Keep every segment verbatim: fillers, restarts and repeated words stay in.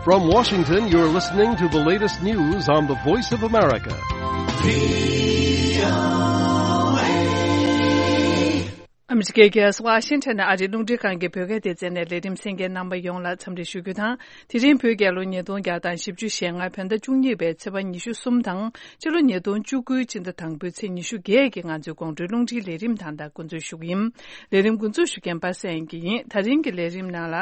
From Washington, you're listening to the latest news on the Voice of America. ཨ་མི་རི་ཀའི་རྒྱལ་ས་ཝ་ཤིང་ཊོན་ནས་ཨ་རིའི་རླུང་འཕྲིན་ཁང་གི་བོད་སྐད་སྡེ་ཚན་ནས་ལས་རིམ་གསན་མཁན་རྣམ་པ་ཡོངས་ལ་འཚམས་འདྲི་ཞུ་རྒྱུ་དང་། དེ་རིང་བོད་རྒྱལ་ལོ་ཉིས་སྟོང་བརྒྱ་དང་བཞི་བཅུ་ཞེ་ལྔ་བོད་ཟླ་བཅུ་གཉིས་པའི་ཚེས་པ་ཉི་ཤུ་གསུམ་དང་། སྤྱི་ལོ་ཉིས་སྟོང་བཅུ་དགུ་སྤྱི་ཟླ་དང་པོའི་ཚེས་ཉི་ཤུ་བརྒྱད་ཀྱི་ང་ཚོའི་དགོང་དྲོའི་རླུང་འཕྲིན་ལས་རིམ་ད་ལྟ་འགོ་འཛུགས་ཞུ་གི་ཡིན། ལས་རིམ་འགོ་འཛུགས་ཞུ་མཁན་པ་སངས་སྐྱིད་ཡིན། ད་རིང་གི་ལས་རིམ་ནང་ལ།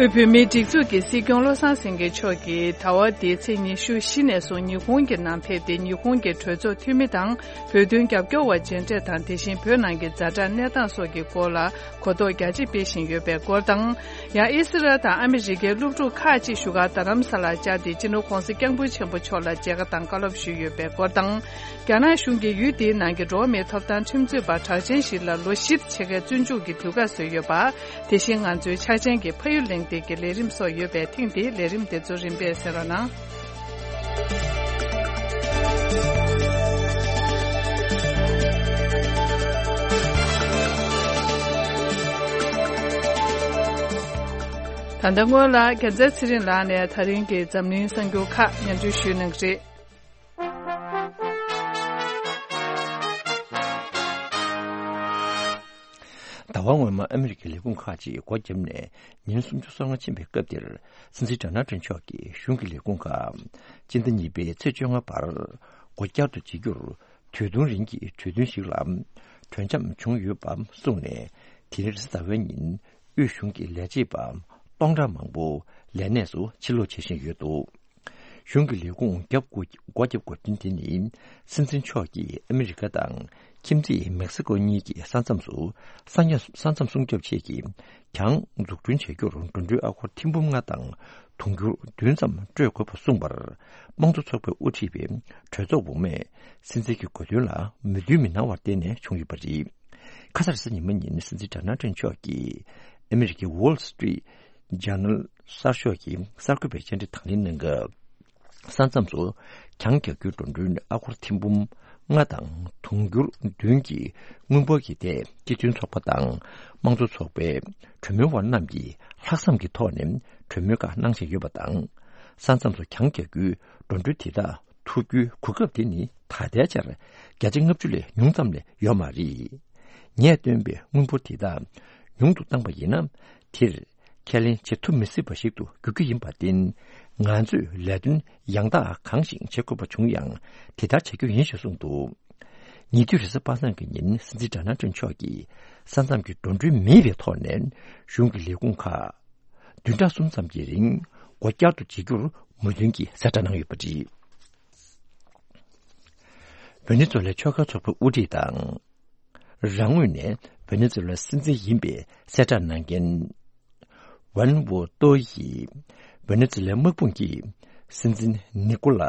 དབུས་བོད་མིའི་སྒྲིག་འཛུགས་ཀྱི་སྲིད་སྐྱོང་བློ་བཟང་སེང་གེ་མཆོག་གིས་ཟླ་བ་འདིའི་ཚེས་ཉི་ཤུ་བཞི་ནས་བཟུང་ཉི་ཧོང་གི་ནང་ཕེབས་ཏེ། ཉི་ཧོང་གི་གྲོས་ཚོགས་འཐུས་མི་དང་། བོད་དོན་རྒྱབ་སྐྱོར་བ་མཇལ་འཕྲད་དང་། དེ་བཞིན་བོད་ནང་གི་ཛ་དྲག་གནས་སྟངས་སོགས་ཀྱི་སྐོར་ལ་གོ་རྟོགས་རྒྱ་ཆེ་སྤེལ་བཞིན་ཡོད་པའི་སྐོར་དང་། ཡང་ཨི་སི་རལ་དང་ཨ་མི་རི་ཀའི་སློབ་ཕྲུག་ཁག་ཅིག་བཞུགས་སྒར་རྡ་རམ་ས་ལར་བཅར་ཏེ། སྤྱི་ནོར་༧གོང་ས་༧སྐྱབས་མགོན་ཆེན་པོ་མཆོག་ལ་མཇལ་ཁ་དང་བཀའ་སློབ་ཞུས་ཡོད་པའི་སྐོར་དང་། རྒྱ་ནག་གཞུང་གིས་ཡུལ་དེའི་ནང་གི་འགྲོ་བ་མིའི་ཐོབ་ཐང་ཁྲིམས་རྩོད་པ་གྲགས་ཅན་ཞིག་ལ་ལོ་བཞི་ཕྱེད་ཀའི་བཙོན་འཇུག་གི་དུས་བཀག་བཟོས་ཡོད་པ། དེ་བཞིན་ང་ཚོའི་འཆར་ཅན་གྱི་ཕ་ཡུལ་གླེང་སྟེགས་ཀྱི་ལས་རིམ་སོགས་ཡོད་པས། ཐེངས་འདིའི་ལས་རིམ་དེ་ཚོ་རིམ་པས་གསན་རོགས་གནང་། ད་ལྟ་སྔོན་ལ་རྒྱལ་མཚན་ཚེ་རིང་ལགས་ནས་ད་རིང་གི་འཛམ་གླིང་གསར་འགྱུར་ཁག་སྙན་སྒྲོན་ཞུ་གནང་གི་རེད། ཟླ་བ་སྔོན་མ་ཨ་མི་རི་ཀའི་ལས་ཁུངས་ཁག་ཅིག་སྒོ་བརྒྱབ་ནས་ཉིན་སུམ་ཅུ་སོ་ལྔ་ཕྱིན་པའི་སྐབས་འདིར། སྲིད་འཛིན་ཌོ་ནལ་ཊམ་མཆོག་གིས་གཞུང་གི་ལས་ཁུངས་ཁག་སྤྱི་ཟླ་གཉིས་པའི་ཚེས་བཅོ་ལྔ་བར་སྒོ་བསྐྱར་དུ་འབྱེད་རྒྱུར། དུས་ཐུང་རིང་གི་གྲོས་མཐུན་ཞིག་ལ་གྲོས་འཆམ་བྱུང་ཡོད་པ་གསུངས་ནས། དེ་རིང་རེས་གཟའ་ཟླ་བའི་ཉིན་དབུས་གཞུང་གི་ལས་བྱེད་པ་སྟོང་ཕྲག་མང་པོ་ལས་གནས་སུ་ཕྱིར་ལོག་བྱེད་བཞིན་ཡོད་འདུག་གཞུང་གི་ལས་ཁུངས་བརྒྱབ་དགོས། སྒོ་བརྒྱབ་དགོས་དོན་དེ་ནི། སྲིད་འཛིན་མཆོག་གིས་ཨ་མི་རི་ཀ་དང་ཁྱིམ་མཚེས་མེག་སི་ཀོ་གཉིས་ཀྱི་ས་མཚམས་སུ་ས་མཚམས་སྲུང་སྐྱོབ་ཆེད་ཀྱི་གྱང་འཛུགས་སྐྲུན་བྱ་རྒྱུར་འགྲོ་གྲོན་ཨ་སྒོར་ཐེར་འབུམ་ལྔ་དང་དུང་ཕྱུར་བདུན་ཙམ་སྤྲོད་དགོས་པ་གསུངས་པར། དམངས་གཙོ་ཚོགས་པས་དབུ་ཁྲིད་པའི་གྲོས་ཚོགས་འོག་མས་སྲིད་འཛིན་གྱི་དགོས་འདུན་ལ་མོས་མཐུན་མི་གནང་བར་བརྟེན་ནས་བྱུང་ཡོད་པ་རེད། ཁ་སང་རེས་གཟའ་ཉི་མ་ཉིན་སྲིད་འཛིན་ཌོ་ནལ་ཊམ་མཆོག་གིས་ཨ་མི་རི་ཀའི་Wall Street Journal གསར་ཤོག་གི་གསར་འགོད་པའི་བཅར་འདྲི་དང་ལེན་གནང་སྐབས། ས་མཚམས་སུ་གྱང་རྒྱག་རྒྱུའི་འགྲོ་གྲོན་ཨ་སྒོར་ཐེར་འབུམ་ལྔ་དང་དུང་ཕྱུར་བདུན་གྱི་དངུལ་འབོར་གྱི་ཐད། སྤྱི་མཐུན་ཚོགས་པ་དང་དམངས་གཙོ་ཚོགས་པའི་གྲོས་མོལ་བ་རྣམས་ཀྱིས་ལྷག་བསམ་གྱི་ཐོག་ནས་གྲོས་མོལ་ཁག་གནང་བཞིན་ཡོད་པ་དང་། ས་མཚམས་སུ་གྱང་རྒྱག་རྒྱུའི་འགྲོ་གྲོན་དེ་དག་ཐུབ་རྒྱུའི་གོ་སྐབས་དེ་ནི་ད་ལྟའི་ཆར་བརྒྱ་ཆ་ལྔ་བཅུ་ལས་ཉུང་ཙམ་ལས་ཡོད་མ་རེད། ངས་བཏོན་པའི་དངུལ་འབོར་དེ་དག་ཉུང་དུ་བཏང་པ་ཡིན་ན། དེར་ཁས་ལེན་བྱེད་ཐུབ་མི་སྲིད་པ་ཞིག་ཏུ་འགྱུར་གྱི་ཡིན་པར་བརྟེན། ང་ཚོས་ལས་དོན་ཡང་དག་གང་ཞིག་བྱེད་དགོས་པ་བྱུང་ཡང་དེ་ལྟར་བྱ་རྒྱུ་ཡིན་ཞེས་གསུངས་འདུག་ཉེ་དུས་རེས་གཟའ་པ་སངས་ཀྱི་ཉིན་སྲིད་འཛིན་ཌོ་ནལ་ཊམ་མཆོག་གིས་ས་མཚམས་ཀྱི་འགྲོ་གྲོན་མེད་པའི་ཐོག་ནས་གཞུང་གི་ལས་ཁུངས་ཁག་བདུན་ཕྲག་གསུམ་ཙམ་གྱི་རིང་སྒོ་བསྐྱར་དུ་འབྱེད་རྒྱུར་མོས་མཐུན་གྱིས་གསལ་བསྒྲགས་གནང་ཡོད་པ་རེད། ཝེ་ནེ་ཛུ་ལའི་ཆོལ་ཁ་ཚོགས་པའི་དབུ་ཁྲིད་དང་། རང་ངོས་ནས་ཝེ་ནེ་ཛུ་ལའི་སྲིད་འཛིན་ཡིན་པའི་གསལ་བསྒྲགས་གནང་མཁན་ཝན་ཝོ་ཏོ་ཡིས། ཝེ་ནེ་ཛུ་ལའི་དམག་དཔུང་གིས་སྲིད་འཛིན་ནི་ཀོ་ལ་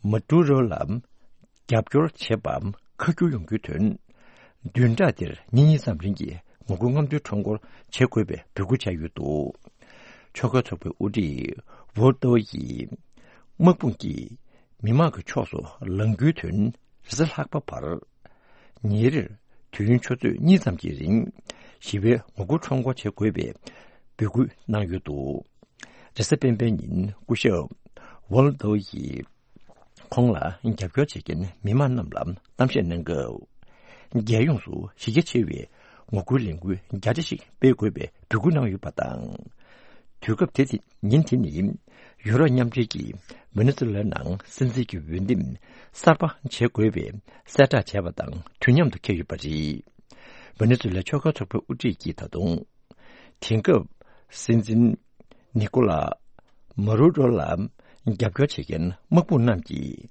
མ་ཏུ་རོ་ལ་རྒྱབ་སྐྱོར་བྱེད་པ་ཁ་བསྒྱུར་ཡོང་རྒྱུའི་དོན། བདུན་ཕྲག་འདིར་ཉིན་གཉིས་ཙམ་རིང་གི་ངོ་རྒོལ་རྔམ་སྟོན་ཁྲོམ་སྐོར་བྱེད་དགོས་པའི་འབོད་སྐུལ་བྱས་ཡོད་འདུག་ཆོལ་ཁ་ཚོགས་པའི་དབུ་ཁྲིད་ཝོ་ཏོ་ཡིས། དམག་དཔུང་གིས་མི་མང་གི་ཕྱོགས་སུ་ལངས་རྒྱུའི་དོན། རེས་གཟའ་ལྷག་པ་བར། ཉིན་རེར་དུས་ཡུན་ཆུ་ཚོད་གཉིས་ཙམ་གྱི་རིང་ཞི་བའི་ངོ་རྒོལ་ཁྲོམ་སྐོར་བྱེད་དགོས་པའི་འབོད་སྐུལ་གནང་ཡོད་འདུག་རེས་གཟའ་སྤེན་པའི་ཉིན་སྐུ་ཞབས་ཝོལ་ཏོ་ཡིས་ཁོང་ལ་རྒྱབ་སྐྱོར་བྱེད་མཁན་མི་མང་རྣམས་ལ་གཏམ་བཤད་གནང་སྐབས། རྒྱལ་ཡོངས་སུ་གཞི་རྒྱ་ཆེ་བའི་ངོ་རྒོལ་ལས་འགུལ་རྒྱ་ཆེ་ཞིག་སྤེལ་དགོས་པའི་འབོད་སྐུལ་གནང་ཡོད་པ་དང་། དུས་སྐབས་དེ་ཉིན་དེ་ནི་ཡུ་རོབ་མཉམ་འབྲེལ་གྱིས་ཝེ་ནེ་ཛུ་ལའི་ནང་སྲིད་འཛིན་གྱི་འོས་འདེམས་གསར་པ་བྱེད་དགོས་པའི་གསལ་བསྒྲགས་བྱས་པ་དང་དུས་མཉམ་དུ་འཁེལ་ཡོད་པ་རེད། ཝེ་ནེ་ཛུ་ལའི་ཆོལ་ཁ་ཚོགས་པའི་དབུ་ཁྲིད་ཀྱིས་ད་དུང་། དེང་སྐབས་སྲིད་འཛིན་ནི་ཀོ་ལ་མ་རུ་རོ་ལ་རྒྱབ་སྐྱོར་བྱེད་མཁན་དམག་དཔུང་རྣམས་ཀྱིས་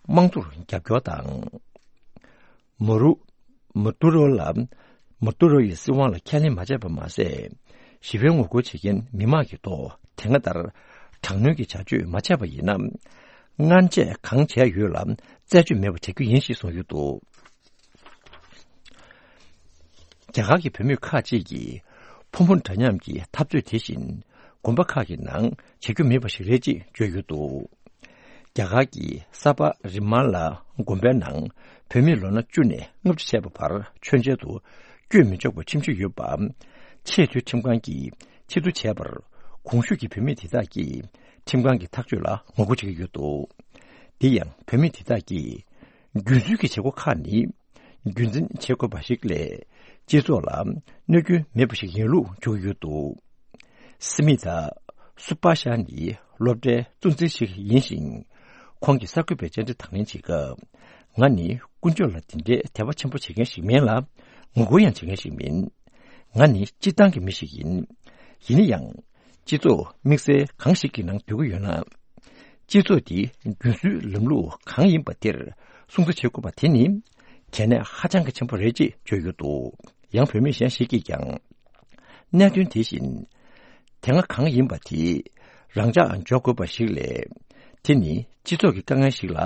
དམངས་གཙོར་རྒྱབ་སྐྱོར་དང་། མ་རུ། མ་ཏུ་རོ་ལ། མ་ཏུ་རོ་ཡི་སྲིད་དབང་ལ་ཁས་ལེན་མ་བྱས་པ་མ་ཟད། ཞི་བའི་ངོ་རྒོལ་བྱེད་མཁན་མི་མང་གི་ཐོག་དེ་སྔ་ལྟར་དྲག་གནོན་གྱི་བྱ་སྤྱོད་མ་བྱས་པ་ཡིན་ན། སྔོན་ཆད་གང་བྱས་ཡོད་ལ་རྩད་གཅོད་མེད་པ་བྱ་རྒྱུ་ཡིན་ཞེས་གསུངས་ཡོད་འདུག་རྒྱ་གར་གྱི་བུད་མེད་ཁག་ཅིག་གིས་ཕོ་མོ་འདྲ་མཉམ་གྱི་འཐབ་རྩོད་དེ་བཞིན་དགོན་པ་ཁག་གི་ནང་བྱེད་རྒྱུ་མེད་པ་ཞིག་རེད་ཅེས་བརྗོད་ཡོད་འདུག་རྒྱ་གར་གྱི་ས་པ་རི་མ་ལ་དགོན་པའི་ནང་བོད་མིས་ལོ་ན་བཅུ་ནས་ལྔ་བཅུ་བྱས་པ་བར་མཆོད་མཇལ་དུ་བསྐྱོད་མི་ཆོག་པའི་ཁྲིམས་གཞི་ཡོད་པ། ཆེས་མཐོའི་ཁྲིམས་ཁང་གིས་ཕྱིར་བསྡུ་བྱས་པར། གོང་ཞུས་ཀྱི་བོད་མི་དེ་དག་གིས་ཁྲིམས་ཁང་གི་ཐག་གཅོད་ལ་ངོ་རྒོལ་བྱེད་ཀྱི་ཡོད་འདུག། དེ་ཡང་བོད་མི་དེ་དག་གིས་རྒྱུན་སྲོལ་གྱི་བྱེད་སྒོ་ཁག་ནི། རྒྱུན་འཛིན་བྱེད་དགོས་པ་ཞིག་ལས། སྤྱི་ཚོགས་ལ་གནོད་སྐྱོན་མེད་པ་ཞིག་ཡིན་ལུགས་བརྗོད་ཀྱི་ཡོད་འདུག། སི་མི་ཐ་སུ་པ་ཤ་ནི་སློབ་གྲྭའི་གཙོ་འཛིན་ཞིག་ཡིན་ཞིང་། ཁོང་གིས་གསར་འགོད་པའི་བཅར་འདྲི་དང་ལེན་བྱེད་སྐབས། ང་ནི་ཀུན་སྤྱོད་ལ་དེ་འདྲའི་དད་པ་ཆེན་པོ་བྱེད་མཁན་ཞིག་མིན་ལ། ངོ་རྒོལ་ཡང་བྱེད་མཁན་ཞིག་མིན། ང་ནི་སྤྱིར་བཏང་གི་མི་ཞིག་ཡིན། ཡིན་ན་ཡང་། སྤྱི་ཚོགས་དམིགས་བསལ་གང་ཞིག་གི་ནང་སྡོད་ཀྱི་ཡོད་ན། སྤྱི་ཚོགས་འདིའི་རྒྱུན་སྲོལ་ལམ་ལུགས་གང་ཡིན་པ་དེར་སྲུང་བརྩི་བྱེད་དགོས་པ་དེ་ནི་གལ་གནད་ཧ་ཅང་གི་ཆེན་པོ་རེད་ཅེས་བརྗོད་ཡོད་འདུག། ཡང་བོད་མི་གཞན་ཞིག་གིས་ཀྱང་། གནད་དོན་དེ་བཞིན་དེ་སྔ་གང་ཡིན་པ་དེ་རང་འཇགས་འཇོག་དགོས་པ་ཞིག་ལས། དེ་ནི་སྤྱི་ཚོགས་ཀྱི་དཀའ་ངལ་ཞིག་ལ།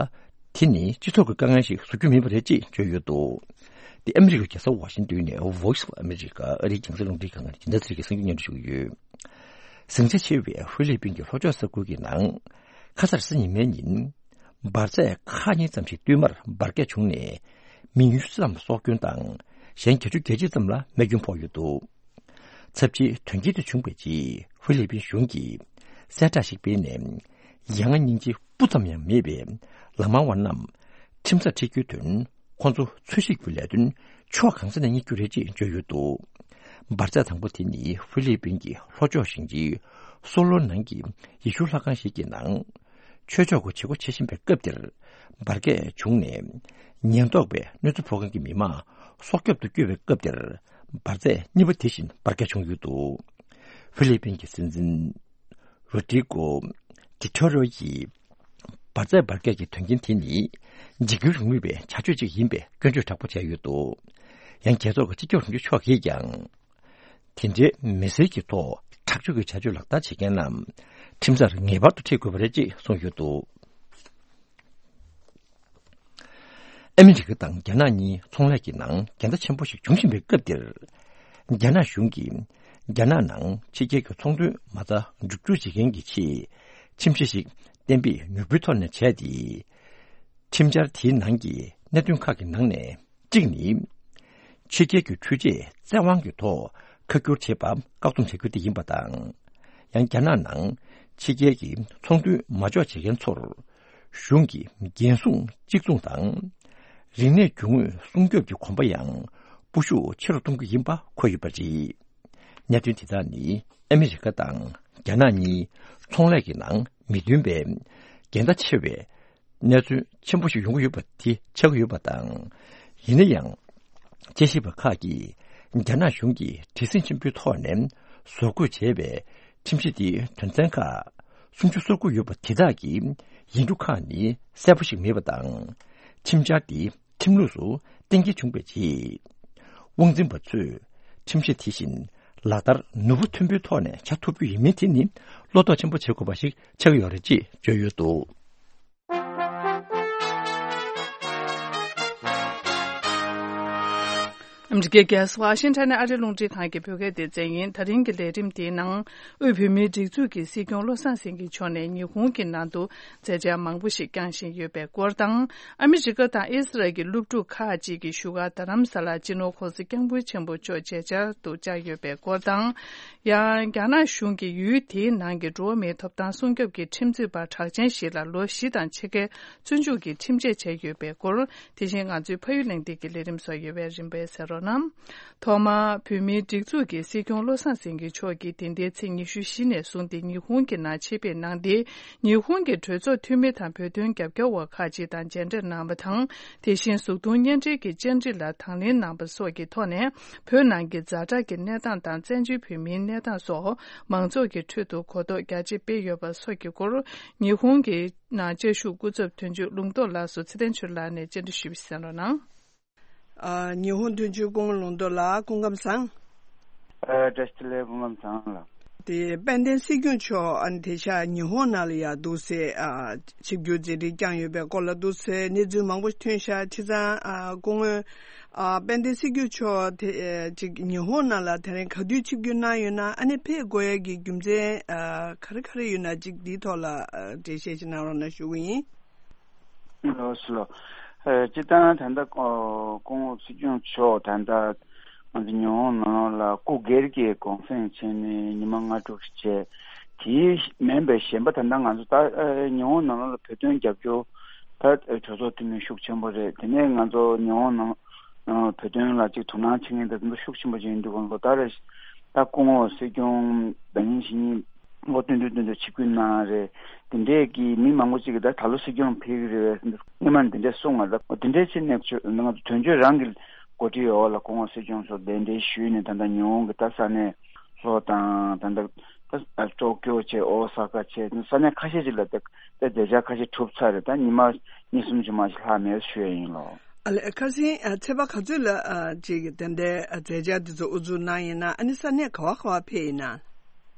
དེ་ནི་སྤྱི་ཚོགས་ཀྱི་དཀའ་ངལ་ཞིག་བཟོ་རྒྱུ་མིན་པ་རེད་ཅེས་བརྗོད་ཡོད་འདུག། དེ་ཨ་མི་རི་ཀའི་རྒྱལ་ས་ཝ་ཤིང་ཏོན་ནས་Voice of America ཨ་རིའི་རྒྱང་སྲིང་རླུང་འཕྲིན་ཁང་ནས་སྦྱིན་བདག་ཚེ་རིང་གིས་གསར་འགྱུར་སྙན་སྒྲོན་ཞུ་གི་ཡོད། ཟིང་ཆ་ཆེ་བའི་ཧྥི་ལི་པིན་གྱི་ལྷོ་ཕྱོགས་ས་ཁུལ་གྱི་ནང་། ཁ་སང་གཟའ་ཉི་མའི་ཉིན། འབར་རྫས་ཁག་གཉིས་ཙམ་ཞིག་བསྟུད་མར་འབར་གས་བྱུང་ནས། མི་ཉུང་ཤས་ཙམ་སྲོག་སྐྱོན་དང་། གཞན་བརྒྱད་ཅུ་གྱ་གཅིག་ཙམ་ལ་རྨས་སྐྱོན་ཕོག་ཡོད་འདུག། ཚབས་ཆེའི་དོན་རྐྱེན་དེ་བྱུང་བའི་རྗེས་ཧྥི་ལི་པིན་གཞུང་གིས་གསལ་བསྒྲགས་ཤིག་སྤེལ་ནས། ཡ་ང་སྙིང་རྗེ་སྤུ་ཙམ་ཡང་མེད་པའི་ལག་དམར་བ་རྣམས་ཁྲིམས་སར་ཁྲིད་རྒྱུའི་དོན། ཁོང་ཚོ་འཚོལ་ཞིབ་ཀྱི་ལས་དོན་ཕྱོགས་གང་ས་ནས་གཉེར་རྒྱུ་རེད་ཅེས་བརྗོད་ཡོད་འདུག། འབར་རྫས་དང་པོ་དེ་ནི་ཧྥི་ལི་པིན་གྱི་ལྷོ་ཕྱོགས་ཞིང་ཆེན་སོ་ལོ་ནང་གི་ཡེ་ཤུ་ལྷ་ཁང་ཞིག་གི་ནང་། ཆོས་ཕྱོགས་ཀྱི་བྱེད་སྒོ་བྱེད་བཞིན་པའི་སྐབས་དེར་འབར་གས་བྱུང་ནས། ཉེན་རྟོག་པས་གནོད་འཚེ་ཕོག་མཁན་གྱི་མི་མང་སྲོག་སྐྱོབ་ཏུ་བསྐྱོད་པའི་སྐབས་དེར། འབར་རྫས་གཉིས་པ་དེ་བཞིན་འབར་གས་བྱུང་ཡོད་འདུག། ཧྥི་ལི་པིན་གྱི་སྲིད་འཛིན། རོ་ཏྲི་ཀོ་ཏི་ཐོ་རོ་ཡིས་འབར་རྫས་འབར་གས་ཀྱི་དོན་རྐྱེན་དེ་ནི་འཇིགས་སྐུལ་རིང་ལུགས་པའི་བྱ་སྤྱོད་ཅིག་ཡིན་པའི་སྐྱོན་བརྗོད་དྲག་པོ་བྱས་ཡོད་འདུག། ཡང་རྒྱལ་ཚོགས་ཀྱི་སྤྱི་ཁྱབ་དྲུང་ཆེ་མཆོག་གིས་ཀྱང་། དེ་འདྲའི་མི་སེར་གྱི་ཐོག་དྲག་སྤྱོད་ཀྱི་བྱ་སྤྱོད་ལག་བསྟར་བྱེད་མཁན་རྣམས་ཁྲིམས་སར་ངེས་པར་དུ་ཁྲིད་དགོས་པ་རེད་ཅེས་གསུངས་ཡོད་འདུག། ཨ་མི་རི་ཀ་དང་རྒྱ་ནག་གཉིས་ཚོང་ལས་ཀྱི་ནང་འགལ་ཟླ་ཆེན་པོ་ཞིག་འབྱུང་བཞིན་པའི་སྐབས་འདིར། རྒྱ་ནག་གཞུང་གིས་རྒྱ་ནག་ནང་ཕྱི་རྒྱལ་གྱི་ཚོང་དོན་མ་རྩ་འགྲུབ་སྒྱུར་བྱེད་མཁན་གྱི་ཆེད། ཁྲིམས་གཞི་ཞིག་གཏན་འབེབས་མྱུར་པོའི་ཐོག་ནས་བྱས་ཏེ། ཁྲིམས་འཆར་དེའི་ནང་གི་གནད་དོན་ཁག་གི་ནང་ནས་གཅིག་ནི། ཕྱི་རྒྱལ་གྱི་འཕྲུལ་ཆས་བཙན་དབང་གི་ཐོག་ཁ་བསྒྱུར་བྱེད་པ་བཀག་སྡོམ་བྱ་རྒྱུ་དེ་ཡིན་པ་དང་། ཡང་རྒྱ་ནག་ནང་ཕྱི་རྒྱལ་གྱི་ཚོང་དོན་མ་འཇོག་བྱེད་མཁན་ཚོར། གཞུང་གི་འགན་སྲུང་གཅིག་མཚུངས་དང་། རིག་གནས་རྒྱུ་དངོས་སྲུང་སྐྱོབ་ཀྱི་གོམ་པ་ཡང་སྤོ་ཤུགས་ཆེ་རུ་གཏོང་རྒྱུ་ཡིན་པ་འཁོད་ཡོད་པ་རེད། གནད་དོན་དེ་དག་ནི་ཨ་མི་རི་ཀ་དང་རྒྱ་ནག་གཉིས་ཚོང་ལས་ཀྱི་ནང་མི་མཐུན་པའི་འགལ་ཟླ་ཆེ་བའི་གནས་ཚུལ་ཆེན་པོ་ཞིག་ཡོང་གི་ཡོད་པ་དེ་ཆགས་ཀྱི་ཡོད་པ་དང་། ཡིན་ན་ཡང་། དཔྱད་ཞིབ་པ་ཁག་གིས་རྒྱ་ནག་གཞུང་གིས་བྲེལ་ཟིང་ཆེན་པོའི་ཐོག་ནས་བཟོ་འགོད་བྱས་པའི་ཁྲིམས་གཞི་དེའི་དོན་ཚན་ཁག་སུམ་ཅུ་སོ་དགུ་ཡོད་པ་དེ་དག་གི་ཡིག་འབྲུ་ཁག་ནི་གསལ་པོ་ཞིག་མེད་པ་དང་། ཁྲིམས་འཆར་དེ་ཁྲིམས་ལུགས་སུ་གཏན་འཁེལ་བྱུང་བའི་རྗེས། དབང་འཛིན་པ་ཚོས་ཁྲིམས་གཞི་དེ་བཞིན་ལག་བསྟར་ནུས་པ་མཐོན་པོའི་ཐོག་ནས་བྱ་ཐུབ་རྒྱུ་ཡིན་མིན་དེ་ནི་བློ་དོགས་ཆེན་པོ་བྱེད་དགོས་པ་ཞིག་ཆགས་ཀྱི་ཡོད་རེད་ཅེས་བརྗོད་ཡོད་འདུག། ཨ་མི་རི་ཀའི་རྒྱལ་ས་ཝ་ཤིང་ཊོན་ནས་ཨ་རིའི་རླུང་འཕྲིན་ཁང་གི་བོད་སྐད་སྡེ་ཚན་ཡིན། ད་རིང་གི་ལས་རིམ་དེའི་ནང་། དབུས་བོད་མིའི་སྒྲིག་འཛུགས་ཀྱི་སྲིད་སྐྱོང་བློ་བཟང་སེང་གེ་མཆོག་ནས་ཉི་ཧོང་གི་ནང་དུ་མཛད་འཆར་མང་པོ་ཞིག་བསྐྱངས་བཞིན་ཡོད་པའི་སྐོར་དང་། ཨ་མི་རི་ཀ་དང་ཨི་སི་རལ་གྱི་སློབ་ཕྲུག་ཁག་ཅིག་གི་བཞུགས་སྒར་རྡ་རམ་ས་ལར་སྤྱི་ནོར་༸གོང་ས་༸སྐྱབས་མགོན་ཆེན་པོ་མཆོག་མཇལ་བཅར་དུ་བཅར་ཡོད་པའི་སྐོར་དང་། ཡང་རྒྱ་ནག་གཞུང་གིས་ཡུལ་དེའི་ནང་གི་འགྲོ་བ་མིའི་ཐོབ་ཐང་སྲུང་སྐྱོབ་ཀྱི་ཁྲིམས་རྩོད་པ་གྲགས་ཅན་ཞིག་ལ་ལོ་བཞི་དང་ཕྱེད་ཀའི་བཙོན་འཇུག་གི་ཁྲིམས་ཆད་བཅད་ཡོད་པའི་སྐོར། དེ་བཞིན་ང་ཚོའི་ཕ་ཡུལ་གླེང་སྟེགས་ཀྱི་ལས་རིམ་སོགས་ཡོད་པས་རིམ་པས་གསན་རོགས་གནང་། ཐོག་མར་བོད་མིའི་སྒྲིག་འཛུགས་ཀྱི་སྲིད་སྐྱོང་བློ་བཟང་སེང་གེ་མཆོག་གིས་དེ་ཟླའི་ཚེས་ཉི་ཤུ་བཞི་ནས་བཟུང་སྟེ་ཉི་ཧོང་གི་ནང་ཆེད་ཕེབས་གནང་སྟེ། ཉི་ཧོང་གི་གྲོས་ཚོགས་འཐུས་མི་དང་བོད་དོན་རྒྱབ་སྐྱོར་བ་ཁག་ཅིག་དང་མཇལ་འཕྲད་གནང་བ་དང་། དེ་བཞིན་གཟུགས་མཐོང་བརྙན་འཕྲིན་གྱི་བཅར་འདྲི་ལ་དང་ལེན་གནང་བ་སོགས་ཀྱི་ཐོག་ནས། བོད་ནང་གི་ཛ་དྲག་གི་གནས་སྟངས་དང་བཙན་བྱོལ་བོད་མིའི་གནས་སྟངས་སོགས་མང་ཚོགས་ཀྱི་ཁྲོད་དུ་གོ་རྟོགས་རྒྱ་ཆེ་སྤེལ་ཡོད་པ་སོགས་ཀྱི་སྐོར། ཉི་ཧོང་གི་ནང་བཅའ་བཞུགས་སྐུ་ཚབ་དོན་གཅོད་ལུང་རྟོགས་ལགས་སུ་ཚེ་བརྟན་ཆོས་ལགས་ནས་བཅར་འདྲི་ཞུས་པ་གསན་རོགས་གནང་། ཨ། ཉི་ཧོང་དོན་གཅོད་སྐུ་ངོ་ལུང་རྟོགས་ལགས་སྐུ་ཁམས་བཟང་། ཨ། བཀྲ་ཤིས་བདེ་ལེགས། སྐུ་ཁམས་བཟང་ལགས། དེ་དཔལ་ལྡན་སྲིད་སྐྱོང་མཆོག་ཨ་ནི་དེ་ཤག་ཉི་ཧོང་ནང་ལ་ཡ་འདུག་སེ། ཨ། ཆིབས་བསྒྱུར་མཛད་འཕྲིན་བསྐྱངས་ཡོད་པའི་སྐོར་ལ་འདུག་སེ་གནས་ཚུལ་མང་པོ་ཐོན་ཤག། བྱས་ཙང་། ཨ། སྐུ་ངོ་ཨ། དཔལ་ལྡན་སྲིད་སྐྱོང་མཆོག་དེ་ཅིག་ཉི་ཧོང་ནང་ལ་དེ་རིང་ག་དུས་ཆིབས་བསྒྱུར་གནང་ཡོད་ན། ཨ་ནི་ཕེབས་དགོས་ཡ་གི་རྒྱུ་མཚན། ཨ། ག་རེ་ག་རེ་ཡོད་ན་ཅིག་འདིའི་ཐོག་ལ། ཨ། འགྲེལ་བཤད་ཅིག་གནང་རོགས་གནང་ཞུ་གི་ཡིན། ལགས་སོ། ཨ། སྤྱིར་བཏང་ད་ལྟ་ཨ་སྐུ་ངོ་སྲིད་སྐྱོང་མཆོག་ད་ལྟ་ང་ཚོ་ཉི་ཧོང་ནང་ལོགས་ལ་སྐུ་སྒེར་གྱི་གུང་སེང་བྱས་ནས་ཉི་མ་ལྔ་དྲུག་བྱས། དེའི་མིན་པའི་གཞན་པ་ད་ལྟ་ང་ཚོ་ད་ཨ་ཉི་ཧོང་ནང་ལོགས་ལ་བོད་དོན་རྒྱབ་སྐྱོར་ད་གྲོས་ཚོགས་འཐུས་མི་ཤུགས་ཆེན་པོ་རེད། དེ་ནས་ང་ཚོ་ཉི་ཧོང་ནང་ཨ་བོད་དོན་ལ་ཅིག་དོ་སྣང་བྱེད་མཁན་དེ་ཚོ་ཤུགས་ཆེན་པོ་ཅིག་ཡིན་འདུག་ལོ་ལྟར་རེ་ད་སྐུ་ངོ་སྲིད་སྐྱོང་ཟླ་ཉིན་བཞི་ཉིན་ལོ་བསྟུད་མར་བསྟུད་མར་ཆིབས་བསྒྱུར་གནང་རེད། དེ་འདྲས་ཀྱི་མི་མང་པོ་ཅིག་གིས་ད་ད་ལོ་སྲིད་སྐྱོང་ཕེབས་ཀྱི་རེད་པས་སྔོན་མ་ནས་དེ་འདྲས་གསུངས་པ་རེད། དེ་འདྲས་བྱས་ནས་ང་ཚོ་དོན་གཅོད་རང་གི་འགོ་ཁྲིད་འོག་ལ་སྐུ་ངོ་སྲིད་སྐྱོང་མཆོག་གདན་འདྲེན་ཞུས་ནས་ད་ལྟ་ཉི་ཧོང་གི་ད་ས་གནས་ལྷོ་དང་ད་ལྟ་ད་ཊོ་ཀྱོ་བྱས་ཨོ་ས་ཀ་བྱས་ས་གནས་ཁ་ཤས་ཅིག་ལ་ད་ད་མཛད་འཆར་ཁ་ཤས་གྲུབ་ཚར་རེད། ད་ཉི་མ་གཉིས་གསུམ་ཅིག་མ་ཞིག་ལྷག་མེད་ཞུ་ཡ་ཡིན་ལོ། ཨ་ལས། ཁ་སང་ཨ་ཚེས་པ་ག་ཚོད་ལ་ཨ་ཅིག་དེ་འདྲའི་ཨ་མཛད་འཆར་དེ་ཚོ་དབུ་འཛུགས་གནང་ཡིན་ན། ཨ་ནི་ས་གནས་ག་བ་ག་བ་ཕེབས་ཡིན་ན།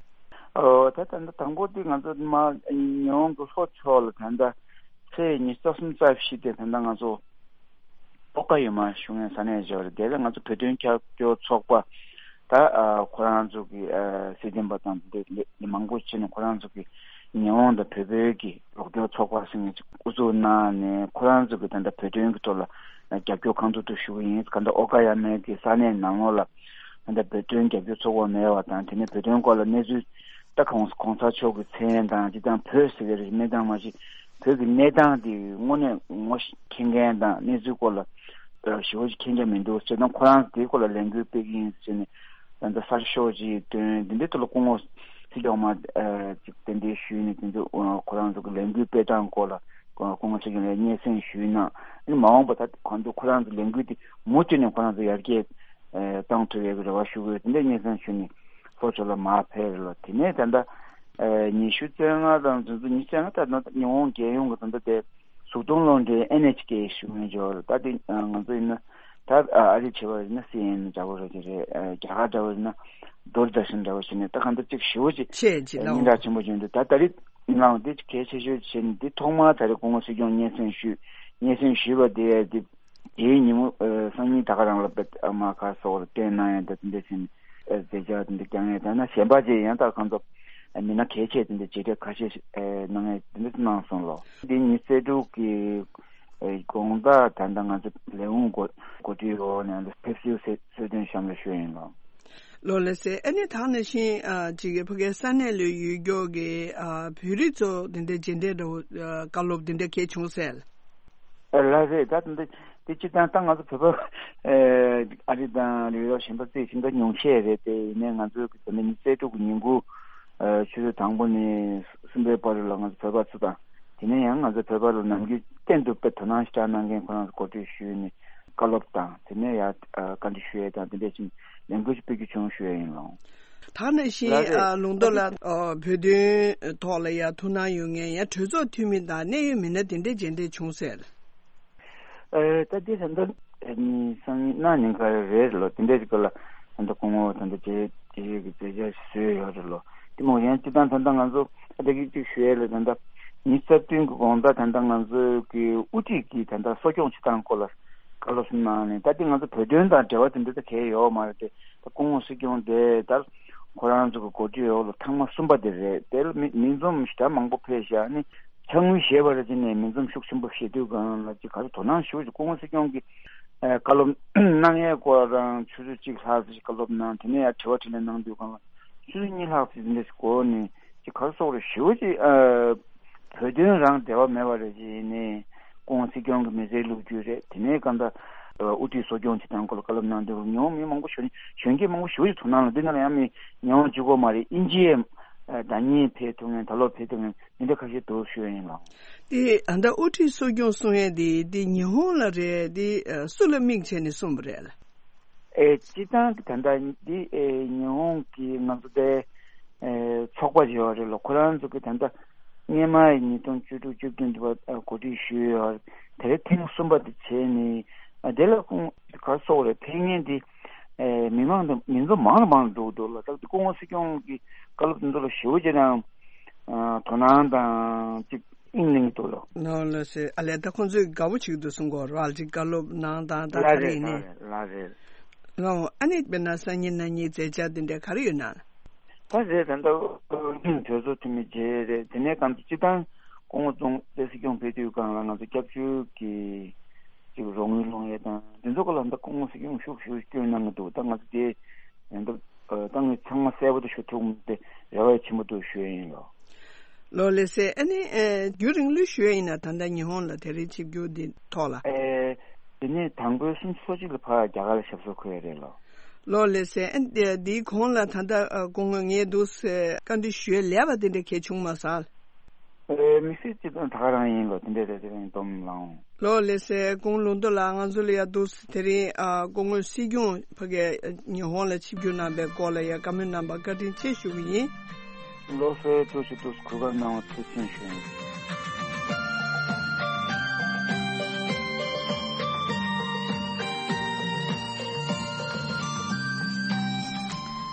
ཨོ་ད་ད་ད་དང་པོ་དེ་ང་ཚོ་མ་ཉི་ཧོང་གི་ལྷོ་ཕྱོགས་ལ་ད་ད་ཚེས་ཉི་ཤུ་རྩ་གསུམ་རྩ་བཞི་དེ་ད་ད་ང་ཚོ་ཨོ་ཀ་ཡོ་མ་ཞུ་མཁན་ས་གནས་ཅིག་ཡོད་རེད། དེ་ལ་ང་ཚོ་བོད་དོན་རྒྱབ་སྐྱོར་ཚོགས་པ་ད་ཨ་ཁོ་རང་ཚོ་གི་ཨ་སྲིད་དོན་པ་དང་དེ་འདྲ་མི་མང་པོ་བྱས་ནས་ཁོ་རང་ཚོ་གི་ཉི་ཧོང་དང་བོད་པའི་གི་རོགས་སྐྱོར་ཚོགས་པ་ཟེར་མཁན་ཅིག་དབུ་འཛུགས་གནང་ནས་ཁོ་རང་ཚོ་གི་ད་ལྟ་བོད་དོན་གི་ཐོག་ལ་རྒྱབ་སྐྱོར་གང་ཐུབ་ཐུབ་ཞུ་གི་ཡིན། ག་ད་ཨོ་ཀ་ཡ་མའི་གི་ས་གནས་ནང་ལོགས་ལ་ད་ལྟ་བོད་དོན་རྒྱབ་སྐྱོར་ཚོགས་པ་མེད་པ་དང་། དེ་ནས་བོད་དོན་སྐོར་ལ་གནས་ཚུལ་ད་གོང་གོང་ས་མཆོག་གི་མཚན་དང་སྤྱིར་བཏང་བོད་ཟེར་གི་རེད་མེད་དང་མ་གཞི་བོད་ཀྱི་གནས་སྟངས་དེ་དངོས་གནས་ངོ་མཁྱེན་མཁན་དང་གནས་ཚུལ་སྐོར་ལ་ཞེ་པོ་ཅིག་མཁྱེན་རྒྱ་མི་འདུག་ཟེར་དང་། ཁོ་རང་དེའི་སྐོར་ལ་ལས་འགུལ་སྤེལ་གྱི་ཡིན་ཟེར་ནས་ད་ལྟ་གསར་ཤོག་ཅིག་བཏོན། འདི་འདྲའི་ཐོག་ལ་སྐུ་ངོ་སྲིད་སྐྱོང་མ་ཅིག་གདན་འདྲེན་ཞུས་ནས་དེ་ཚོ་ཁོ་རང་ཚོ་གི་ལས་འགུལ་སྤེལ་སྟངས་སྐོར་ལ་སྐུ་ངོ་སྲིད་སྐྱོང་ལ་སྙན་སེང་ཞུས་ན། ཨ་ནི་མ་འོངས་པ་ད་གང་དུ་ཁོ་རང་ཚོ་ལས་འགུལ་དེ་མུ་མཐུད་ནས་ཁོ་རང་ཚོ་ཡར་རྒྱས་བཏང་ཐུབ་ཡག་གི་རེ་བ་ཞུ་གི་ཡོད། དེ་འདྲའི་སྙན་སེང་ཞུས་ནས་ལྷོ་ཕྱོགས་ལ་མར་ཕེབས་རེད་ལོ། དེ་ནས་ད་ལྟ་ཉི་ཤུ་རྩ་ལྔ་དང་ཚོད་ཚོད་ཉི་ཤུ་རྩ་ལྔ་ད་ལྟ་ཉི་ཧོང་རྒྱལ་ཡོངས་ཀྱི་ད་ལྟ་དེ་གཟུགས་མཐོང་གློག་འཕྲིན་ཨེན་ཨེཆ་ཀེ་ཞུ་མཁན་ཅིག་ཡོད་རེད། ད་དེ་ང་ཚོ་ཡིན་ན་ད་ཨ་རི་བྱས་པ་ཡིན་ན་སི་ཨེན་ཨེན་འདྲ་པོ་རེད་དེ་རེད། རྒྱ་གར་འདྲ་པོ་ཡིན་ན་དུར་དར་ཤན་འདྲ་པོ་བྱས་ནས་ད་གང་ལྟར་ཅིག་ཞེ་པོ་ཅིག་ཆེ་ཅིག་ལ་སྙན་གྲགས་ཆེན་པོ་བྱུང་འདུག་ད་ད་རེས་ནང་དེ་གལ་ཆེ་ཤོས་བྱས་ནས་དེ་ཐོག་མར་ད་རེས་སྐུ་ངོ་སྲིད་སྐྱོང་སྙན་སེང་ཞུས་སྙན་སེང་ཞུས་པ་དེ་དེ་དེའི་ཉིན་མོ་ཨ་སང་ཉིན་ད་ག་རང་ལ་པེ་ཨ་མ་ཁ་སོགས་ལ་བསྟན་གནང་ཡ་ད་དེ་འདྲ་བྱས་ནས་ཨ་མཛད་འཆར་དེ་འདྲ་བསྐྱངས་ཡ། ད་ན་གཞན་པ་ཅིག་ཡང་ད་གང་ཚོ་མི་སྣ་གལ་ཆེ་དེ་འདྲ་མཇལ་འཕྲད་ཁ་ཤས་ཤིག་ཨ་གནང་ཡ་དེ་འདྲ་གནང་སོང་ལོ། འདི་ཉི་ཤུ་རྩ་དྲུག་གི་ཨ་དགོང་དག་ད་ལྟ་ང་ཚོ་ལས་ཁུངས་འགོ་འགོ་ཁྲིད་འོག་ནས་ཕེབས་བསུའི་གསོལ་གསོལ་སྟོན་བཤམས་ལ་ཞུས་ཡིན་ལོ། ལོ་ལགས་སེ། ཨ་ནི་ད་ག་ནང་བཞིན་ཨ་ཅིག་གི་ཕ་གིའི་ས་གནས་ལ་ཡོད་མཁན་གྱི་ཨ་བོད་རིགས་ཚོ་དེ་འདྲའི་མཇལ་འཕྲད་འདྲ་བོ་ཨ་བཀའ་སློབ་དེ་འདྲ་གལ་བྱུང་སེ། ཨ་ལགས་རེད། ད་དེ་འདྲ་དེ་སྤྱིར་བཏང་ད་ང་ཚོ་བོད་པ་ཨ་ཨ་རི་དང་ཡོ་རོབ་གཞན་པ་ཚོས་ཞིང་ཁ་ཉུང་ཤས་རེད་དེ། ཡིན་ནའི་ང་ཚོའི་དེ་འདྲ་ཉི་ཤུ་རྩ་དྲུག་གི་ཉིན་གུང་ཨ་ཆུ་ཚོད་དང་པོ་ནས་གསུམ་པའི་བར་ལ་ང་ཚོ་བོད་པ་ཚོ་དང་། དེ་ནས་ཡང་ང་ཚོ་བོད་པ་ལ་ནམ་རྒྱུན་གཏན་དུ་དཔེ་དོ་སྣང་ཞེ་དྲག་གནང་མཁན་ཁོ་རང་ཚོ་གོ་སྒྲིག་ཞུས་ནས་བཀའ་སློབ་དང་དེ་ནས་ཡང་ཨ་བཀའ་འདྲི་ཞུ་ཡས་དང་དེ་འདྲ་ཞིག་ལས་འགུལ་ཞིག་སྤེལ་རྒྱུ་བྱུང་ཞུ་ཡས་ཡིན་ལོ། ད་ག་ནང་བཞིན་ལགས་རེད། ཨ་ལུང་རྟོགས་ལགས། ཨ་བོད་དོན་ཐོག་ལ་ཡང་ཐུགས་སྣང་ཡོད་མཁན་ཡང་གྲོས་ཚོགས་འཐུས་མི་དང་གནད་ཡོད་མི་སྣ་དེ་འདྲ་མཇལ་འཕྲད་བྱུང་སེ། ཨ་ད་དེ་ད་ལྟ་ཨ་ནི་སང་ཉིན་གནངས་ཉིན་ག་རེད་ལོ། དེ་འདྲ་ཞིག་ལ་ད་ལྟ་སྐུ་ངོ་ད་ལྟ་མཇལ་མཇལ་ཡས་ཀྱི་མཛད་འཆར་བཟོས་ཡོད་རེད་ལོ། དེ་མོ་ཡང་སྤྱིར་བཏང་ད་ལྟ་ང་ཚོ་ཨ་ད་གི་ཅིག་ཞུ་ཡས་ལ་ད་ལྟ་ཉི་ཤུ་རྩ་བདུན་གྱི་དགོང་དག་ད་ལྟ་ང་ཚོ་གི་དབུ་ཁྲིད་ཀྱིས་ད་ལྟ་གསོ་སྐྱོང་བྱེད་སྟངས་སྐོར་ལ་བཀའ་སློབ་གསུངས་གནང་ནས། ད་དེ་ང་ཚོ་བོད་དོན་དང་འབྲེལ་བ་དེ་འདྲ་ད་གང་ཡང་ཡོད་མ་རེད་དེ། ད་སྐུ་ངོ་སྲིད་སྐྱོང་དེ་ད་ཁོ་རང་ཚོ་གི་འགོ་ཁྲིད་འོག་ལ་ཐེངས་མ་གསུམ་པ་དེ་རེད། དེ་ལ་མི་མི་འཛོམས་ཞེ་དྲག་མང་པོ་ཕེབས་ཤག་ཨ་ནི་ཕྱག་དངུལ་བཞེས་པ་རེད་ཅེས་ནས་མི་འཛོམས་ཤུགས་ཆེན་པོ་བཞེས་དུས་སྒང་ལ་ཅིག་ག་ཚོད་དོ་སྣང་ཞེ་པོ་ཅིག་སྐུ་ངོ་སྲིད་སྐྱོང་གིས་ཨ་བཀའ་སློབ་གནང་ཡས་སྐོར་རང་ཆུ་ཚོད་གཅིག་ལྷག་ཙམ་ཞིག་བཀའ་སློབ་གནང་། དེ་ནས་ཡང་དྲི་བ་དྲིས་ལན་གནང་དུས་སྒང་ལ་ཆུ་ཚོད་གཉིས་ལྷག་ཙམ་འདི་འདྲ་ཞིག་འགོར་ནས་ཅིག་ག་རེ་ཟེར་དགོས་རེད། ཞེ་པོ་ཅིག་ཨ་བོད་དོན་རང་འབྲེལ་བ་མེད་པ་རེད་ཅེས་ནས་སྐུ་ངོ་སྲིད་སྐྱོང་གི་མི་ཚེའི་ལོ་རྒྱུས་རེད། དེ་ནས་གང་ལྟར་དབུ་ཁྲིད་གསོ་སྐྱོང་བྱེད་སྟངས་སྐོར་ལ་བཀའ་སློབ་གནང་དུས་ཉི་ཧོང་མི་མང་པོ་གཞོན་གཞོན་སྐྱེས་མང་པོ་ཞེ་པོ་ཅིག་དོ་སྣང་ལ། འདི་ནང་ལ་ཡང་མི་ཉི་ཧོང་གཅིག་པོ་མ་རེད། དབྱིན་ཇིའི་ཟླ་ཉིན་ཕེབས་ཐུབ་མཁན་ད་ལོ་ཕེབས་ཐུབ་མཁན་འདི་འདྲ་ཁ་ཤས་འདུག་ཞུ་ཡ་ཡིན་ལགས། དེ་ཨ་ད་དབུ་ཁྲིད་གསོ་སྐྱོང་གསུང་ཡས་དེ་དེ་ཉི་ཧོང་ལ་རེད། དེ་སུ་ལ་དམིགས་བྱས་ནས་གསུངས་པ་རེད་ལགས། ཨེ་སྤྱིར་བཏང་གི་ད་ལྟ་འདི་ཨེ་ཉི་ཧོང་གི་ང་ཚོ་དེ་ཨེ་ཚོགས་པ་ཡོད་རེད་ལགས། ཁོ་རང་ཚོ་གི་ད་ལྟ་སྔོན་མ་ཉིས་སྟོང་བཅུ་དྲུག་བཅུ་བདུན་དུ་བ་གོ་སྒྲིག་ཞུས་ཡོད། དེ་རིང་ཐེངས་གསུམ་པ་དེ་བྱས་ནས་ཨ་དེ་ལ་ཁོང་ག་རེ་ཟེར་དགོས་རེད། ཕེབས་མཁན་དེ་ཨེ་མི་མང་དང་མི་ཚོགས་མང་རུ་མང་རུ་འགྲོ་གི་འདུག་ལགས། ད་སྐུ་ངོ་སྲིད་སྐྱོང་གི་བཀའ་སློབ་དེ་ཚོ་ལ་ཞེ་པོ་ཅིག་རང་ཨ་དོ་སྣང་དང་ཅིག་དབྱིངས་ལེན་གྱི་འདུག་ལགས། ནོ་ལགས་སེ། ཨ་ལས་ད་ཁོང་ཚོས་དགའ་པོ་བྱེད་ཀྱི་འདུག་གསུང་གི་ཡོད་རེད་ལགས། ཅིག་བཀའ་སློབ་གནང་སྟངས་ད་ག་རེ་ཡིན་ནའི། ལགས་རེད། ལགས་རེད། ལགས། ཨ་ནི་དཔེར་ན་སང་ཉིན་གནངས་ཉིན་མཛད་འཆར་དེ་འདྲ་ག་རེ་ཡོད་ན། ད་རེད། ད་ལྟ་གྲོས་ཚོགས་འཐུས་མི་མཇལ་རེད། དེ་ནས་གང་ལྟར་སྤྱིར་བཏང་ སྐུ་ངོ་ཙུང་ཏེ་སྲིད་སྐྱོང་ཕེབས་དུས་སྒང་ལ་ང་ཚོ་སྐྱབས་བཅོལ་གྱི་ཅིག་རོགས་དངུལ་སློང་ཡས་དང་དེ་ཚོ་སྐོར་ལ་ད་སྐུ་ངོ་སྲིད་སྐྱོང་ཤུགས་ཤུགས་སྐྱོན་གནང་གི་འདུག་ད་ང་ཚོ་དེ་ད་ད་ངས་ཚང་མ་གསལ་པོ་དུ་ཞུ་ཐུབ་མི་དེ་རེ་བ་ཆེན་པོ་འདུག་ཞུ་ཡས་ཡིན་ལོ། ལོ་ལེགས་སེ། ཨ་ནི་ཨེ་རྒྱུན་རིང་ལོས་ཞུ་ཡས་ཡིན་ན་ད་ལྟ་ཉི་ཧོང་ལ་དེ་རིང་ཆིབས་བསྒྱུར་འདི་ཐོག་ལ། ཨེ། དེ་ནས་དང་པོའི་སུམ་ཅུ་སོ་གཅིག་ལ་ཕར་རྒྱ་གར་ལ་ཞབས་སོར་འཁོད་ཡས་རེད་ལོ། ལོ་ལེགས་སེ། ཨ་ནི་འདིའི་གོང་ལ་ད་ལྟ་ཨ་སྐུ་ངོ་ངས་འདུག་སེ་བཀའ་འདྲི་ཞུ་ཡས་ལས་པ་དེ་འདྲ་གལ་བྱུང་མ་སོང་། ཨེ། དམིགས་བསལ་སྤྱི་དོན་ད་ག་རང་ཡིན་ལོ། དེ་འདྲས་རེད། དེ་རིང་སྡོམ་ལངས། ལོ་ལེགས་སེ། སྐུ་ངོ་ལུང་རྟོགས་ལགས་ང་ཚོ་ལ་ཡ་འདུག་སེ་དེ་རིང་ཨ་སྐུ་ངོ་སྲིད་སྐྱོང་ཕ་གིར་ཉི་ཧོང་ལ་ཆིབས་བསྒྱུར་གནང་པའི་སྐོར་ལ་ཡ་བཀའ་མོལ་གནང་པར་བཀའ་དྲིན་ཆེ་ཞུ་གི་ཡིན། ལོ་སེ་ཐུགས་རྗེ་ཆེ། གུས་བཀུར་གནང་བ་ཐུགས་རྗེ་ཆེ་ཞུ།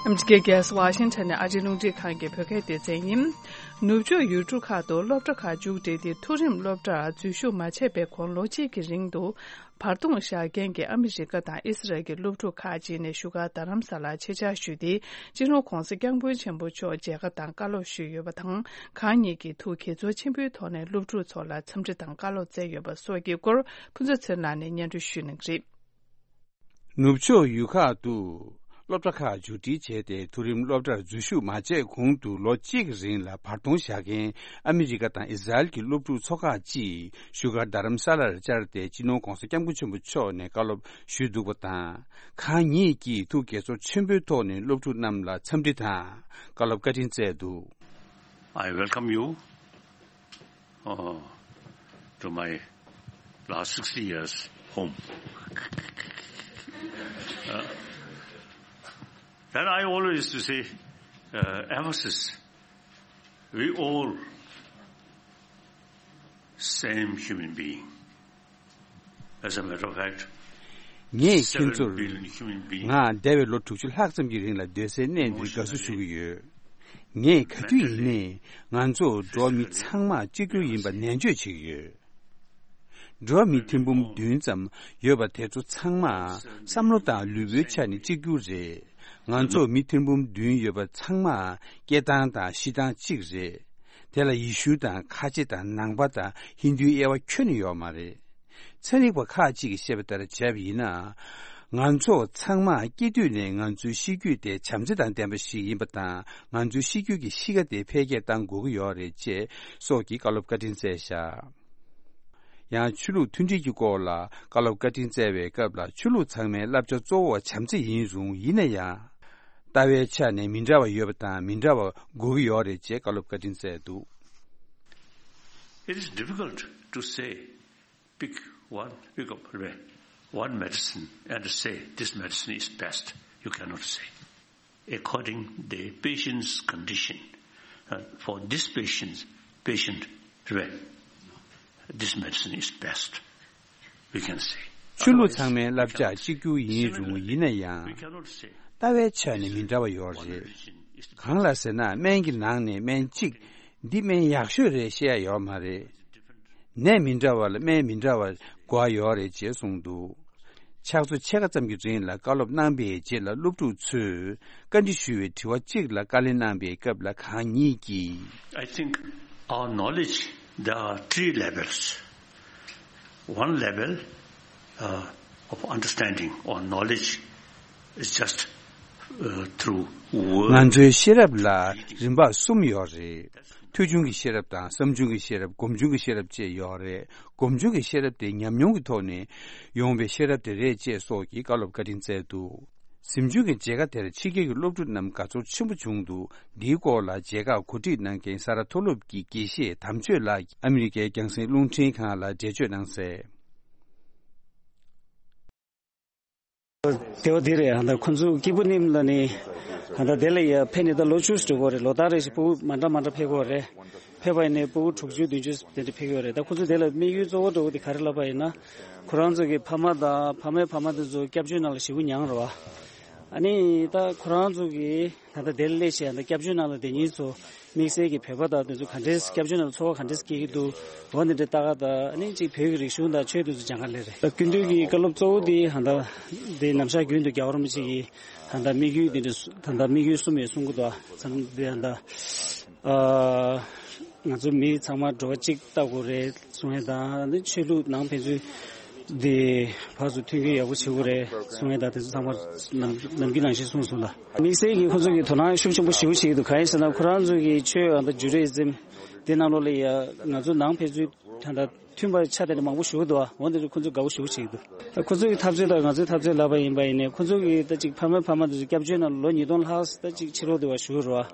ཨ་མི་རི་ཀའི་རྒྱལ་ས་ཝ་ཤིང་ཊོན་ནས་ཨ་རིའི་རླུང་འཕྲིན་ཁང་གི་བོད་སྐད་སྡེ་ཚན་ཡིན། ནུབ་ཕྱོགས་ཡུལ་གྲུ་ཁག་ཏུ་སློབ་གྲྭ་ཁག་མཇུག་སྒྲིལ་ཏེ་མཐོ་རིམ་སློབ་གྲྭར་འཛུལ་ཞུགས་མ་བྱས་པའི་གོང་ལོ་གཅིག་གི་རིང་དུ་བར་སྟོང་བཞག་མཁན་གྱི་ཨ་མི་རི་ཀ་དང་ཨི་སི་རལ་གྱི་སློབ་ཕྲུག་ཁག་ཅིག་ནས་བཞུགས་སྒར་རྡ་རམ་ས་ལར་ཆེད་བཅར་ཞུས་ཏེ། སྤྱི་ནོར་༧གོང་ས་༧སྐྱབས་མགོན་ཆེན་པོ་མཆོག་མཇལ་ཁ་དང་བཀའ་སློབ་ཞུས་ཡོད་པ་དང་། ཁག་གཉིས་ཀྱིས་ཐུགས་དགྱེས་ཚོར་ཆེན་པོའི་ཐོག་ནས་སློབ་ཕྲུག་ཚོ་ལ་འཚམས་འདྲི་དང་བཀའ་སློབ་སྩལ་ཡོད་པ་སོགས་ཀྱི་སྐོར་ཕུན་ཚོགས་ཚེ་རིང་ལགས་ནས་སྙན་སྒྲོན་ཞུས་གནང་གི་རེད། ནུབ་ཕྱོགས་ཡུལ་ཁག་ཏུ་སློབ་གྲྭ་ཁག་མཇུག་སྒྲིལ་བྱས་ཏེ་མཐོ་རིམ་སློབ་གྲྭར་འཛུལ་ཞུགས་མ་བྱས་གོང་དུ་ལོ་གཅིག་གི་རིང་ལ་བར་སྟོང་བཞག་མཁན་ཨ་མི་རི་ཀ་དང་ཨི་སི་རལ་གྱི་སློབ་ཕྲུག་ཚོ་ཁག་ཅིག་བཞུགས་སྒར་རྡ་རམ་ས་ལར་བཅར་ཏེ་སྤྱི་ནོར་༧གོང་ས་༧སྐྱབས་མགོན་ཆེན་པོ་མཆོག་ནས་བཀའ་སློབ་ཞུས་འདུག་པ་དང་། ཁག་གཉིས་ཀྱིས་ཐུགས་དགྱེས་ཚོར་ཆེན་པོའི་ཐོག་ནས་སློབ་ཕྲུག་རྣམས་ལ་འཚམས་འདྲི་དང་བཀའ་སློབ་བཀའ་དྲིན་སྩལ་འདུག I welcome you uh, to my last sixty years home. Uh, and I always used to say, uh, emphasis, we all same human being. As a matter of fact, ངས་ཁྱེད་ཚོར་ང་འདས་པའི་ལོ་དྲུག་ཅུ་ལྷག་ཙམ་གྱི་རིང་ལ་སྡོད་སའི་གནས་འདིར་དགའ་བསུ་ཞུ་གི་ཡོད། ངས་ག་དུས་ཡིན་ནའི་ང་ཚོ་འགྲོ་བ་མི་ཚང་མ་གཅིག་གྱུར་ཡིན་པ་ནན་བརྗོད་བྱེད་ཀྱི་ཡོད། འགྲོ་བ་མི་ཐེར་འབུམ་བདུན་ཙམ་ཡོད་པ་དེ་ཚོ་ཚང་མ་བསམ་བློ་དང་ལུས་པོའི་ཆ་ནས་གཅིག་གྱུར་རེད། ང་ཚོ་མི་ཐེར་འབུམ་བདུན་ཡོད་པ་ཚང་མ་སྐྱེ་སྟངས་དང་ཤི་སྟངས་གཅིག་རེད། དེ་ལ་ཡེ་ཤུ་དང་ཁ་ཆེ་དང་ནང་པ་དང་ཧིན་དུའི་དབྱེ་བ་ཁྱོན་ནས་ཡོད་མ་རེད། ཚན་རིག་པ་ཁག་ཅིག་གིས་བཤད་པ་ལྟར་བྱས་པ་ཡིན་ན། ང་ཚོ་ཚང་མ་སྐྱེ་དུས་ནས་ང་ཚོའི་ཤེས་རྒྱུད་དེ་བྱམས་བརྩེ་དང་ལྡན་པ་ཞིག་ཡིན་པ་དང་། ང་ཚོའི་ཤེས་རྒྱུད་ཀྱི་གཤིས་ཀ་དེ་འཕེལ་རྒྱས་གཏང་དགོས་ཀྱི་ཡོད་རེད་ཅེས་སོགས་ཀྱི་བཀའ་སློབ་བཀའ་དྲིན་སྩལ་བཞག་ཡང་ཆོས་ལུགས་མཐུན་སྒྲིལ་གྱི་སྐོར་ལ་བཀའ་སློབ་བཀའ་དྲིན་སྩལ་བའི་སྐབས་ལ། ཆོས་ལུགས་ཚང་མའི་བསླབ་བྱ་གཙོ་བོ་བྱམས་བརྩེ་ཡིན་རུང་། ཡིན་ན་ཡང་ལྟ་བའི་ཆ་ནས་མི་འདྲ་བ་ཡོད་པ་དང་མི་འདྲ་བ་དགོས་ཀྱི་ཡོད་རེད་ཅེས་བཀའ་སློབ་བཀའ་དྲིན་སྩལ་འདུག It is difficult to say, pick one, pick up one medicine and say, "This medicine is best." You cannot say. According the patient's condition, uh, for this patient's patient, this medicine is best. We can say. ཆོས་ལུགས་ཚང་མའི་བསླབ་བྱ་གཅིག་གྱུར་ཡིན་རུང་། ཡིན་ན་ཡང་ལྟ་བའི་ཆ་ནས་མི་འདྲ་བ་ཡོད་རེད། གང་ལ་ཟེར་ན། སྨན་གྱི་ནང་ནས་སྨན་གཅིག་འདི་སྨན་ཡག་ཤོས་རེད་བཤད་ཡ་ཡོད་མ་རེད། ནད་མི་འདྲ་བ་ལ་སྨན་མི་འདྲ་བ་དགོས་ཡ་ཡོད་རེད་ཅེས་གསུངས་འདུག་ཕྱག་ཚོད་ཕྱེད་ཀ་ཙམ་གྱི་རིང་ལ་བཀའ་སློབ་གནང་པའི་རྗེས་ལ། སློབ་ཕྲུག་ཚོས་བཀའ་འདྲི་ཞུ་བའི་དྲི་བ་གཅིག་ལ་བཀའ་ལན་གནང་པའི་སྐབས་ལ། ཁག་གཉིས་ཀྱིས། I think our knowledge, there are three levels. One level, uh, of understanding or knowledge is just, uh, through word. ང་ཚོའི་ཤེས་རབ་ལ་རིམ་པ་གསུམ་ཡོད་རེད། ཐོས་བྱུང་གི་ཤེས་རབ་དང་། བསམ་བྱུང་གི་ཤེས་རབ། སྒོམ་བྱུང་གི་ཤེས་རབ་བཅས་ཡོད་རེད། སྒོམ་བྱུང་གི་ཤེས་རབ་དེ་ཉམས་མྱོང་གི་ཐོག་ནས་ཡོང་བའི་ཤེས་རབ་དེ་རེད་ཅེས་སོགས་ཀྱི་བཀའ་སློབ་བཀའ་དྲིན་སྩལ་འདུག་གཟིམ་ཆུང་གི་མཇལ་ཁ་དེར་ཕྱི་རྒྱལ་གྱི་སློབ་ཕྲུག་རྣམས་དགའ་ཚོར་ཆེན་པོ་བྱུང་འདུག་འདིའི་སྐོར་ལ་མཇལ་ཁ་གོ་སྒྲིག་གནང་མཁན་ས་རཱ་མཐོ་སློབ་ཀྱི་དགེ་བཤེས་དམ་ཆོས་ལགས་ཀྱིས་ཨ་མི་རི་ཀའི་རྒྱང་སྲིང་རླུང་འཕྲིན་ཁང་ལ་འགྲེལ་བརྗོད་གནང་གསལ། དེ་བ་འདི་རེད། ཧ་ད་ཁོ་ཚོ་སྐྱིད་པོ་ནིམ་ལ་ནི་ཧ་ད་དེ་ལ་ཡ་ཕེབས་ནས་ད་ལོ་བཅུ་ཙམ་འགྲོ་གི་རེད། ལོ་ལྟར་རེ་བཞིན་སྤུ་གུ་མ་འདྲ་མ་འདྲ་ཕེབས་ཀྱི་རེད། ཕེབས་པ་ཡིན་ནའི་སྤུ་གུ་དྲུག་ཅུ་བདུན་ཅུ་དེ་འདྲ་ཕེབས་ཀྱི་རེད། ད་ཁོ་ཚོ་དེ་ལ་དམིགས་ཡུལ་གཙོ་བོ་འདྲ་བོ་དེ་ག་རེ་ལབ་པ་ཡིན་ན། ཁོ་རང་ཚོ་གི་ཕ་མ་དང་ཕ་མའི་ཕ་མ་དེ་ཚོ་སྐྱབས་བཅོལ་ནང་ལ་ཞེ་པོ་མྱངས་རེད་བ། ཨ་ནི་ད་ཁོ་རང་ཚོ་གི་ད་ལྟ་དེར་སླེབས་བྱས་ད་སྐྱབས་བཅོལ་ནང་ལ་བསྡད་མཁན་ཚོ་དམིགས་བསལ་གྱི་བོད་པ་དང་དེ་ཚོ་ག་འདྲས་སྐྱབས་བཅོལ་ནང་ལ་འཚོ་བ་ག་འདྲས་སྐྱེལ་གྱི་འདུག་འོ་འདི་འདྲའི་ལྟ་ག་དང་ཨ་ནི་གཅིག་བོད་ཀྱི་རིག་གཞུང་དང་ཆོས་དེ་ཚོ་སྦྱང་ག་སླེབས་རེད། ད་སྐུ་མདུན་གྱི་བཀའ་སློབ་གཙོ་བོ་དེ་ཧ་ད་དེ་ནམ་ཞག་རྒྱུན་དུ་རྒྱལ་བ་རིན་པོ་ཆེ་གི་ཧ་ད་དམིགས་ཡུལ་དེ་འདྲ་ད་ད་དམིགས་ཡུལ་གསུམ་ཡོད་གསུང་གི་འདུག་ཨ་ཙམ་དེ་ཧ་ད་ཨ། ང་ཚོ་མི་ཚང་མ་འགྲོ་བ་གཅིག་ལྟ་དགོས་རེད་གསུང་ཡས་དང་། ཆོས་ལུགས་ནང་ཕན་ཚུན་དེ་ཕར་ཚུར་མཐུན་རྐྱེན་ཡག་པོ་བྱེད་དགོས་རེད་གསུང་ཡས་དང་། དེ་ཚོ་ཚང་མ་ནམ་ནམ་རྒྱུན་ནང་བཞིན་གསུངས་སོང་ལ། དམིགས་བསལ་གྱིས་ཁོ་ཚོ་གིས་དོ་སྣང་ཤུགས་ཆེན་པོ་ཞེ་པོ་བྱེད་ཀྱི་འདུག་གང་ཡིན་ཟེར་ན། ཁོ་རང་ཚོ་གི་ཆོས་ཨ་ད་ཇུ་རི་ཨི་ཛིམ་དེ་ནང་ལོགས་ལ་ཡ་ང་ཚོ་ནང་ཕན་ཚུན་ད་ལྟ་མཐུན་པ་ཆགས་བསྡད་མཁན་མང་པོ་ཞེ་པོ་འདུག་འོན་ཏེ་ཁོ་ཚོས་དགའ་པོ་ཞེ་པོ་བྱེད་ཀྱི་འདུག་ཁོ་ཚོ་གི་འཐབ་རྩོད་དང་ང་ཚོའི་འཐབ་རྩོད་ལབ་པ་ཡིན་པ་ཡིན་ནའི། ཁོ་ཚོ་གི་ད་ཅིག་ཕ་མ་ཕ་མ་དེ་ཚོ་སྐྱབས་བཅོལ་ནང་ལོ་ཉིས་སྟོང་ལྷག་ད་ཅིག་ཕྱི་ལོགས་དེ་བ་བཞུགས་རོགས།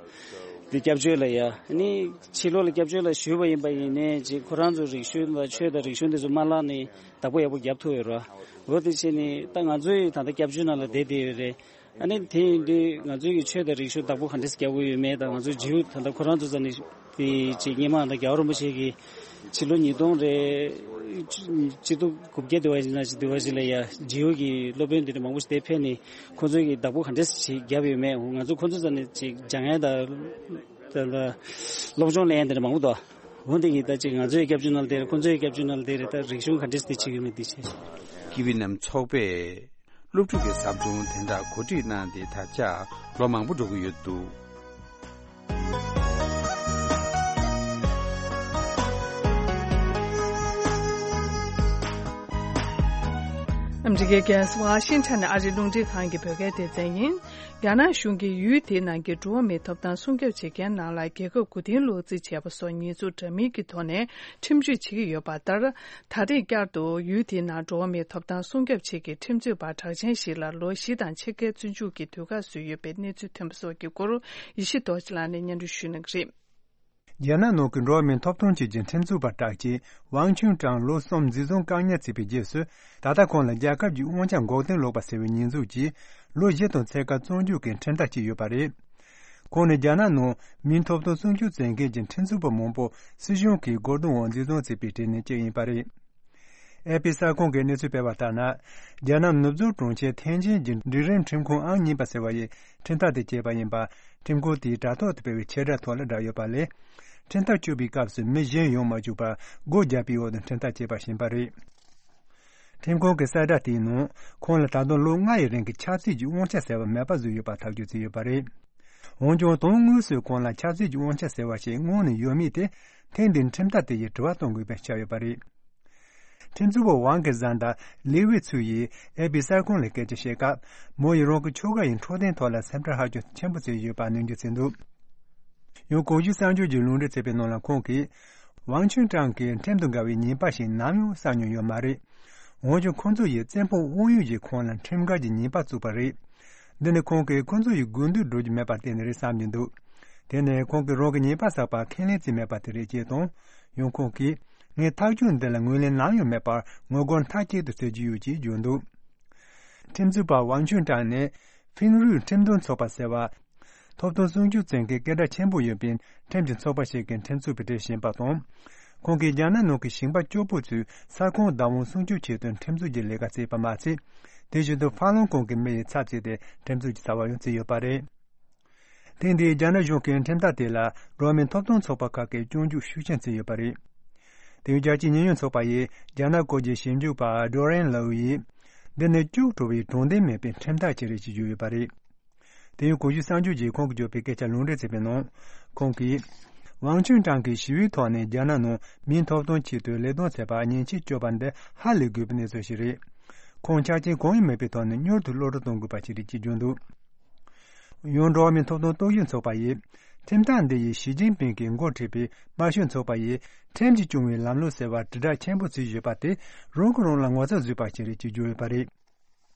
དེ་སྐྱབས་བཅོལ་ལ་ཡ་ནི་ཕྱི་ལོགས་ལ་སྐྱབས་བཅོལ་ལ་བཞུགས་པ་ཡིན་པ་ཡིན་ནའི། ཅིག་ཁོ་རང་ཚོ་རིག་གཞུང་དང་ཆོས་དང་རིག་གཞུང་དེ་ཚོ་མ་བརླག་ནས་བདག་པོ་ཡག་པོ་རྒྱབ་ཐུབ་ཡོད་རོགས། འོ་དེ་བྱས་ནས་ད་ང་ཚོ་ཡི་ད་ལྟ་སྐྱབས་བཅོལ་ནང་ལ་བསྡད་བསྡད་ཡོད་རེད། ཨ་ནི་དེ་ཡིན་དུས་ང་ཚོའི་གི་ཆོས་དང་རིག་གཞུང་བདག་པོ་ག་འདྲས་རྒྱག་དགོས་ཡོད་མེད་དང་། ང་ཚོའི་རྗེའུ་ད་ལྟ་ཁོ་རང་ཚོ་རྩ་ནས་དེ་ཅིག་སྔོན་མ་ད་རྒྱལ་བ་རིན་པོ་ཆེ་གི་ཕྱི་ལོ་ཉིས་སྟོང་རེད། གཅིག་སྟོང་དགུ་བརྒྱ་དེ་བ་ཞིག་ན་ཅིག་དེ་བ་ཞིག་ལ་ཡ་རྗེའུ་གི་སློབ་དཔོན་དེ་འདྲ་མང་པོ་ཞིག་དེ་ཕེབས་ནས་ཁོ་ཚོའི་གི་བདག་པོ་ག་འདྲས་ཅིག་བརྒྱབ་ཡོད་མེད། ང་ཚོ་ཁོ་ཚོ་རྩ་ནས་ཅིག་སྦྱང་ཡ་དང་ད་ལྟ་སློབ་སྦྱོང་ལེན་ཡ་དེ་འདྲ་མང་པོ་འདུག་འོ་དེ་གི་ད་ཅིག་ང་ཚོའི་སྐྱབས་བཅོལ་ནང་ལ་བསྡད་རེད། ཁོ་ཚོའི་སྐྱབས་བཅོལ་ནང་ལ་བསྡད་རེད། ད་རིག་གཞུང་ག་འདྲས་དེ་བྱེད་ཀྱི་ཡོད་མེད་དེ་བྱས། ཀི་བི་ནམ་ཚོགས་པས་སློབ་ཕྲུག་གི་ཟབ་སྦྱོང་དོན་དག་གོ་སྒྲིག་གནང་སྟེ། ད་ཆ་ལོ་མང་པོ་འགྲོ་གི་ཡོད་འདུག་ཨ་མི་རི་ཀའི་རྒྱལ་ས་ཝ་ཤིང་ཊོན་ནས་ཨ་རིའི་རླུང་འཕྲིན་ཁང་གི་བོད་སྐད་སྡེ་ཚན་ཡིན། རྒྱ་ནག་གཞུང་གིས་ཡུལ་དེའི་ནང་གི་འགྲོ་བ་མིའི་ཐོབ་ཐང་སྲུང་སྐྱོབ་བྱེད་མཁན་རྣམས་ལ་རྒྱལ་ཁབ་མགོ་རྟིང་སློག་རྩིས་བྱས་པ་སོགས་ཉེས་འཛུགས་འདྲ་མིན་གྱི་ཐོག་ནས་ཁྲིམས་གཅོད་བྱེད་ཀྱི་ཡོད་པ་ལྟར། ད་རེས་བསྐྱར་དུ་ཡུལ་དེའི་ནང་འགྲོ་བ་མིའི་ཐོབ་ཐང་སྲུང་སྐྱོབ་ཆེད་ཀྱི་ཁྲིམས་རྩོད་པ་གྲགས་ཅན་ཞིག་ལ་ལོ་བཞི་དང་ཕྱེད་ཀའི་བཙོན་འཇུག་གི་དུས་བཀག་བཟོས་ཡོད་པའི་གནས་ཚུལ་ཐོན་པ་སོགས་ཀྱི་སྐོར། ཡེ་ཤེས་རྡོ་རྗེ་ལགས་ནས་སྙན་སྒྲོན་ཞུ་གནང་གི་རེད། རྒྱ་ནག་ནང་གི་འགྲོ་བ་མིའི་ཐོབ་ཐང་ཆེད་ཀྱི་ཁྲིམས་རྩོད་པ་གྲགས་ཅན་ཝང་ཆུན་ཀྲང་ལོ་གསུམ་འཛིན་བཟུང་བཀག་ཉར་བྱས་པའི་རྗེས་སུ། ད་ལྟ་ཁོང་ལ་རྒྱལ་ཁབ་ཀྱི་དབང་ཆ་འགོག་རྐྱེན་སློག་པ་ཟེར་བའི་ཉེས་འཛུགས་ཀྱིས་ལོ་བཞི་དང་ཕྱེད་ཀ་བཙོན་འཇུག་གི་ཁྲིམས་ཐག་བཅད་ཡོད་པ་རེད། ཁོང་ནི་རྒྱ་ནག་ནང་མིའི་ཐོབ་ཐང་སྲུང་སྐྱོབ་བྱེད་མཁན་གྱི་ཁྲིམས་རྩོད་པ་མང་པོ་སྲིད་གཞུང་གིས་རྒོལ་རྡུང་འོག་འཛིན་བཟུང་བྱས་པའི་གྲས་ནས་གཅིག་ཡིན་པ་རེད། ཨེ་པི་གསར་ཁང་གིས་གནས་ཚུལ་སྤེལ་བ་ལྟར་ན། རྒྱ་ནག་ནུབ་བྱང་གྲོང་ཁྱེར་ཐེན་ཅིན་གྱི་སྒྲིག་རིམ་ཁྲིམས་ཁང་ཨང་གཉིས་པ་ཟེར་བ་ཡིས་ཁྲིམས་ཐག་དེ་བཅད་པ་ཡིན་པ། ཁྲིམས་ཁང་དེའི་དྲ་ཐོག་ཏུ་སྤེལ་བའི་ཁྱབ་བསྒྲགས་ཐོག་ལ་བསྒྲགས་ཡོད་པ་ལས། ཁྲིམས་ཐག་གཅོད་པའི་སྐབས་སུ་མི་གཞན་ཡོང་མ་བཅུག་པར་སྒོ་བརྒྱབ་པའི་འོག་ཏུ་ཁྲིམས་ཐག་བཅད་པ་ཞིག་ཡིན་པ་རེད། ཁྲིམས་ཁང་གི་གསལ་བསྒྲགས་དེའི་ནང་། ཁོང་ལ་ད་དུང་ལོ་ལྔ་ཡི་རིང་གི་ཆབ་སྲིད་ཀྱི་དབང་ཆ་ཟེར་བ་མེད་པ་བཟོས་ཡོད་པ་ཐག་གཅོད་བྱས་ཡོད་པ་རེད། འོན་ཀྱང་། དོན་དངོས་སུ་ཁོང་ལ་ཆབ་སྲིད་ཀྱི་དབང་ཆ་ཟེར་བ་ཞིག་སྔོན་ནས་ཡོད་མེད་དེ། ཐེངས་འདིའི་ཁྲིམས་ཐག་དེ་ཡིས་དྲི་བ་གཏོང་དགོས་པ་ཆགས་ཡོད་པ་རེད། ཁྲིམས་རྩོད་པ་ཝང་གི་བཟའ་ཟླ་ལི་ཝེ་ཚུའུ་ཡིས་ཨེ་པི་གསར་ཁང་ལ་སྐད་ཆ་བཤད་སྐབས། མོ་ཡིས་རང་གི་ཁྱོ་ག་ཡི་འཕྲོད་བསྟེན་ཐོག་ལ་སེམས་ཁྲལ་ཧ་ཅང་ཆེན་པོ་བྱས་ཡོད་པ་ནན་བརྗོད་བྱས་འདུག་ཡང་། གོང་ཞུས་གསར་འགྱུར་གྱི་ལུང་འདྲེན་བྱས་པའི་ནང་ལ་ཁོང་གིས། ཝང་ཆུན་ཀྲང་གིས་ཁྲིམས་དང་འགལ་བའི་ཉེས་པ་ཞིག་ནམ་ཡང་བསགས་མྱོང་ཡོད་མ་རེད། འོན་ཀྱང་། ཁོང་ཚོ་ཡིས་བཙན་དཔང་དབང་ཡོད་ཀྱིས་ཁོང་ལ་ཁྲིམས་འགལ་གྱི་ཉེས་པ་བཙུགས་པ་རེད། འདི་ནི་ཁོང་གིས་ཁོང་ཚོ་ཡི་དགོས་འདུན་སྒྲུབ་རྒྱུ་མེད་པར་བརྟེན་ནས་རེད་བསམ་གྱི་འདུག་དེ་ནི་ཁོང་གིས་རང་གི་ཉེས་པ་བསགས་པ་ཁས་ལེན་བྱས་མེད་པ་དེ་རེད་ཅེས་དང་། ཡང་། ཁོང་གིས། ངས་ཐག་གཅོད་འདི་ལ་ངོས་ལེན་ནམ་ཡང་མེད་པར་ངོ་རྒོལ་མཐའ་སྐྱེལ་དུ་བྱེད་ཀྱི་ཡོད་ཅེས་བརྗོད་འདུག་ཁྲིམས་རྩོད་པ་ཝང་ཆུན་ཀྲང་ནི། ཧྥིན་རུས་ཁྲིམས་དོན་ཚོགས་པ་ཟེར་བ། ཐོབ་ཐང་སྲུང་སྐྱོབ་བྱེད་མཁན་སྐད་གྲགས་ཆེན་པོ་ཡོད་པའི་ཁྲིམས་ཀྱི་ཚོགས་པ་ཞིག་གི་ཁྲིམས་རྩོད་པའི་གྲས་ཤིག་ཡིན་པ་དང་། ཁོང་གིས་རྒྱ་ནག་ནང་གི་ཞིང་པ་སྐྱོ་པོ་ཚོའི་ས་ཁོངས་བདག་དབང་སྲུང་སྐྱོབ་ཆེད་དུ་ཁྲིམས་རྩོད་ཀྱི་ལས་ཀ་བྱས་པ་མ་ཚད། དེ་བཞིན་དུ་ཧྥ་ལུན་གོང་གི་མི་ཡི་ཚབ་བྱས་ཏེ་ཁྲིམས་རྩོད་ཀྱི་བྱ་བ་ཡང་བྱས་ཡོད་པ་རེད། ཐེངས་འདིའི་རྒྱ་ནག་གཞུང་གི་ཁྲིམས་ཐག་དེ་ལ་འགྲོ་བ་མིའི་ཐོབ་ཐང་ཚོགས་པ་ཁག་གིས་སྐྱོན་འཛུགས་ཤུགས་ཆེན་བྱས་ཡོད་པ་རེད། དེ་ཡང་། རྒྱལ་སྤྱིའི་ཉེས་ཡངས་ཚོགས་པ་ཡི་རྒྱ་ནག་སྐོར་གྱི་ཞིབ་འཇུག་པ་ཌོ་རེན་ལའུ་ཡིས། འདི་ནི་སྐྱུག་བྲོ་བའི་དྲང་བདེན་མེད་པའི་ཁྲིམས་ཐག་ཅིག་རེད་ཅེས་བརྗོད་ཡོད་པ་རེད། དེ་ཡང་། གོང་ཞུས་གསར་འགྱུར་གྱིས་ཁོང་གིས་བརྗོད་པའི་སྐད་ཆ་ལུང་འདྲེན་བྱས་པའི་ནང་། ཁོང་གིས། ཝང་ཆུན་ཀྲང་གིས་ཞི་བའི་ཐོག་ནས་རྒྱ་ནག་ནང་མིའི་ཐོབ་ཐང་ཆེད་དུ་ལས་དོན་བྱས་པ་ཉེས་ཆད་གཅོད་པ་འདི་ཧ་ལས་དགོས་པའི་གནས་ཚུལ་ཞིག་རེད། ཁོང་ཆ་རྐྱེན་གང་ཡང་མེད་པའི་ཐོག་ནས་མྱུར་དུ་གློད་གྲོལ་གཏོང་དགོས་པ་ཞིག་རེད་ཅེས་བརྗོད་འདུག་ཡང་། འགྲོ་བ་མིའི་ཐོབ་ཐང་རྟོག་ཞིབ་ཚོགས་པ་ཡིས། ཁྲིམས་ཐག་འདི་ཡིས་ཞི་ཅིན་ཕིང་གིས་འགོ་ཁྲིད་པའི་དམར་ཤོག་ཚོགས་པ་ཡིས་ཁྲིམས་ཀྱིས་སྐྱོང་བའི་ལམ་ལུགས་ཟེར་བར་དྲིལ་བསྒྲགས་ཆེན་པོ་བྱས་ཡོད་པ་དེ་རང་གིས་རང་ལ་ངོ་ཚ་བཟོས་པ་ཞིག་རེད་ཅེས་བརྗོད་ཡོད་པ་རེད།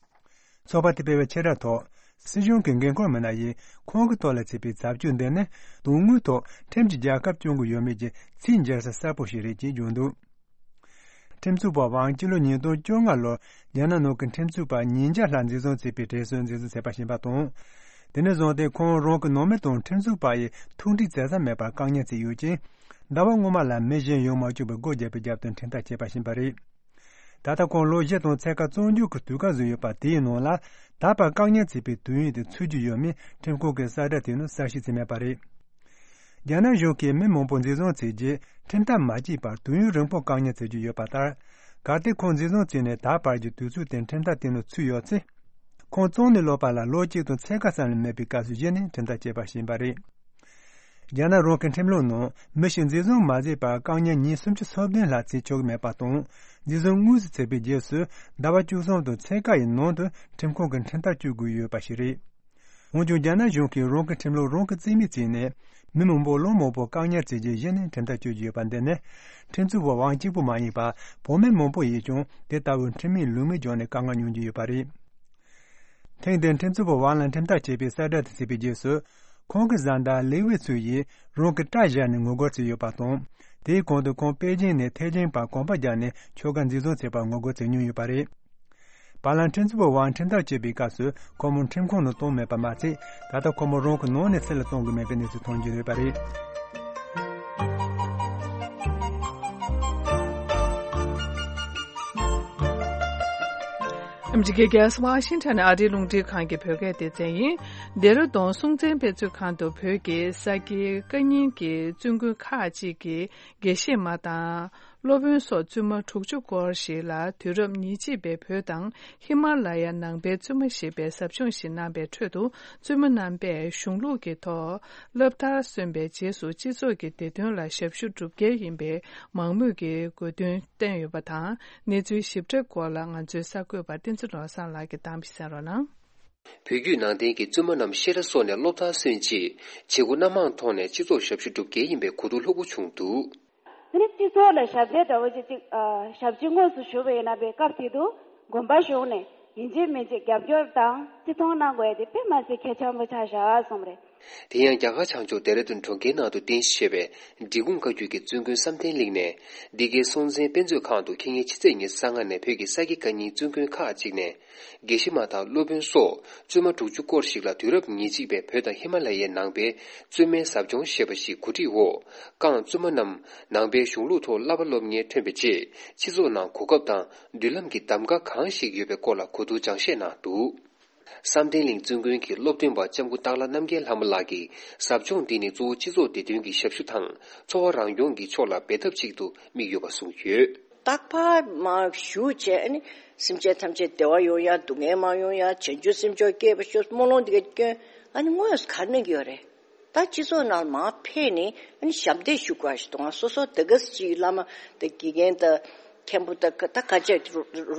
ཚོགས་པ་དེས་སྤེལ་བའི་ཁྱབ་བསྒྲགས་ཐོག་སྲིད་གཞུང་གི་འགན་འཁུར་མི་སྣ་ཡིས་ཁོང་གི་ཐོག་ལ་བྱས་པའི་བྱ་སྤྱོད་འདི་ནི་དོན་དངོས་ཐོག་ཁྲིམས་ཀྱིས་རྒྱལ་ཁབ་སྐྱོང་གི་ཡོད་མེད་ཀྱི་ཚིག་འཇལ་ས་གསལ་པོ་ཞིག་རེད་ཅེས་བརྗོད་འདུག་ཁྲིམས་རྩོད་པ་ཝང་སྤྱི་ལོ་ཉིས་སྟོང་བཅོ་ལྔ་ལོར་རྒྱ་ནག་ནང་གི་ཁྲིམས་རྩོད་པ་ཉིས་བརྒྱ་ལྷག་འཛིན་བཟུང་བྱས་པའི་གྲས་སུ་འཛིན་བཟུང་བྱས་པ་ཞིག་ཡིན་པ་དང་། དེ་ནས་བཟུང་སྟེ་ཁོང་རང་གི་ནང་མི་དང་ཁྲིམས་རྩོད་པ་ཡི་ཐུགས་འདྲིས་བྱེད་ས་མེད་པར་བཀག་ཉར་བྱས་ཡོད་ཅིང་། ཟླ་བ་སྔོན་མ་ལ་མི་གཞན་ཡོང་མ་བཅུག་པའི་སྒོ་བརྒྱབ་པའི་རྒྱབ་ཏུ་ཁྲིམས་ཐག་བཅད་པ་ཞིག་ཡིན་པ་རེད། ད་ལྟ་ཁོང་ལོ་བཞི་དང་ཕྱེད་ཀ་བཙོན་འཇུག་གི་དུས་བཀག་བཟོས་ཡོད་པ་དེའི་ནང་ལ་ད་བར་བཀག་ཉར་བྱས་པའི་དུས་ཡུན་དེ་ཚུད་རྒྱུ་ཡོད་མེད་ཁྲིམས་ཁང་གི་གསལ་བསྒྲགས་དེའི་ནང་གསལ་བཤད་བྱས་མེད་པ་རེད། རྒྱ་ནག་གཞུང་གིས་མི་མང་པོ་འཛིན་བཟུང་བྱས་རྗེས་ཁྲིམས་ཐག་མ་བཅད་པར་དུས་ཡུན་རིང་པོ་བཀག་ཉར་བྱེད་ཀྱི་ཡོད་པ་ལྟར། གལ་ཏེ་ཁོང་འཛིན་བཟུང་བྱས་ནས་ད་བར་གྱི་དུས་ཚོད་དེ་ཁྲིམས་ཐག་དེའི་ནང་ཚུད་ཡོད་ཚེ། ཁོང་བཙོན་ནས་ལོག་པ་ལ་ལོ་གཅིག་དང་ཕྱེད་ཀ་ཙམ་ལས་མེད་པའི་སྐབས་སུ་གཞི་ནས་ཁྲིམས་ཐག་བཅད་པ་ཞིག་ཡིན་པ་རེད། རྒྱ་ནག་རང་གི་ཁྲིམས་ལུགས་ནང་མི་ཞིག་འཛིན་བཟུང་མ་བྱས་པར་བཀག་ཉར་ཉིན་སུམ་ཅུ་སོ་བདུན་ལྷག་བྱེད་ཆོག་གི་མེད་པ་དང་། འཛིན་བཟུང་དངོས་སུ་བྱས་པའི་རྗེས་སུ་ཟླ་བ་བཅུ་གསུམ་དང་ཕྱེད་ཀ་ཡི་ནང་དུ་ཁྲིམས་ཁང་གི་ཁྲིམས་ཐག་གཅོད་དགོས་ཡོད་པ་ཞིག་རེད། འོན་ཀྱང་རྒྱ་ནག་གཞུང་གིས་རང་གི་ཁྲིམས་ལུགས་རང་གིས་རྩིས་མེད་བྱས་ནས་མི་མང་པོ་ལོ་མང་པོར་བཀག་ཉར་བྱས་རྗེས་གཞི་ནས་ཁྲིམས་ཐག་གཅོད་ཀྱི་ཡོད་པ་འདི་ནི་ཁྲིམས་རྩོད་པ་དབང་གཅིག་པུ་མ་ཡིན་པར་བོད་མི་མང་པོ་ཡིས་ཀྱང་དེ་ལྟ་བུའི་ཁྲིམས་མེད་ལུགས་མེད་བརྒྱབ་ནས་བཀའ་མངགས་མྱོང་རྒྱུ་ཡོད་པ་རེད། ཐེངས་འདིར་ཁྲིམས་རྩོད་པ་དབང་ལ་ཁྲིམས་ཐག་བཅད་པའི་གསལ་བསྒྲགས་དེ་བྱས་པའི་རྗེས་སུ། ཁོང་གི་བཟའ་ཟླ་ལི་ཝེ་ཚུའུ་ཡིས་རང་གི་སྐྲ་བཞར་ནས་ངོ་རྒོལ་བྱས་ཡོད་པ་དང་། དེའི་གོང་དུ་ཁོང་པེ་ཅིང་ནས་ཐེ་ཅིང་བར་གོམ་པ་བརྒྱབ་ནས་ཁྱོ་ག་འཛིན་བཟུང་བྱས་པར་ངོ་རྒོལ་བྱེད་མྱོང་ཡོད་པ་རེད། བར་ལམ་ཁྲིམས་རྩོད་པ་དབང་ཁྲིམས་ཐག་བཅད་པའི་སྐབས་སུ་ཁོ་མོ་ཁྲིམས་ཁང་ནང་བཏང་མེད་པ་མ་ཚད། ད་ལྟ་ཁོ་མོ་རང་གི་ནང་ནས་ཕྱི་ལ་གཏོང་གི་མེད་པའི་གནས་ཚུལ་ཐོན་གྱི་ཡོད་པ་རེད། ཨ་མི་རི་ཀའི་རྒྱལ་ས་ཝ་ཤིང་ཊོན་ནས་ཨ་རིའི་རླུང་འཕྲིན་ཁང་གི་བོད་སྐད་སྡེ་ཚན་ཡིན། ལྡེ་ར་ལྡུན་སྲོང་བཙན་དཔེ་མཛོད་ཁང་དུ་བོད་ཀྱི་ས་དགེ་བཀའ་རྙིང་གི་བཙུན་དགོན་ཁག་ཅིག་གི་དགེ་བཤེས་མ་དང་། སློབ་དཔོན་སོགས་བཙུན་མ་དྲུག་ཅུ་སྐོར་ཞིག་ལ་དུས་རབས་ཉེར་གཅིག་པའི་བོད་དང་ཧི་མ་ལ་ཡ་ནང་པའི་བཙུན་མ་ཞེས་པའི་ཟབ་སྦྱོང་ཞིག་གནང་བའི་ཁྲོད་དུ། བཙུན་མ་རྣམ་པས་གཞུང་ལུགས་ཀྱི་ཐོག་སློབ་མཐར་སོན་པའི་རྗེས་སུ་སྤྱི་ཚོགས་ཀྱི་བདེ་དོན་ལ་ཞབས་ཞུ་སྒྲུབ་གལ་ཡིན་པའི་མང་མོས་ཀྱི་དགོས་འདུན་བཏོན་ཡོད་པ་དང་། གནས་ཚུལ་ཞིབ་ཕྲའི་སྐོར་ལ་ང་ཚོའི་གསར་འགོད་པ་བསྟན་འཛིན་བློ་བཟང་ལགས་ཀྱིས་གཏམ་བཤད་གནང་རོགས་གནང་། བོད་བརྒྱུད་ནང་བསྟན་གྱི་བཙུན་མ་རྣམས་བཤད་གྲྭ་སོགས་ནས་སློབ་མཐར་སོན་རྗེས་བྱེད་སྒོ་སྣ་མང་ཐོག་ནས་སྤྱི་ཚོགས་ཞབས་ཞུ་སྒྲུབ་གལ་ཡིན་པའི་གོ་བསྡུར་ལྷུག་པོ་བྱུང་འདུག། དེ་ནི་སྤྱི་ཚོགས་ལ་ཞབས་འདེགས་འདྲ་བོ་ཅིག་ཅིག་ཨ། ཞབས་ཕྱི་དངོས་སུ་ཞུ་བ་ཡིན་ན་པའི་སྐབས་དེ་དུ་དགོན་པ་གཞུང་ནས་ཡིན་གཅིག་མིན་གཅིག་རྒྱབ་སྐྱོར་དང་བརྩི་མཐོང་གནང་དགོས་ཡ་དེ་དཔེ་མ་སྲིད་གལ་ཆེན་པོ་ཆགས་བཞག་གསུངས་རེད། དེ་ཡང་རྒྱ་གར་བྱང་ཕྱོགས་ལྡེ་ར་ལྡུན་གྲོང་ཁྱེར་ནང་དུ་རྟེན་གཞི་བྱས་པའི་འབྲི་གུང་བཀའ་བརྒྱུད་ཀྱི་བཙུན་དགོན་བསམ་གཏན་གླིང་ནས་འདི་གའི་སྲོང་བཙན་དཔེ་མཛོད་ཁང་དུ་ཁེ་ཉིན་ཕྱི་ཚེས་ཉེར་ལྔ་ནས་བོད་ཀྱི་ས་དགེ་བཀའ་རྙིང་བཙུན་དགོན་ཁག་ཅིག་ནས་དགེ་བཤེས་མ་དང་སློབ་དཔོན་སོགས་བཙུན་མ་དྲུག་ཅུ་སྐོར་ཞིག་ལ་དུས་རབས་ཉེར་གཅིག་པའི་བོད་དང་ཧི་མ་ལ་ཡའི་ནང་པའི་བཙུན་མའི་ཟབ་སྦྱོང་ཞེས་པ་ཞིག་གོ་སྒྲིག་འོག་རྐང་བཙུན་མ་རྣམས་ནང་པའི་གཞུང་ལུགས་ཐོག་བསླབ་པ་སློབ་གཉེར་ཐོན་པའི་རྗེས་སྤྱི་ཚོགས་ནང་གོ་སྐབས་དང་མདུན་ལམ་གྱི་གདམ་ག་གང་ཞིག་ཡོད་པའི་སྐོར་ལ་གོ་བསྡུར་སྦྱང་བཤད་གནང་འདུག། བསམ་གཏན་གླིང་བཙུན་དགོན་གྱི་སློབ་སྟོན་པ་ལྕམ་སྐུ་སྟག་ལྷ་རྣམ་རྒྱལ་ལྷ་མོ་ལགས་ཀྱིས་ཟབ་སྦྱོང་འདི་ནི་གཙོ་བོ་སྤྱི་ཚོགས་བདེ་དོན་གྱི་ཞབས་ཞུ་དང་འཚོ་བ་རང་སྐྱོང་གི་ཕྱོགས་ལ་འབད་ཐབས་ཅིག་ཏུ་དམིགས་ཡོད་པ་གསུངས་ཡོད། རྟག་པར་མར་བཞུགས་བྱས་ཨ་ནི་སེམས་ཅན་ཐམས་ཅད་བདེ་བ་ཡོང་ཡ་སྡུག་བསྔལ་མ་ཡོང་ཡ་བྱང་ཆུབ་སེམས་མཆོག་སྐྱེས་པ་ཤོག་སྨོན་ལམ་འདི་ག་སྐྱོན་ཨ་ནི་དངོས་སུ་ག་རེ་གནང་གི་ཡོད་རེད། ད་སྤྱི་ཚོགས་ནང་མར་ཕེབས་ནས་ཨ་ནི་ཞབས་འདེགས་ཞུ་དགོས་ཞིག་འདུག་ཨ། སོ་སོ་དེ་ག་ཅིག་བླ་མ་དང་དགེ་རྒན་དང་མཁན་པོ་དང་ད་ག་ཅིག་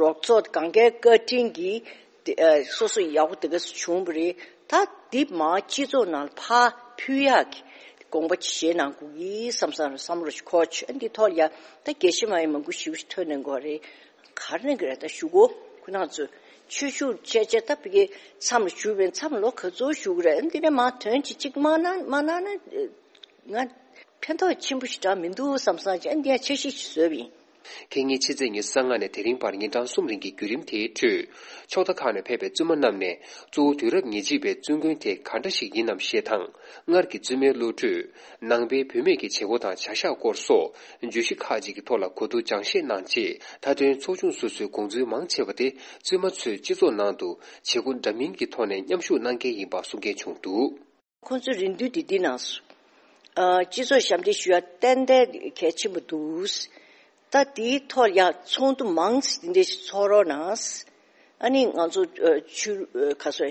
རོགས་ཚོགས་གང་གའི་བཀའ་དྲིན་གྱིས་དེ་ཨ་སོ་སོ་ཡག་པོ་དེ་ག་བྱུང་བ་རེད། ད་འདི་མར་སྤྱི་ཚོགས་ནང་ཕར་ཕུལ་ཡག་གི་དགོངས་པ་ཅིག་བཞེས་གནང་དགོས་ཀྱི་བསམ་བསམ་བསམ་བློ་ཞིག་འཁོར་བྱུང་། ཨ་འདི་ཐོག་ལ་ཡ་ད་དགེ་བཤེས་མ་ཡིན་མང་པོ་ཞིག་ཐོན་གནང་གི་ཡོད་རེད། ག་རེ་གནང་གི་རེད། ད་ཞུ་གོ་ཁོ་རང་ཚོས་ཆོས་ཞུགས་བྱས་བྱས་ད་ཕ་གི་མཚམས་ལ་བཞུགས་པའི་མཚམས་ལོ་ག་ཚོད་བཞུགས་གི་རེད། འདི་ནས་མར་དོན་ཅིག་ཅིག་མ་གནང་མ་གནང་ན་ང་ཕན་ཐོགས་ཆེན་པོ་ཞིག་འདྲ་མི་འདུག་བསམ་བསམ་བྱས་འདི་ཡང་འཆར་གཞི་ཞིག་བཟོས་པ་ཡིན། ཁེ་ཉིན་ཕྱི་ཚེས་ཉེར་ལྔ་ནས་དེ་རིང་བར་ཉིན་གྲངས་གསུམ་རིང་གི་བརྒྱུད་རིམ་དེའི་ཁྲོད་ཕྱོགས་མཐའ་ཁག་ནས་ཕེབས་པའི་བཙུན་མ་རྣམས་ནས་གཙོ་བོ་དུས་རབས་ཉེར་གཅིག་པའི་བཙུན་དགོན་དེ་ག་འདྲ་ཞིག་ཡིན་ནམ་ཞེས་དང་། སྔར་གྱི་བཙུན་མའི་བློ་གྲོས། ནང་པའི་བུད་མེད་ཀྱི་བྱེད་སྒོ་དང་བྱ་གཞག་སྐོར་སོགས་བརྗོད་གཞི་ཁག་ཅིག་གི་ཐོག་ལ་གོ་བསྡུར་སྦྱང་བཤད་གནང་རྗེས། མཐའ་དོན་ཚོགས་ཆུང་སོ་སོའི་དགོངས་ཚུལ་མང་ཆེ་བ་དེ་བཙུན་མ་ཚོས་སྤྱི་ཚོགས་ནང་དུ་བྱེད་སྒོ་འདྲ་མིན་གྱི་ཐོག་ནས་མཉམ་ཞུགས་གནང་གལ་ཡིན་པ་གསུང་མཁན་བྱུང་འདུག། ཁོང་ཚོའི་རེ་འདུན་དེ་འདི་གནང་སོང་། ཨ། སྤྱི་ཚོགས་ཞབས་འདེགས་ཞུ་ཡ་ཏན་ཏན་གལ་ཆེན་པོ་འདུག། ད་དེའི་ཐོག་ཡ་ཚོགས་འདུ་མང་ཙམ་འདི་འདྲ་ཞིག་ཚོགས་རོགས་གནང་། ཨ་ནི་ང་ཚོ་ཨ་ཆོས་ཨ་ག་སོ་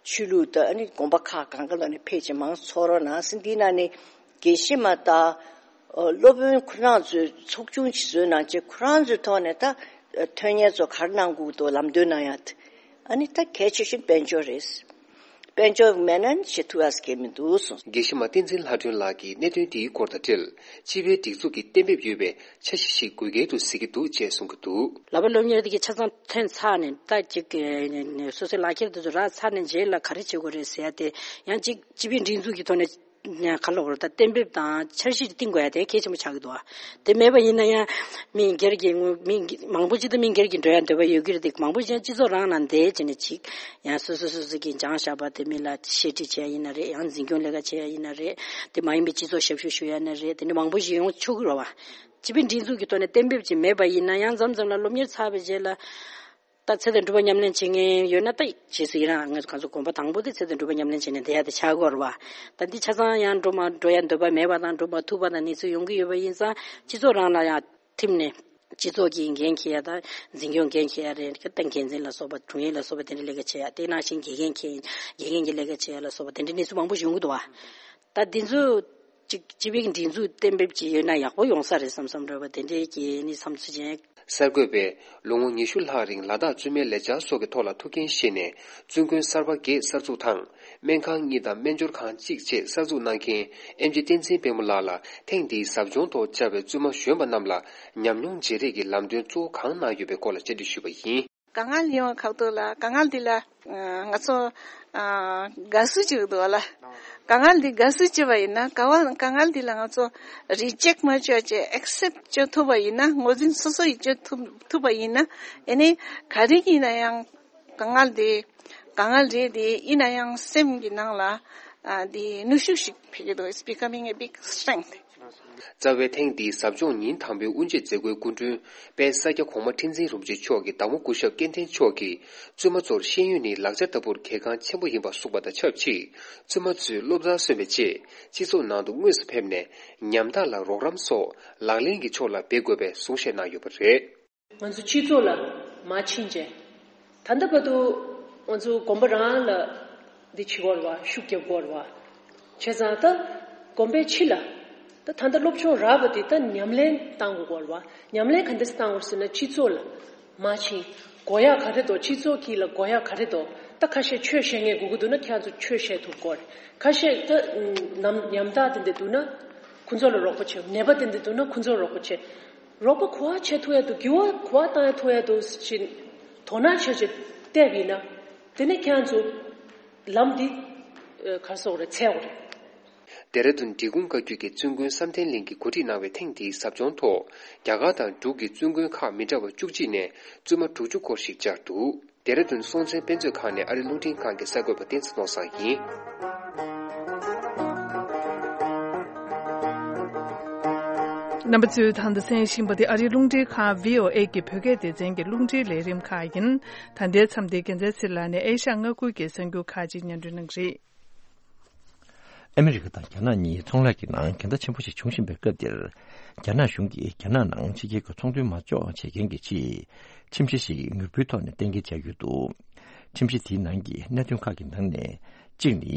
ཆོས་ལུགས་དང་ཨ་ནི་དགོན་པ་ཁག་གང་ག་ལ་ནས་ཕེབས་བྱས་མང་ཙམ་ཚོགས་རོགས་གནང་། འདིའི་ནང་ནས་དགེ་བཤེས་མ་དང་ཨ་སློབ་དཔོན་ཁོ་རང་ཚོའི་ཚོགས་ཆུང་ཞིག་བཟོས་གནང་བྱས་ཁོ་རང་ཚོའི་ཐོག་ནས་ད་ཨ་ཐོན་མཁན་ཚོ་ག་རེ་གནང་དགོས་འདུག་ལམ་སྟོན་གནང་ཡ་དེ་ཨ་ནི་ད་གལ་ཆེ་ཤོས་དཔལ་འབྱོར་རེད། དཔལ་འབྱོར་མེད་ན་བྱེད་ཐུབ་ཡ་གང་ཡང་མི་འདུག་གསུངས། དགེ་བཤེས་མ་བསྟན་འཛིན་ལྷ་སྒྲོན་ལགས་ཀྱིས་གནད་དོན་དེའི་སྐོར་དང་འབྲེལ་སྤྱི་པའི་སྒྲིག་འཛུགས་ཀྱིས་གཏན་འབེབས་ཡོད་པའི་འཆར་གཞི་ཞིག་དགོས་གལ་དུ་གཟིགས་ཀྱི་འདུག་ཅེས་གསུང་གི་འདུག། ལག་པ་སློབ་གཉེར་དེ་གའི་ཆ་ཚང་ཐོན་ཚར་ནས་ད་ཅིག་སོ་སོའི་ལག་ཁྱེར་དེ་ཚོ་རག་ཚར་ནས་རྗེས་ལ་ག་རེ་བྱེད་དགོས་རེད་ཟེར་ཡ་དེ་ཡང་ཅིག་སྤྱི་པའི་སྒྲིག་འཛུགས་ཀྱི་ཐོག་ནས་ག་ལབ་དགོས་རེད། ད་གཏན་འབེབས་དང་འཆར་གཞི་བཏིང་དགོས་ཡ་དེ་གལ་ཆེན་པོ་ཆགས་ཀྱི་འདུག་ཨ། དེ་མེད་པ་ཡིན་ན་ཡང་མི་སྒེར་གྱི་ངོ་མི་མང་པོ་ཅིག་ད་མི་སྒེར་གྱི་འགྲོ་ཡ་འདོད་པ་ཡོད་ཀྱི་རེད། དེ་མང་པོ་ཅིག་ཡང་སྤྱི་ཚོགས་རང་ནང་བསྡད་བྱས་ནས་ཅིག་ཡང་སོ་སོ་སོ་སོ་གིས་སྦྱངས་བཞག་པ་དེ་མི་ལ་བཤད་ཁྲིད་བྱེད་ཡ་ཡིན་ན་རེད། ཡང་འཛིན་སྐྱོང་ལས་ཀ་བྱེད་ཡ་ཡིན་ན་རེད། དེ་མ་ཡིན་པའི་སྤྱི་ཚོགས་ཞབས་ཞུ་ཞུ་ཡ་ན་རེད། དེ་འདྲ་མང་པོ་ཞིག་ཡོང་ཆོག་གི་རེད་བ། སྤྱི་པའི་སྒྲིག་འཛུགས་ཀྱི་ཐོག་ནས་གཏན་འབེབས་ཅིག་མེད་པ་ཡིན་ན་ཡང་མཚམས་མཚམས་ལ་སློབ་གཉེར་ཚར་བའི་རྗེས་ལ། ད་ཚེ་དང་སྒྲུབ་པ་ཉམས་ལེན་བྱེད་མཁན་ཡོད་ན་ད་རྗེས་སུ་ཡི་རང་ང་ཚོ་གང་ཚོ་དགོན་པ་དང་པོ་དེ་ཚེ་དང་སྒྲུབ་པ་ཉམས་ལེན་བྱེད་ནས་བསྡད་ཡ་དེ་ཆགས་ཀྱི་ཡོད་རེད་བ། ད་འདི་ཆ་ཚང་ཡང་འགྲོ་མ་འགྲོ་ཡ་འདོད་པ་མེད་པ་དང་འགྲོ་མ་ཐུབ་པ་དང་གནས་ཚུལ་ཡོང་གི་ཡོད་པ་ཡིན་ཙང་སྤྱི་ཚོགས་རང་ལ་ཡང་ཐིམ་ནས་སྤྱི་ཚོགས་ཀྱི་འགན་འཁྱེར་ཡ་དང་འཛིན་སྐྱོང་འགན་འཁྱེར་ཡ་རེད། ད་འགན་འཛིན་ལ་སོགས་པ་དྲུང་ཡིག་ལ་སོགས་པ་དེ་འདྲ་ལས་ཀ་བྱེད་ཡ་དེ་ནང་བཞིན་དགེ་རྒན་འཁྱེར་དགེ་རྒན་གྱི་ལས་ཀ་བྱེད་ཡ་ལ་སོགས་པ་དེ་འདྲ་གནས་ཚུལ་མང་པོ་ཡོང་གི་འདུག་བ། ད་འདི་ཚོ། ཅིག་སྤྱི་པའི་སྒྲིག་འཛུགས་གཏན་འབེབས་ཅིག་ཡོད་ན་ཡག་པོ་ཡོང་ས་རེད་བསམ་བསམ་རེད་བ། དེ་འདྲའི་གི་ནི་བསམ་ཚུལ་ཅན། གསར་འགོད་པས་ལོ་ངོ་ཉི་ཤུ་ལྷག་རིང་ལ་དྭགས་བཙུན་མའི་ལས་འཆར་སོགས་ཀྱི་ཐོག་ལ་ཐུགས་འགན་བཞེས་ནས་བཙུན་དགོན་གསར་པ་བརྒྱད་གསར་འཛུགས་དང་། སྨན་ཁང་གཉིས་དང་སྨན་སྦྱོར་ཁང་གཅིག་བཅས་གསར་འཛུགས་གནང་མཁན་ཨེམ་ཆི་བསྟན་འཛིན་དཔལ་མོ་ལགས་ལ་ཐེངས་འདིའི་ཟབ་སྦྱོང་ཐོག་བཅར་བའི་བཙུན་མ་གཞོན་པ་རྣམས་ལ་ཉམས་མྱོང་བརྗེ་རེས་ཀྱི་ལམ་སྟོན་གཙོ་བོ་གང་གནང་ཡོད་པའི་སྐོར་ལ་བཅར་འདྲི་ཞུས་པ་ཡིན། དཀའ་ངལ་ཡོང་བ་ཁག་ཏུ་ལ་དཀའ་ངལ་འདི་ལ་ང་ཚོ་དགའ་བསུ་བྱེད་ཀྱི་འདུག་ལ། དཀའ་ངལ་འདི་དགའ་བསུ་བྱེད་པ་ཡིན་ན་དཀའ་བ་དཀའ་ངལ་འདི་ལ་ང་ཚོ་རི་ཇེག་མ་བྱས་བྱས་ཨེག་སེབ་བྱེད་ཐུབ་པ་ཡིན་ན། ངོས་འཛིན་སོ་སོ་ཡིས་བྱེད་ཐུབ་ཐུབ་པ་ཡིན་ན། ཨེ་ནི་ག་རེ་ཡིན་ན་ཡང་དཀའ་ངལ་འདི་དཀའ་ངལ་རེད། དེ་ཡིན་ན་ཡང་སེམས་ཀྱི་ནང་ལ་འདི་ནུས་ཤུགས་ཤིག་འཕེལ་གྱི་འདུག It's becoming a big strength. རྩ་བའི་ཐེངས་འདིའི་ཟབ་སྦྱོང་ཉིན་དང་པོའི་དབུ་འབྱེད་མཛད་སྒོའི་སྐུ་མགྲོན་དཔལ་ས་སྐྱ་གོང་མ་ཁྲི་འཛིན་རིན་པོ་ཆེ་མཆོག་གིས་བདག་མོ་སྐུ་ཞབས་སྐལ་ལྡན་མཆོག་གིས་བཙུན་མ་ཚོར་ཤེས་ཡོན་ནི་ལག་ཆ་ལྟ་བུར་གལ་འགངས་ཆེན་པོ་ཡིན་པ་གསུངས་པ་དང་ཆབས་ཅིག་བཙུན་མ་ཚོས་སློབ་གྲྭར་སོན་པའི་རྗེས་སྤྱི་ཚོགས་ནང་དུ་དངོས་སུ་ཕེབས་ནས་ཉམ་ཐག་ལ་རོགས་རམ་སོགས་ལག་ལེན་གྱི་ཕྱོགས་ལ་འབད་དགོས་པའི་གསུང་བཤད་གནང་ཡོད་པ་རེད། ང་ཚོ་སྤྱི་ཚོགས་ལ་མ་ཕྱིན་བྱས། ད་ལྟ་བར་དུ་ང་ཚོ་དགོན་པ་རང་ལ་འདི་བྱེད་དགོས་རེད་བ། ཤུགས་རྒྱབ་དགོས་རེད་བ། བྱས་ཙང་ད་དགོན་པའི་ཕྱི་ལ་ད་ད་ལྟ་སློབ་སྦྱོང་རག་པ་དེ་ད་ཉམས་ལེན་བཏང་དགོས་རེད་བ། ཉམས་ལེན་ག་འདྲས་བཏང་དགོས་ཟེར་ན་སྤྱི་ཚོགས་ལ་མ་ཕྱིན། དགོས་ཡག་ག་རེ་འདུག་སྤྱི་ཚོགས་ཀྱི་ལ་དགོས་ཡག་ག་རེ་འདུག་ད་ཁ་ཤས་ཆོས་བཤད་མཁན་དགོས་ཀྱི་འདུག་ན་ཁྱེད་ཚོ་ཆོས་བཤད་ཐུབ་དགོས་རེད། ཁ་ཤས་ད་ནམ་ཉམ་ཐག་དེ་འདྲ་འདུག་ན་ཁོ་ཚོ་ལ་རོགས་པ་བྱེད། ནད་པ་དེ་འདྲ་འདུག་ན་ཁོ་ཚོ་ལ་རོགས་པ་བྱེད། རོགས་པ་ག་པར་བྱེད་ཐུབ་ཡ་འདུག་འགྱུར་བ་ག་པར་བཏང་ཡ་ཐུབ་ཡ་འདུག་ཅེས་དོ་སྣང་བྱས་བྱས་བལྟས་པ་ཡིན་ན། དེ་ནས་ཁྱེད་རང་ཚོ་ལམ་འདི་ག་རེ་ཟེར་དགོས་རེད། འཚོལ་དགོས་རེད། ཌེ་ར་ཌུན་འབྲི་གུང་བཀའ་བརྒྱུད་ཀྱི་བཙུན་དགོན་བསམ་གཏན་གླིང་གིས་གོ་སྒྲིག་གནང་བའི་ཐེངས་འདིའི་ཟབ་སྦྱོང་ཐོག་རྒྱ་གར་དང་འབྲུག་གི་བཙུན་དགོན་ཁག་མི་འདྲ་བ་བཅུ་གཅིག་ནས་བཙུན་མ་དྲུག་ཅུ་སྐོར་ཞིག་བཅར་འདུག་ཌེ་ར་ཌུན་སྲོང་བཙན་དཔེ་མཛོད་ཁང་ནས་ཨ་རིའི་རླུང་འཕྲིན་ཁང་གི་གསར་འགོད་པ་བསྟན་འཛིན་ནོར་བཟང་ཡིན། རྣམ་པ་ཚོས་ད་ལྟ་གསན་བཞིན་པ་དེ་ཨ་རིའི་རླུང་འཕྲིན་ཁང་བྷི་ཨོ་ཨེ་གི་བོད་སྐད་སྡེ་ཚན་གྱི་རླུང་འཕྲིན་ལས་རིམ་ཁག་ཡིན། ད་ལྟའི་མཚམས་འདིར་རྒྱལ་མཚན་ཚེ་ལགས་ནས་ཨེ་ཤ་མངའ་ཁུལ་གྱི་གསར་འགྱུར་ཁག་ཅིག་སྙན་སྒྲོན་གནང་གི་རེད། ཨ་མི་རི་ཀ་དང་རྒྱ་ནག་གཉིས་ཚོང་ལས་ཀྱི་ནང་འགལ་ཟླ་ཆེན་པོ་ཞིག་འབྱུང་བཞིན་པའི་སྐབས་འདིར། རྒྱ་ནག་གཞུང་གིས་རྒྱ་ནག་ནང་ཕྱི་རྒྱལ་གྱི་ཚོང་དོན་མ་འཇོག་བྱེད་མཁན་གྱི་ཆེད། ཁྲིམས་གཞི་ཞིག་ངོ་འཕྲོད་ཐོག་ནས་གཏན་འཁེལ་བྱས་ཡོད་འདུག་ཁྲིམས་གཞི་དེའི་ནང་གི་གནད་དོན་ཁག་གི་ནང་ནས་གཅིག་ནི།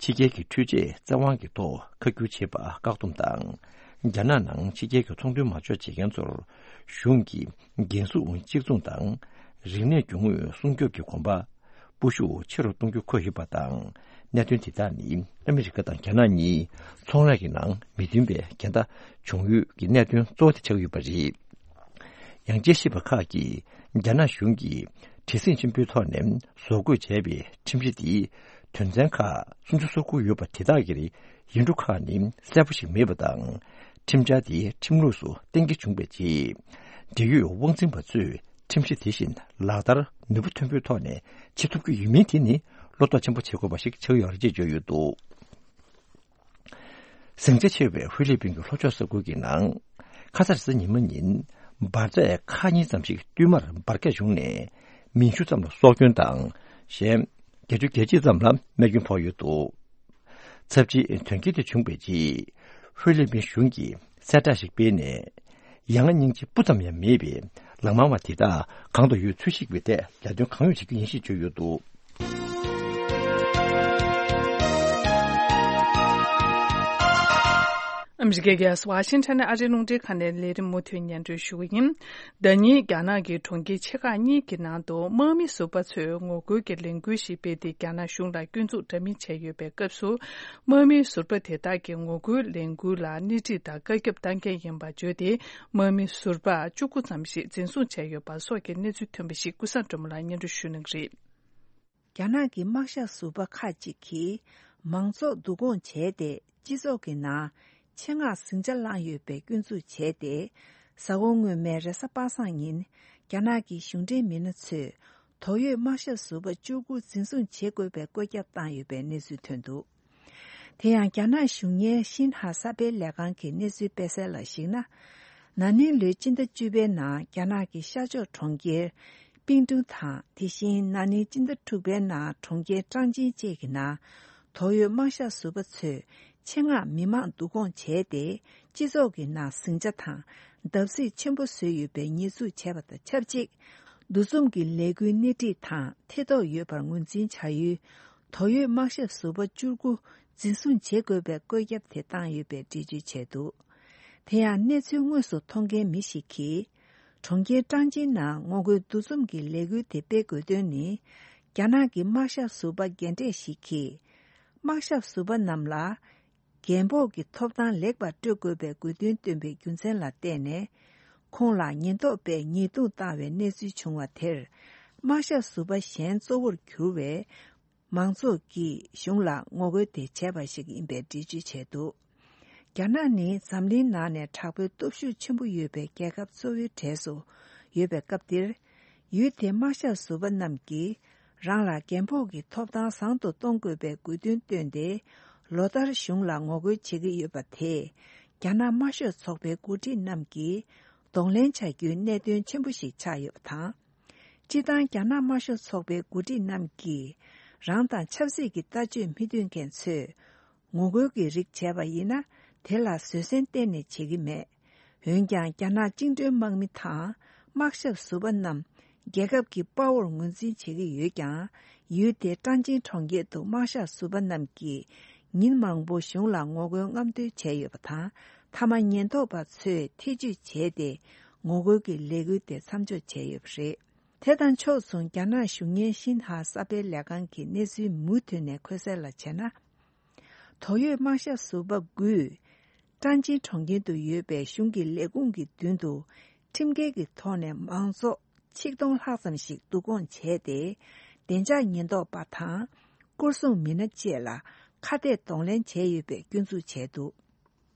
ཕྱི་རྒྱལ་གྱི་འཕྲུལ་ཆས་བཙན་དབང་གི་ཐོག་ཁ་བསྒྱུར་བྱེད་པ་བཀག་སྡོམ་དང་། རྒྱ་ནག་ནང་ཕྱི་རྒྱལ་གྱི་ཚོང་དོན་མ་འཇོག་བྱེད་མཁན་ཚོར་གཞུང་གིས་འགན་སྲུང་གཅིག་མཚུངས་དང་། རིག་གནས་སྐྱོང་དངོས་སྲུང་སྐྱོབ་ཀྱི་གོམ་པ། སྤོ་ཤུགས་ཆེ་རུ་གཏོང་རྒྱུ་འཁོད་ཡོད་པ་དང་། གནད་དོན་དེ་དག་ནི་ཨ་མི་རི་ཀ་དང་རྒྱ་ནག་གཉིས་ཚོང་ལས་ཀྱི་ནང་མི་མཐུན་པའི་འགལ་ཟླ་བྱུང་ཡུལ་གྱི་གནད་དོན་གཙོ་བོ་དེ་ཆགས་ཡོད་པ་རེད། ཡང་དཔྱད་ཞིབ་པ་ཁག་གིས་རྒྱ་ནག་གཞུང་གིས་བྲེལ་ཟིང་ཆེན་པོའི་ཐོག་ནས་བཟོ་འགོད་བྱས་པའི་ཁྲིམས་གཞི་འདིའི་དོན་ཚན་ཁག་སུམ་ཅུ་སོ་དགུ་ཡོད་པ་དེ་དག་གི་ཡིག་འབྲུ་ཁག་ནི་གསལ་པོ་ཞིག་མེད་པ་དང་། ཁྲིམས་འཆར་དེ་ཁྲིམས་ལུགས་སུ་གཏན་འཁེལ་བྱུང་བའི་རྗེས། འབྲེལ་ཡོད་དབང་འཛིན་པ་ཚོས་ཁྲིམས་གཞི་དེ་བཞིན་ལག་བསྟར་ནུས་པ་ཐོན་པོའི་ཐོག་ནས་བྱེད་ཐུབ་ཀྱི་ཡོད་མིན་དེ་ནི་བློ་དོགས་ཆེན་པོ་བྱེད་དགོས་པ་ཞིག་ཆགས་ཡོད་རེད་ཅེས་བརྗོད་ཡོད་འདུག་ཟིང་ཆ་ཆེ་བའི་ཧྥི་ལི་པིན་གྱི་ལྷོ་ཕྱོགས་ས་ཁུལ་གྱི་ནང་། ཁ་ས་རེས་གཟའ་ཉི་མ་ཉིན། འབར་རྫས་ཁག་གཉིས་ཙམ་ཞིག་བསྟུད་མར་འབར་གས་བྱུང་ནས། མི་བཅུ་ཙམ་ལ་སྲོག་སྐྱོན་དང་། གཞན། བརྒྱད་ཅུ་གྱ་གཅིག་ཙམ་ལ་རྨས་སྐྱོན་ཕོག་ཡོད་འདུག་ཚབས་ཆེའི་དོན་རྐྱེན་དེ་བྱུང་བའི་རྗེས། ཧྥི་ལི་པིན་གཞུང་གིས་གསལ་བསྒྲགས་ཤིག་སྤེལ་ནས། ཡ་ང་སྙིང་རྗེ་སྤུ་ཙམ་ཡང་མེད་པའི་ལག་དམར་བ་དེ་དག་གང་དུ་ཡོད་འཚོལ་ཞིག་པའི་ཐད་ལས་དོན་གང་ཡོང་བྱེད་རྒྱུ་ཡིན་ཞེས་བརྗོད་ཡོད་འདུག་ཨ་མི་རི་ཀའི་རྒྱལ་ས་ཝ་ཤིང་ཊོན་ནས་ཨ་རིའི་རླུང་འཕྲིན་ཁང་ནས་ལས་རིམ་མུ་མཐུད་སྙན་སྒྲོན་ཞུ་གི་ཡིན། ཟླ་ཉིན་རྒྱ་ནག་གི་གྲོང་ཁྱེར་ཆེ་ཁག་གཉིས་ཀྱི་ནང་དུ་དམག་མི་ཟུར་པ་ཚོས་ངོ་རྒོལ་གྱི་ལས་འགུལ་ཞིག་སྤེལ་ཏེ་རྒྱ་ནག་གཞུང་ལ་སྐྱོན་འཛུགས་འདྲ་མིན་བྱས་ཡོད་པའི་སྐབས་སུ། དམག་མི་ཟུར་པ་དེ་དག་གིས་ངོ་རྒོལ་ལས་འགུལ་ལ་སྣེ་ཁྲིད་དང་བཀའ་ཁྱབ་བཏང་མཁན་ཡིན་པ་བརྗོད་དེ། དམག་མི་ཟུར་པ་བཅུ་དགུ་ཙམ་ཞིག་འཛིན་བཟུང་བྱས་ཡོད་པ་སོགས་ཀྱི་གནས་ཚུལ་ཐོན་པ་ཞིག་ཀུན་བཟང་སྒྲོལ་མ་ལགས་སྙན་སྒྲོན་ཞུ་གནང་གི་རེད། རྒྱ་ནག་གི་དམག་ཞབས་ཟུར་པ་ཁག་ཅིག་གིས་མང་ཚོགས་བསྡུ་སྐོང་བྱས་ཏེ། སྤྱི་ཚོགས་ཀྱི་ནང་ཆེད་མངགས་ཟིང་ཆ་བསླངས་ཡོད་པའི་སྐྱོན་འཛུགས་བྱས་ཏེ། གཟའ་འཁོར་སྔོན་མའི་རེས་གཟའ་པ་སངས་ཉིན། རྒྱ་ནག་གི་གཞུང་འབྲེལ་མི་སྣ་ཚོས་དོགས་ཡོད་དམག་ཞབས་ཟུར་པ་བཅུ་དགུ་འཛིན་བཟུང་བྱེད་དགོས་པའི་བཀོད་ཁྱབ་བཏང་ཡོད་པའི་གནས་ཚུལ་ཐོན་འདུག་དེ་ཡང་རྒྱ་ནག་གཞུང་གཉེར་ཤིན་ཧྭ་གསར་སྤེལ་ལས་ཁང་གི་གནས་ཚུལ་སྤེལ་གསལ་ལ་གཞིགས་ན། ན་ནིང་ལོའི་སྤྱི་ཟླ་བཅུ་པའི་ནང་རྒྱ་ནག་གི་ཤར་ཕྱོགས་གྲོང་ཁྱེར་པིང་ཀྲུང་དང་། དེ་བཞིན་ན་ནིང་སྤྱི་ཟླ་དྲུག་པའི་ནང་གྲོང་ཁྱེར་ཀྲང་ཅིན་བཅས་ཀྱི་ནང་དོགས་ཡོད་དམག་ཞབས་ཟུར་པ་ཚོས་ཆེད་མངགས་མི་མང་བསྡུ་སྐོང་བྱས་ཏེ། སྤྱི་ཚོགས་ཀྱི་ནང་ཟིང་ཆ་དང་བརྡབ་གསིག་ཆེན་པོ་བཟོས་ཡོད་པའི་ཉེས་འཛུགས་བྱས་པ་དང་ཆབས་ཅིག་འདུ་འཛོམས་ཀྱི་ལས་འགུལ་སྣེ་ཁྲིད་དང་ཐེ་གཏོགས་ཡོད་པར་ངོས་འཛིན་བྱ་ཡུལ། དོགས་ཡོད་དམག་ཞབས་ཟུར་པ་བཅུ་དགུ་ འཛིན་བཟུང་བྱེད་དགོས་པའི་བཀོད་ཁྱབ་དེ་བཏང་ཡོད་པའི་འགྲེལ་བརྗོད་བྱས་འདུག་དེ་ཡང་གནས་ཚུལ་དངོས་སུ་མཐོང་མཁན་མི་ཞིག་གིས། གྲོང་ཁྱེར་ཀྲང་ཅིན་ནང་ངོ་རྒོལ་འདུ་འཛོམས་ཀྱི་ལས་འགུལ་དེ་སྤེལ་དགོས་དོན་ནི། རྒྱ་ནག་གི་དམག་ཞབས་ཟུར་པ་རྒན་གྲས་ཤིག་གིས། དམག་ཞབས་ཟུར་པ་རྣམས་ལ། རྒན་ཕོགས་ཀྱི་ཐོབ་ཐང་ལེགས་པར་སྤྲོད་དགོས་པའི་དགོས་འདུན་བཏོན་པའི་རྒྱུ་མཚན་ལ་བརྟེན་ནས། ཁོང་ལ་ཉེན་རྟོག་པས་ཉེས་རྡུང་བཏང་བའི་གནས་ཚུལ་བྱུང་བ་དེར། དམག་ཞབས་ཟུར་པ་གཞན་གཙོ་བོར་གྱུར་བའི་མང་ཚོགས་ཀྱིས་གཞུང་ལ་ངོ་རྒོལ་དེ་བྱས་པ་ཞིག་ཡིན་པའི་འགྲེལ་བརྗོད་བྱས་འདུག་རྒྱ་ནག་ནི་འཛམ་གླིང་ནང་ནས་དྲག་པོའི་སྟོབས་ཤུགས་ཆེན་པོ་ཡོད་པའི་རྒྱལ་ཁབ་གཙོ་བོའི་གྲས་སུ་ཡོད་པའི་སྐབས་འདིར། ཡུལ་དེའི་དམག་ཞབས་ཟུར་པ་རྣམས་ཀྱིས་རང་ལ་རྒན་ཕོགས་ཀྱི་ཐོབ་ཐང་བཟང་དུ་གཏོང་དགོས་པའི་དགོས་འདུན་བཏོན་ཏེ། ལོ་ལྟར་གཞུང་ལ་ངོ་རྒོལ་བྱེད་ཀྱི་ཡོད་པ་དེས། རྒྱ་ནག་དམར་ཤོག་ཚོགས་པའི་འགོ་ཁྲིད་རྣམས་ཀྱིས་གདོང་ལེན་བྱ་རྒྱུའི་གནད་དོན་ཆེན་པོ་ཞིག་ཆགས་ཡོད་པ་དང་། སྤྱིར་བཏང་རྒྱ་ནག་དམར་ཤོག་ཚོགས་པའི་འགོ་ཁྲིད་རྣམས་ཀྱིས་རང་དང་ཆབ་སྲིད་ཀྱི་ལྟ་སྤྱོད་མི་མཐུན་མཁན་ཚོས་ངོ་རྒོལ་གྱི་རིགས་བྱས་པ་ཡིན་ན། དེ་ལ་བཟོད་བསྲན་གཏན་ནས་བྱེད་ཀྱི་མེད། འོན་ཀྱང་། རྒྱ་ནག་བཅིངས་འགྲོལ་དམག་མི་དང་དམག་ཞབས་ཟུར་པ་རྣམས་རྒྱལ་ཁབ་ཀྱི་དཔའ་བོར་ངོས་འཛིན་བྱེད་ཀྱི་ཡོད་ཀྱང་། ཡུལ་དེའི་ཀྲང་ཅིན་གྲོང་ཁྱེར་དུ་དམག་ཞབས་ཟུར་པ་རྣམས་ཀྱིས་ཉིན་མང་པོ་གཞུང་ལ་ངོ་རྒོལ་རྔམ་སྟོན་བྱས་ཡོད་པ་དང་། མཐའ་མ་ཉེན་རྟོག་པ་ཚོས་ཐེ་ཇུས་བྱས་ཏེ། ངོ་རྒོལ་གྱི་ལས་འགུལ་དེ་མཚམས་འཇོག་བྱས་ཡོད་པ་རེད། དེ་དང་ཕྱོགས་མཚུངས། རྒྱ་ནག་གཞུང་གཉེར་ཤིན་ཧྭ་གསར་སྤེལ་ལས་ཁང་གི་གནས་ཚུལ་མུ་མཐུད་ནས་འཁོད་གསལ་ལ་བྱས་ན། དོགས་ཡོད་དམག་ཞབས་ཟུར་པ་དགུས། ཀྲང་ཅིན་གྲོང་ཁྱེར་དུ་ཡོད་པའི་གཞུང་གི་ལས་ཁུངས་ཀྱི་མདུན་དུ། ཁྲིམས་འགལ་གྱི་ཐོག་ནས་མང་ཚོགས་ཆིག་སྟོང་ལྷག་ཙམ་ཞིག་བསྡུ་སྐོང་བྱས་ཏེ། བདེ་འཇགས་ཉེན་རྟོག་པ་དང་། སྐོར་སྲུང་མི་སྣ་བཅས་ལ་ཁ་གཏད་གདོང་ལེན་བྱས་ཡོད་པའི་སྐྱོན་འཛུགས་བྱས་འདུག་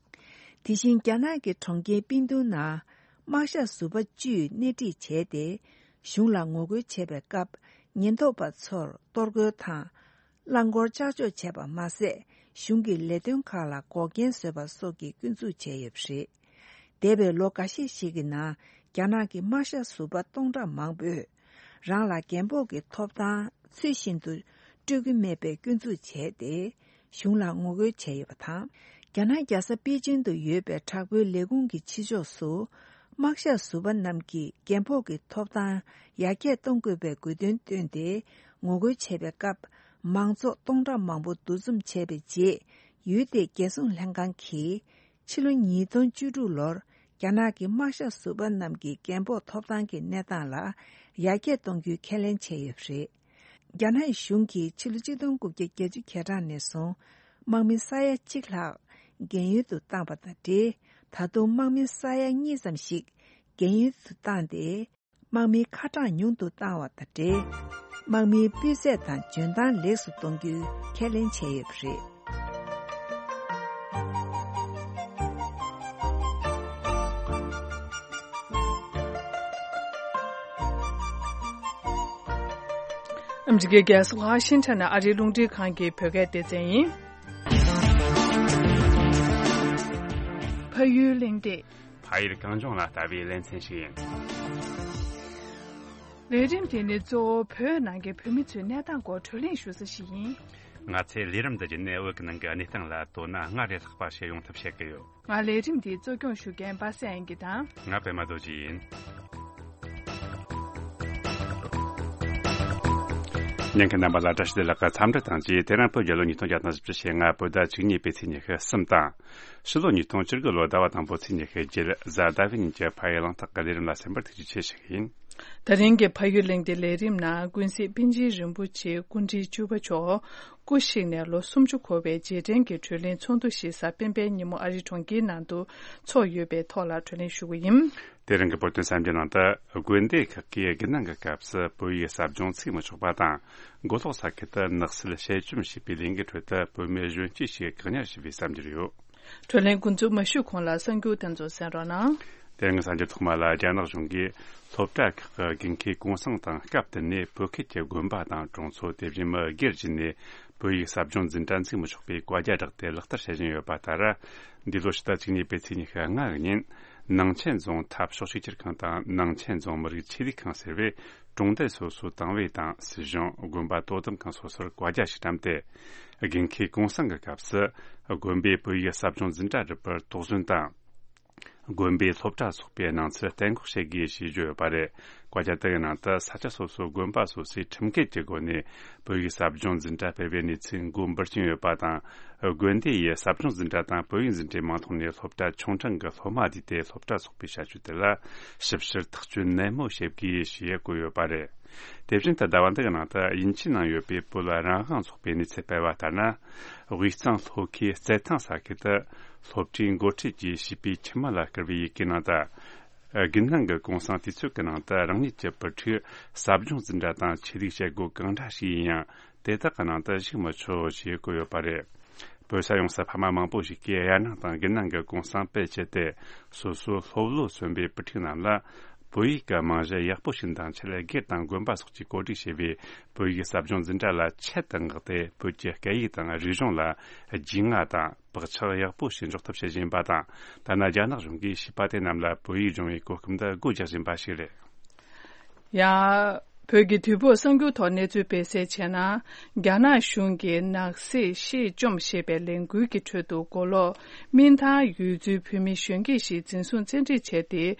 དེ་བཞིན། རྒྱ་ནག་གི་གྲོང་ཁྱེར་པིན་ཏུའུ་ནང་དམག་ཞབས་ཟུར་པ་བཅུས་སྣེ་ཁྲིད་བྱས་ཏེ། གཞུང་ལ་ངོ་རྒོལ་བྱས་པའི་སྐབས། ཉེན་རྟོག་པ་ཚོར་གཏོར་རྒོལ་དང་། རླངས་འཁོར་ལྕགས་འཇོག་བྱས་པ་མ་ཟད། གཞུང་གི་ལས་དོན་ཁག་ལ་འགོག་རྐྱེན་བཟོས་པ་སོགས་ཀྱི་སྐྱོན་འཛུགས་བྱས་ཡོད་པ་རེད། འདས་པའི་ལོ་འགའ་ཤས་ཤིག་གི་ནང་། རྒྱ་ནག་གི་དམག་ཞབས་ཟུར་པ་སྟོང་ཕྲག་མང་པོས། རང་ལ་རྒན་ཕོགས་ཀྱི་ཐོབ་ཐང་ཚུལ་བཞིན་དུ་སྤྲོད་ཀྱི་མེད་པའི་སྐྱོན་འཛུགས་བྱས་ཏེ། གཞུང་ལ་ངོ་རྒོལ་བྱས་ཡོད་པ་དང་། རྒྱ་ནག་རྒྱལ་ས་པེ་ཅིང་དུ་ཡོད་པའི་དྲག་པོའི་ལས་ཁུངས་ཀྱི་ཕྱི་ཕྱོགས་སུ། དམག་ཞབས་ཟུར་པ་རྣམས་ཀྱིས་རྒན་ཕོགས་ཀྱི་ཐོབ་ཐང་ཡར་རྒྱས་གཏོང་དགོས་པའི་དགོས་འདུན་བཏོན་ཏེ། ངོ་རྒོལ་བྱས་པའི་སྐབས། མང་ཚོགས་སྟོང་ཕྲག་མང་པོ་འདུ་འཛོམས་བྱས་པའི་རྗེས། ཡུལ་དེའི་རྒྱལ་སྲུང་ལྷན་ཁང་གིས། ཕྱི་ལོ་ཉིས་སྟོང་བཅུ་དྲུག་ལོར། རྒྱ་ནག་གི་དམག་ཞབས་ཟུར་པ་རྣམས་ཀྱི་རྒན་ཕོགས་ཐོབ་ཐང་གི་གནས་སྟངས་ལ་ཡར་རྒྱས་གཏོང་རྒྱུའི་ཁས་ལེན་བྱས་ཡོད་པ་རེད། རྒྱ་ནག་གཞུང་གིས་ཕྱི་ལོ་ཆིག་སྟོང་དགུ་བརྒྱ་བརྒྱད་ཅུ་གྱ་གྲངས་ནས་བཟུང་། དམག་མི་ས་ཡ་གཅིག་ལྷག་རྒན་ཡོལ་དུ་བཏང་བ་དང་འབྲེལ། ད་དུང་དམག་མི་ས་ཡ་གཉིས་ཙམ་ཞིག་རྒན་ཡོལ་དུ་བཏང་སྟེ། དམག་མིའི་ཁ་གྲངས་ཉུང་དུ་བཏང་བ་དང་འབྲེལ། དམག་མིའི་སྤུས་ཚད་དང་འཇོན་ཐང་ལེགས་སུ་གཏོང་རྒྱུའི་ཁས་ལེན་བྱས་ཡོད་པ་རེད། ཨ་མི་རི་ཀའི་རྒྱལ་ས་ཝ་ཤིང་ཊོན་ནས་ཨ་རིའི་རླུང་འཕྲིན་ཁང་གི་བོད་སྐད་སྡེ་ཚན་ཡིན། ཕ་ཡུལ་གླེང་སྟེགས། ཕ་ཡུལ་གངས་ལྗོངས་ལ་ལྟ་བའི་ལེ་ཚན་ཞིག་ཡིན། ལས་རིམ་དེ་ནི་གཙོ་བོ་བོད་ནང་གི་བོད་མི་ཚོའི་གནས་སྟངས་སྐོར་བགྲོ་གླེང་ཞུ་ས་ཞིག་ཡིན། ང་ཚོའི་ལས་རིམ་འདི་བརྒྱུད་ནས་བོད་ཀྱི་ནང་གི་གནས་སྟངས་ལ་དོ་སྣང་སྔར་ལས་ལྷག་པ་བྱེད་ཡོང་ཐབས་བྱེད་ཀྱི་ཡོད། ང་ལས་རིམ་འདི་གཙོ་སྐྱོང་ཞུ་མཁན་པ་སངས་དབྱངས་སྐྱིད་དང་། ང་པད་མ་རྡོ་རྗེ་ཡིན། ཉན་མཁན་རྣམ་པ་ལ་བཀྲ་ཤིས་བདེ་ལེགས། འཚམས་འདྲི་དང་བཅས། དེ་རིང་བོད་རྒྱལ་ལོ་ཉིས་སྟོང་བརྒྱ་དང་བཞི་བཅུ་ཞེ་ལྔ་བོད་ཟླ་བཅུ་གཉིས་པའི་ཚེས་ཉི་ཤུ་གསུམ་དང་། ཕྱི་ལོ་ཉིས་སྟོང་བཅུ་དགུ་ལོ་ཟླ་བ་དང་པོ་ཚེས་ཉི་ཤུ་བརྒྱད། གཟའ་ཟླ་བའི་ཉིན་གྱི་ཕ་ཡུལ་གླེང་སྟེགས་ཀྱི་ལས་རིམ་ལ་གསན་པར་ཐུགས་རྗེ་ཆེ་ཞུ་གི་ཡིན། ད་རིང་གི་ཕ་ཡུལ་གླེང་སྟེགས་ལས་རིམ་ནང་ཀུན་གཟིགས་པཎ་ཆེན་རིན་པོ་ཆེ་སྐུ་ཕྲེང་བཅུ་པ་མཆོག་སྐུ་གཤེགས་ནས་ལོ་སུམ་ཅུ་འཁོར་བའི་རྗེས་དྲན་གྱི་བགྲོ་གླེང་ཚོགས་འདུ་ཞིག་གཟའ་སྤེན་པའི་ཉིན་མོ་ཨ་རིའི་གྲོང་ཁྱེར་ནང་དུ་ཚོགས་ཡོད་པའི་ཐོག་ལ་བགྲོ་གླེང་ཞུ་གི་ཡིན། དེ་རིང་གི་བོད་དོན་གསར་འགྱུར་ནང་དུ། དགོན་སྡེ་ཁག་གིས་དགུན་གནང་གི་སྐབས་སུ་བོད་ཡིག་ཟབ་སྦྱོང་ཚུགས་མི་ཆོག་པ་དང་། མགོ་ལོག་ས་ཁུལ་དུ་ནགས་བསིལ་དཔྱད་བཅོམ་ཞེས་པའི་ལས་འགུལ་ཁྲོད་དུ་བོད་མི་གཞོན་སྐྱེས་ཤིག་བཀག་ཉར་བྱས་པའི་གསར་འགྱུར་ཡོད། བགྲོ་གླེང་འགོ་འཛུགས་མ་ཞུས་གོང་ལ་གསར་འགྱུར་དེ་ཚོ་གསན་རོགས་གནང་། དེ་རིང་གསར་འགྱུར་ཐོག་མ་ལ། རྒྱ་ནག་གཞུང་གིས་སློབ་གྲྭ་ཁག་གི་དགེ་མཁས་གུང་སེང་དང་སྐབས་བསྟུན་ནས་བོད་ཁུལ་གྱི་དགོན་པ་དང་གྲོང་ཚོ་དེ་བཞིན་མི་སྒེར་བརྒྱུད་ནས་བོད་ཡིག་ཟབ་སྦྱོང་འཛིན་གྲྭ་འཛུགས་མི་ཆོག་པའི་བཀའ་རྒྱ་བསྒྲགས་ཏེ་ལག་བསྟར་བྱེད་བཞིན་ཡོད་པ་ལྟར། འདི་ལོ་ཕྱི་ཟླ་བཅུ་གཉིས་པའི་ཚེས་ཉི་ཤུ་ལྔ་གི་ཉིན། ནང་ཆེན་རྫོང་འཐབ་ཕྱོགས་གཅིག་གྱུར་ཁང་དང་ནང་ཆེན་རྫོང་མི་རིགས་ཆོས་ལུགས་ཁང་ཟེར་བས། གྲོང་རྡལ་སོ་སོའི་དང་བའི་དང་སྲིད་གཞུང་། དགོན་པ་དོ་དམ་ཁང་སོ་སོར་བཀའ་རྒྱ་ཞིག་བཀྲམ་སྟེ། དགེ་མཁས་གུང་སེང་གི་སྐབས་སུ་དགོན་པས་བོད་ཡིག་ཟབ་སྦྱོང་འཛིན་གྲྭ་སྒྲུབ་པར་དོགས་ཟོན་དང་། དགོན་པའི་སློབ་གྲྭ་སོགས་པའི་སྣང་ཚུལ་གཏན་འགོག་བྱེད་དགོས་ཞེས་བརྗོད་ཡོད་པ་རེད། བཀའ་རྒྱ་དེ་གའི་ནང་དུ་ས་ཆ་སོ་སོའི་དགོན་པ་སོ་སོས་ཁྲིམས་འགལ་གྱི་སྒོ་ནས་བོད་ཡིག་ཟབ་སྦྱོང་འཛིན་གྲྭ་སྤེལ་བའི་གནས་ཚུལ་མགོ་འབུར་གྱིན་ཡོད་པ་དང་། དགོན་སྡེ་ཡིས་ཟབ་སྦྱོང་འཛིན་གྲྭ་དང་བོད་ཡིག་འཛིན་གྲྭའི་མིང་ཐོག་ནས་སློབ་གྲྭ་ཆུང་ཕྲན་གྱི་སློབ་མ་བསྡུས་ཏེ་སློབ་གྲྭ་སོགས་པའི་བྱ་སྤྱོད་དེ་ལ་ཞིབ་བཤེར་ཐག་གཅོད་ནན་མོ་བྱེད་དགོས་ཞེས་བཀོད་ཡོད་པ་རེད། དེ་བཞིན་དུ་ཟླ་བ་འདི་གི་ནང་དུ་དབྱིན་ཇིའི་ནང་ཡོད་པའི་བོད་རང་དབང་ཚོགས་པའི་གནས་ཚུལ་སྤེལ་བ་ལྟར་ན། དབུས་གཙང་ལྷོ་ཁའི་རྩེད་ཐང་ས་ཁུལ་དུ་སློབ་གྲྭའི་འགོ་ཁྲིད་ཀྱིས་བྱིས་པའི་ཁྱིམ་མི་ལ་བསྐུར་བའི་ཡི་གེའི་ནང་དུ། དགུན་གནང་གི་གུང་སེང་དུས་ཚོད་ཀྱི་ནང་དུ་རང་ཉིད་ཀྱི་བུ་ཕྲུག་ཟབ་སྦྱོང་འཛིན་གྲྭ་དང་ཆོས་ལུགས་བྱེད་སྒོ་གང་འདྲ་ཞིག་ཡིན་ཡང་དེ་དག་གི་ནང་དུ་ཞུགས་མི་ཆོག་ཅེས་བཀོད་ཡོད་པ་རེད། བོད་ས་ཡོངས་སུ་ཕ་མ་མང་པོ་ཞིག་གིས་དབྱར་གནང་དང་དགུན་གནང་གི་གུང་སེང་སྤེལ་ཆེད་དུ་སོ་སོའི་སློབ་ལོ་སོན་པའི་བུ་ཕྲུག་རྣམས་ལ་བོད་ཡིག་གི་རྨང་གཞི་ཡག་པོ་ཞིག་འདིང་ཆེད་སྒེར་དང་དགོན་པ་སོགས་ཀྱིས་གོ་སྒྲིག་བྱས་པའི་བོད་ཡིག་ཟབ་སྦྱོང་འཛིན་གྲྭ་ལ་ཆེད་དུ་མངགས་ཏེ་བོད་ཀྱི་སྐད་ཡིག་དང་རིག་གཞུང་ལ་རྒྱུས་མངའ་དང་བག་ཆགས་ཡག་པོ་ཞིག་འཇོག་ཐབས་བྱེད་བཞིན་པ་དང་། ཐ་ན་རྒྱ་ནག་གཞུང་གིས་བྱིས་པ་དེ་རྣམས་ལ་བོད་ཡིག་སྦྱོང་བའི་གོ་སྐབས་འདི་སྒོ་རྒྱག་བཞིན་པ་ཞིག་རེད། ཡང་། བོད་ཀྱི་དུས་བབ་གསར་འགྱུར་ཐོག་གནས་ཚུལ་སྤེལ་གསལ་བྱས་ན། རྒྱ་ནག་གཞུང་གིས་ནག་སེལ་ཤེས་བཅོམ་ཞེས་པའི་ལས་འགུལ་གྱི་ཁྲོད་དུ་མགོ་ལོག་སྨིན་ཐང་ཡུལ་ཚོའི་བོད་མི་གཞོན་སྐྱེས་ཤིག་འཛིན་བཟུང་བཙན་ཁྲིད་བྱས་ཏེ།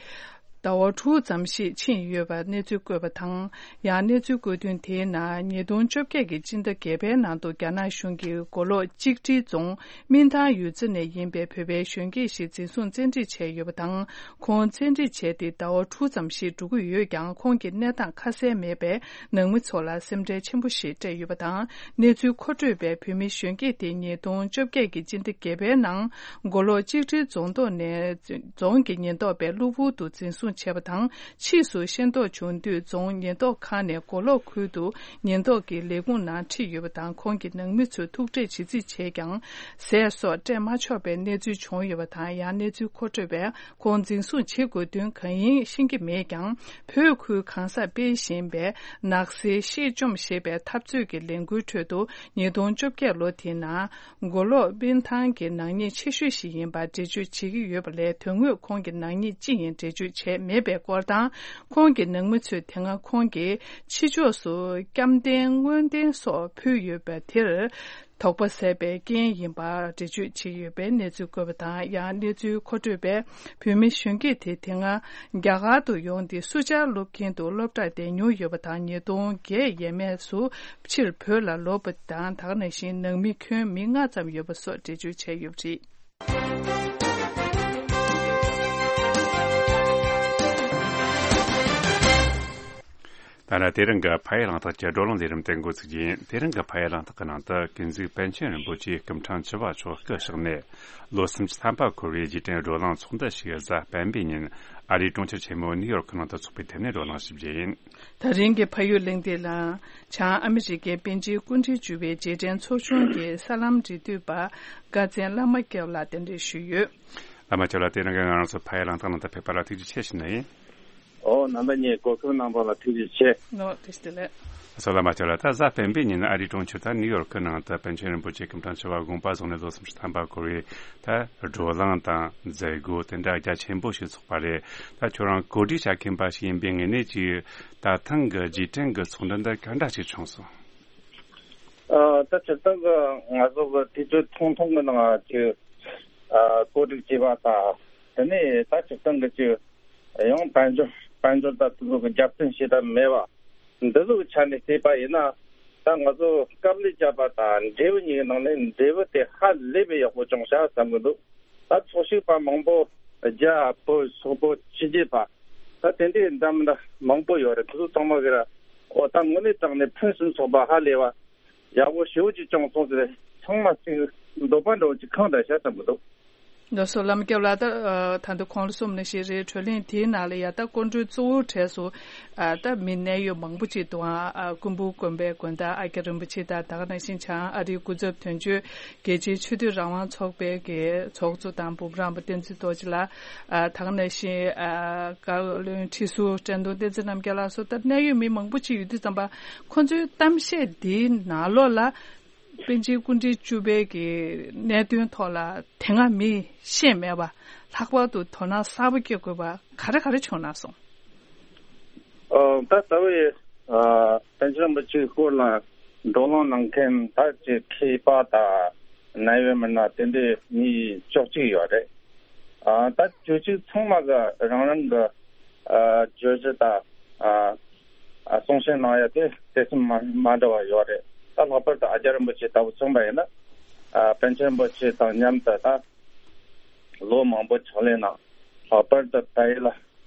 ཟླ་བ་དྲུག་ཙམ་ཞིག་ཕྱིན་ཡོད་པར་གནས་ཚུལ་བཀོད་པ་དང་། ཡང་གནས་ཚུལ་བཀོད་དོན་དེའི་ནང་ཉིས་སྟོང་བཅོ་བརྒྱད་ཀྱི་སྤྱི་ཟླ་བརྒྱད་པའི་ནང་དུ་རྒྱ་ནག་གཞུང་གིས་མགོ་ལོག་གཅིག་སྒྲིལ་རྫོང་སྨིན་ཐང་ཡུལ་ཚོ་ནས་ཡིན་པའི་བོད་པའི་གཞོན་སྐྱེས་ཤིག་འཛིན་བཟུང་བཙན་ཁྲིད་བྱས་ཡོད་པ་དང་། ཁོང་བཙན་ཁྲིད་བྱས་ཏེ་ཟླ་བ་དྲུག་ཙམ་ཞིག་འགྲོ་གི་ཡོད་ཀྱང་ཁོང་གི་གནས་སྟངས་ཁ་གསལ་མེད་པས་ནང་མི་ཚོ་ལ་སེམས་ཁྲལ་ཆེན་པོ་ཞིག་སྤྲད་ཡོད་པ་དང་། གནས་ཚུལ་མཁོ་སྤྲོད་པས་བོད་མི་གཞོན་སྐྱེས་དེ་ཉིས་སྟོང་བཅོ་བརྒྱད་ཀྱི་སྤྱི་ཟླ་བརྒྱད་པའི་ནང་མགོ་ལོག་གཅིག་སྒྲིལ་རྫོང་ཐོག་ནས་རྫོང་གི་ཉེན་རྟོག་པས་གློ་བུར་དུ་འཛིན་བཟུང་བྱས་པ་དང་། ཕྱིས་སུ་ཤེས་རྟོགས་བྱུང་དུས་རྫོང་ཉེན་རྟོག་ཁང་ནས་མགོ་ལོག་ཁུལ་དུ་ཉེན་རྟོག་གི་ལས་ཁུངས་ནང་ཁྲིད་ཡོད་པ་དང་། ཁོང་གི་ནང་མི་ཚོས་ཐུག་འཕྲད་བྱེད་རྩིས་བྱས་ཀྱང་ཟས་སོགས་སྤྲད་མ་ཆོག་པའི་གནས་ཚུལ་བྱུང་ཡོད་པ་དང་། ཡང་གནས་ཚུལ་མཁོ་སྤྲོད་པས་ཁོང་འཛིན་བཟུང་བྱེད་དགོས་དོན་གང་ཡིན་ཤེས་ཀྱི་མེད་ཀྱང་། བོད་ཁུལ་གང་སར་སྤེལ་བཞིན་པའི་ནག་སེལ་ཤེས་བཅོམ་ཞེས་པའི་འཐབ་རྩོད་ཀྱི་ལས་འགུལ་ཁྲོད་དུ་ཉིས་སྟོང་བཅོ་བརྒྱད་ལོ་དེའི་ནང་མགོ་ལོག་སྨིན་ཐང་གི་ནག་ཉེས་ཆེ་ཤོས་ཤིག་ཡིན་པར་འགྲེལ་བརྗོད་བྱེད་ཀྱི་ཡོད་པ་ལས། དོན་དངོས་ཁོང་གི་ནག་ཉེས་ཅི་ཡིན་འགྲེལ་བརྗོད་བྱས་མེད་པའི་སྐོར་དང་། ཁོང་གི་ནང་མི་ཚོས་དེ་སྔ་ཁོང་གིས་ཕྱི་ཕྱོགས་སུ་བསྐྱར་དན་དངོས་དན་སོགས་ཕུལ་ཡོད་པ་དེར། དོགས་པ་ཟད་པའི་རྐྱེན་ཡིན་པར་འགྲེལ་བརྗོད་བྱས་ཡོད་པའི་གནས་ཚུལ་བཀོད་པ་དང་། ཡང་གནས་ཚུལ་མཁོ་སྤྲོད་པས་བོད་མི་གཞོན་སྐྱེས་དེ་དེ་སྔ་རྒྱ་གར་དུ་ཡོང་སྟེ་སུ་ཇཱར་སློབ་ཁྱིན་དུ་སློབ་གྲྭར་བསྡད་མྱོང་ཡོད་པ་དང་། ཉིས་སྟོང་བརྒྱད་ཡས་མས་སུ་ཕྱིར་བོད་ལ་ལོག་པ་དང་། ད་ག་ནང་བཞིན་ནང་མི་ཁྱོན་མི་ལྔ་ཙམ་ཡོད་པ་སོགས་འགྲེལ་བརྗོད་བྱས་ཡོད་པ་རེད། ད་ལྟ་དེ་རིང་གི་ཕ་ཡུལ་གླེང་སྟེགས་ཀྱི་བགྲོ་གླེང་ལས་རིམ་དེ་འགོ་ཚུགས་རྒྱུ་ཡིན། དེ་རིང་གི་ཕ་ཡུལ་གླེང་སྟེགས་ཀྱི་ནང་དུ་ཀུན་གཟིགས་པཎ་ཆེན་རིན་པོ་ཆེའི་སྐུ་ཕྲེང་བཅུ་པ་མཆོག་སྐུ་གཤེགས་ནས་ལོ་སུམ་ཅུ་ཐམ་པ་འཁོར་བའི་རྗེས་དྲན་བགྲོ་གླེང་ཚོགས་འདུ་ཞིག་གཟའ་སྤེན་པའི་ཉིན་ཨ་རིའི་གྲོང་ཁྱེར་ཆེན་མོ་ནིའུ་ཡོག་གི་ནང་དུ་འཚོགས་པའི་ཐད་ནས་བགྲོ་གླེང་ཞིབ་རྒྱས་ཡིན། ད་རིང་གི་ཕ་ཡུལ་གླེང་སྟེགས་ལ་བྱང་ཨ་མི་རི་ཀའི་པཎ་ཆེན་སྐུ་ཕྲེང་བཅུ་པའི་རྗེས་དྲན་ཚོགས་ཆུང་གི་གསར་ལམ་འབྲེལ་མཐུད་པ་དགའ་བཙན་བླ་མ་སྐྱབས་ལ་གདན་འདྲེན་ཞུས་ཡོད། བླ་མ་སྐྱབས་ལ་དེ་རིང་གི་ང་རང་ཚོ་ཕ་ཡུལ་གླེང་སྟེགས་ནང་དུ་ཕེབས་པ་ལ་ཐུགས་རྗེ་ཆེ་ཞུ་ནི་ཡིན། ཨོ་རྣམ་པ་གཉིས་གོ་སྐབས་གནང་བ་ལ་ཐུགས་རྗེ་ཆེ། ནོ་བཀྲ་ཤིས་བདེ་ལེགས། སོ་བླ་མ་སྐྱབས་ལ། ད་གཟའ་སྤེན་པའི་ཉིན་ཨ་རིའི་གྲོང་ཁྱེར་ད་ནིའུ་ཡོག་གི་ནང་དུ་པཎ་ཆེན་རིན་པོ་ཆེ་སྐུ་ཕྲེང་བཅུ་པ་དགོངས་པ་རྫོགས་ནས་ལོ་སུམ་ཅུ་ཐམ་པ་འཁོར་བའི་ད་བགྲོ་གླེང་དང་མཛད་སྒོ་དེ་འདྲ་རྒྱ་ཆེན་པོ་ཞིག་ཚོགས་པ་རེད། ད་ཁྱོད་རང་གོ་སྒྲིག་བྱ་མཁན་པ་ཞིག་ཡིན་པའི་ངོས་ནས་ཀྱི་ད་ཐེངས་ཀྱི་རྗེས་དྲན་གྱི་ཚོགས་འདུ་འདི་ག་འདྲ་ཞིག་བྱུང་སོང་། ཨ། ད་སྤྱིར་བཏང་གི་ང་ཚོ་གི་དུས་ཚོད་ཐུང་ཐུང་གི་ནང་ཅིག་ཨ་གོ་སྒྲིག་བྱས་པ་དང་། དེ་ནས་ད་སྤྱིར་བཏང་གི་ཅིག་ཡང་དཔལ་འབྱོར་དཔལ་འབྱོར་དང་དེ་ཚོ་གི་རྒྱབ་རྟེན་བྱེད་ཐབས་མེད་པ་འདི་ཚོ་གི་ཆ་ནས་བལྟས་པ་ཡིན་ན། ད་ང་ཚོ་སྐབས་ལས་བཅད་པ་དང་འབྲས་བུ་གཉིས་ཀྱི་ནང་ནས་འབྲས་བུ་དེ་ཧ་ལས་པའི་ཡག་པོ་བྱུང་ཤག་བསམ་གི་འདུག་ད་ཚོགས་ཞུགས་པ་མང་པོ་རྒྱ་བོད་སོག་པོ་ཕྱི་རྒྱལ་པ་ད་དེ་འདྲའི་འདྲ་མི་འདྲ་མང་པོ་ཡོད་རེད། དེ་ཚོ་ཚང་མ་གི་ར་ཨོ་ད་དངོས་གནས་དྲང་གནས་ཕུན་སུམ་ཚོགས་པ་ཧ་ལས་པ་ཡག་པོ་ཞེ་པོ་ཅིག་བྱུང་སོང་ཟེར་ཚང་མ་ཅིག་འདོད་པ་འདྲ་བོ་ཅིག་ཁེངས་བསྡད་ཤག་བསམ་གི་འདུག་ལགས་སོ། བླ་མ་སྐྱབས་ལགས། ད་ད་དུང་གོང་ལ་གསུངས་ནང་བཞིན་རེད། བགྲོ་གླེང་དེའི་ནང་ལ་ཡ་ད་སྐུ་མགྲོན་གཙོ་བོའི་གྲས་སུ་ཨ་ད་མི་གནད་ཡོད་མང་པོ་ཅིག་འདུག་ཨ་ཨ་ཀུན་སྤངས་དགོན་པའི་དགོན་བདག་ཨ་ཀྱ་རིན་པོ་ཆེ་དང་། ད་ག་ནང་བཞིན་བྱང་ཨ་རིའི་སྐུ་ཚབ་དོན་གཅོད་རྒྱལ་སྤྱིའི་ཆོས་དད་རང་དབང་ཚོགས་པའི་གི་ཚོགས་གཙོ་དང་འབུམ་རམས་པ་བསྟན་འཛིན་རྡོ་རྗེ་ལགས། ཨ་ད་ག་ནང་བཞིན་ཨ་བཀའ་བློན་ཁྲི་ཟུར་བཀྲས་མཐོང་བསྟན་འཛིན་རྣམ་རྒྱལ་ལགས་སོགས་ད་གནད་ཡོད་མི་མང་པོ་ཅིག་ཡོད་དུས་ཙམ་པ་ཁོང་ཚོའི་གཏམ་བཤད་འདིའི་ནང་ལོགས་ལ། པཎ་ཆེན་སྐུ་ཕྲེང་བཅུ་པའི་གི་གནད་དོན་ཐོག་ལ་དེ་སྔ་མིས་ཤེས་མེད་པ་ལྷག་པར་དུ་དོ་སྣང་གསར་པ་སྐྱེ་དགོས་པ་ག་རེ་ག་རེ་བྱུང་ན་སོང་། ཨ་ད་ལྟ་བའི་ཨ་པཎ་ཆེན་རིན་པོ་ཆེའི་སྐོར་ལ་བགྲོ་གླེང་གནང་མཁན་ད་ཅིག་མཁས་པ་དང་གནད་ཡོད་མི་སྣ་དེ་འདྲའི་མི་བཅུ་གཅིག་ཡོད་རེད། ཨ་ད་ཆོས་ཕྱོགས་ཚང་མ་གི་རང་རང་གི་ཨ་བརྗོད་གཞི་དང་ཨ་ཨ་གསུང་བཤད་གནང་ཡ་དེ་དེ་ཚོ་མ་མ་འདྲ་བ་ཡོད་རེད། ད་ལྷག་པར་དུ་ཨ་ཅག་རིན་པོ་ཆེ་ལྟ་བུ་མཚོན་པ་ཡིན་ན། ཨ་པཎ་ཆེན་རིན་པོ་ཆེ་དང་མཉམ་དུ་ད་ལོ་མང་པོ་ཕྱག་ལས་གནང་། ལྷག་པར་དུ་བལ་ཡུལ་ལ་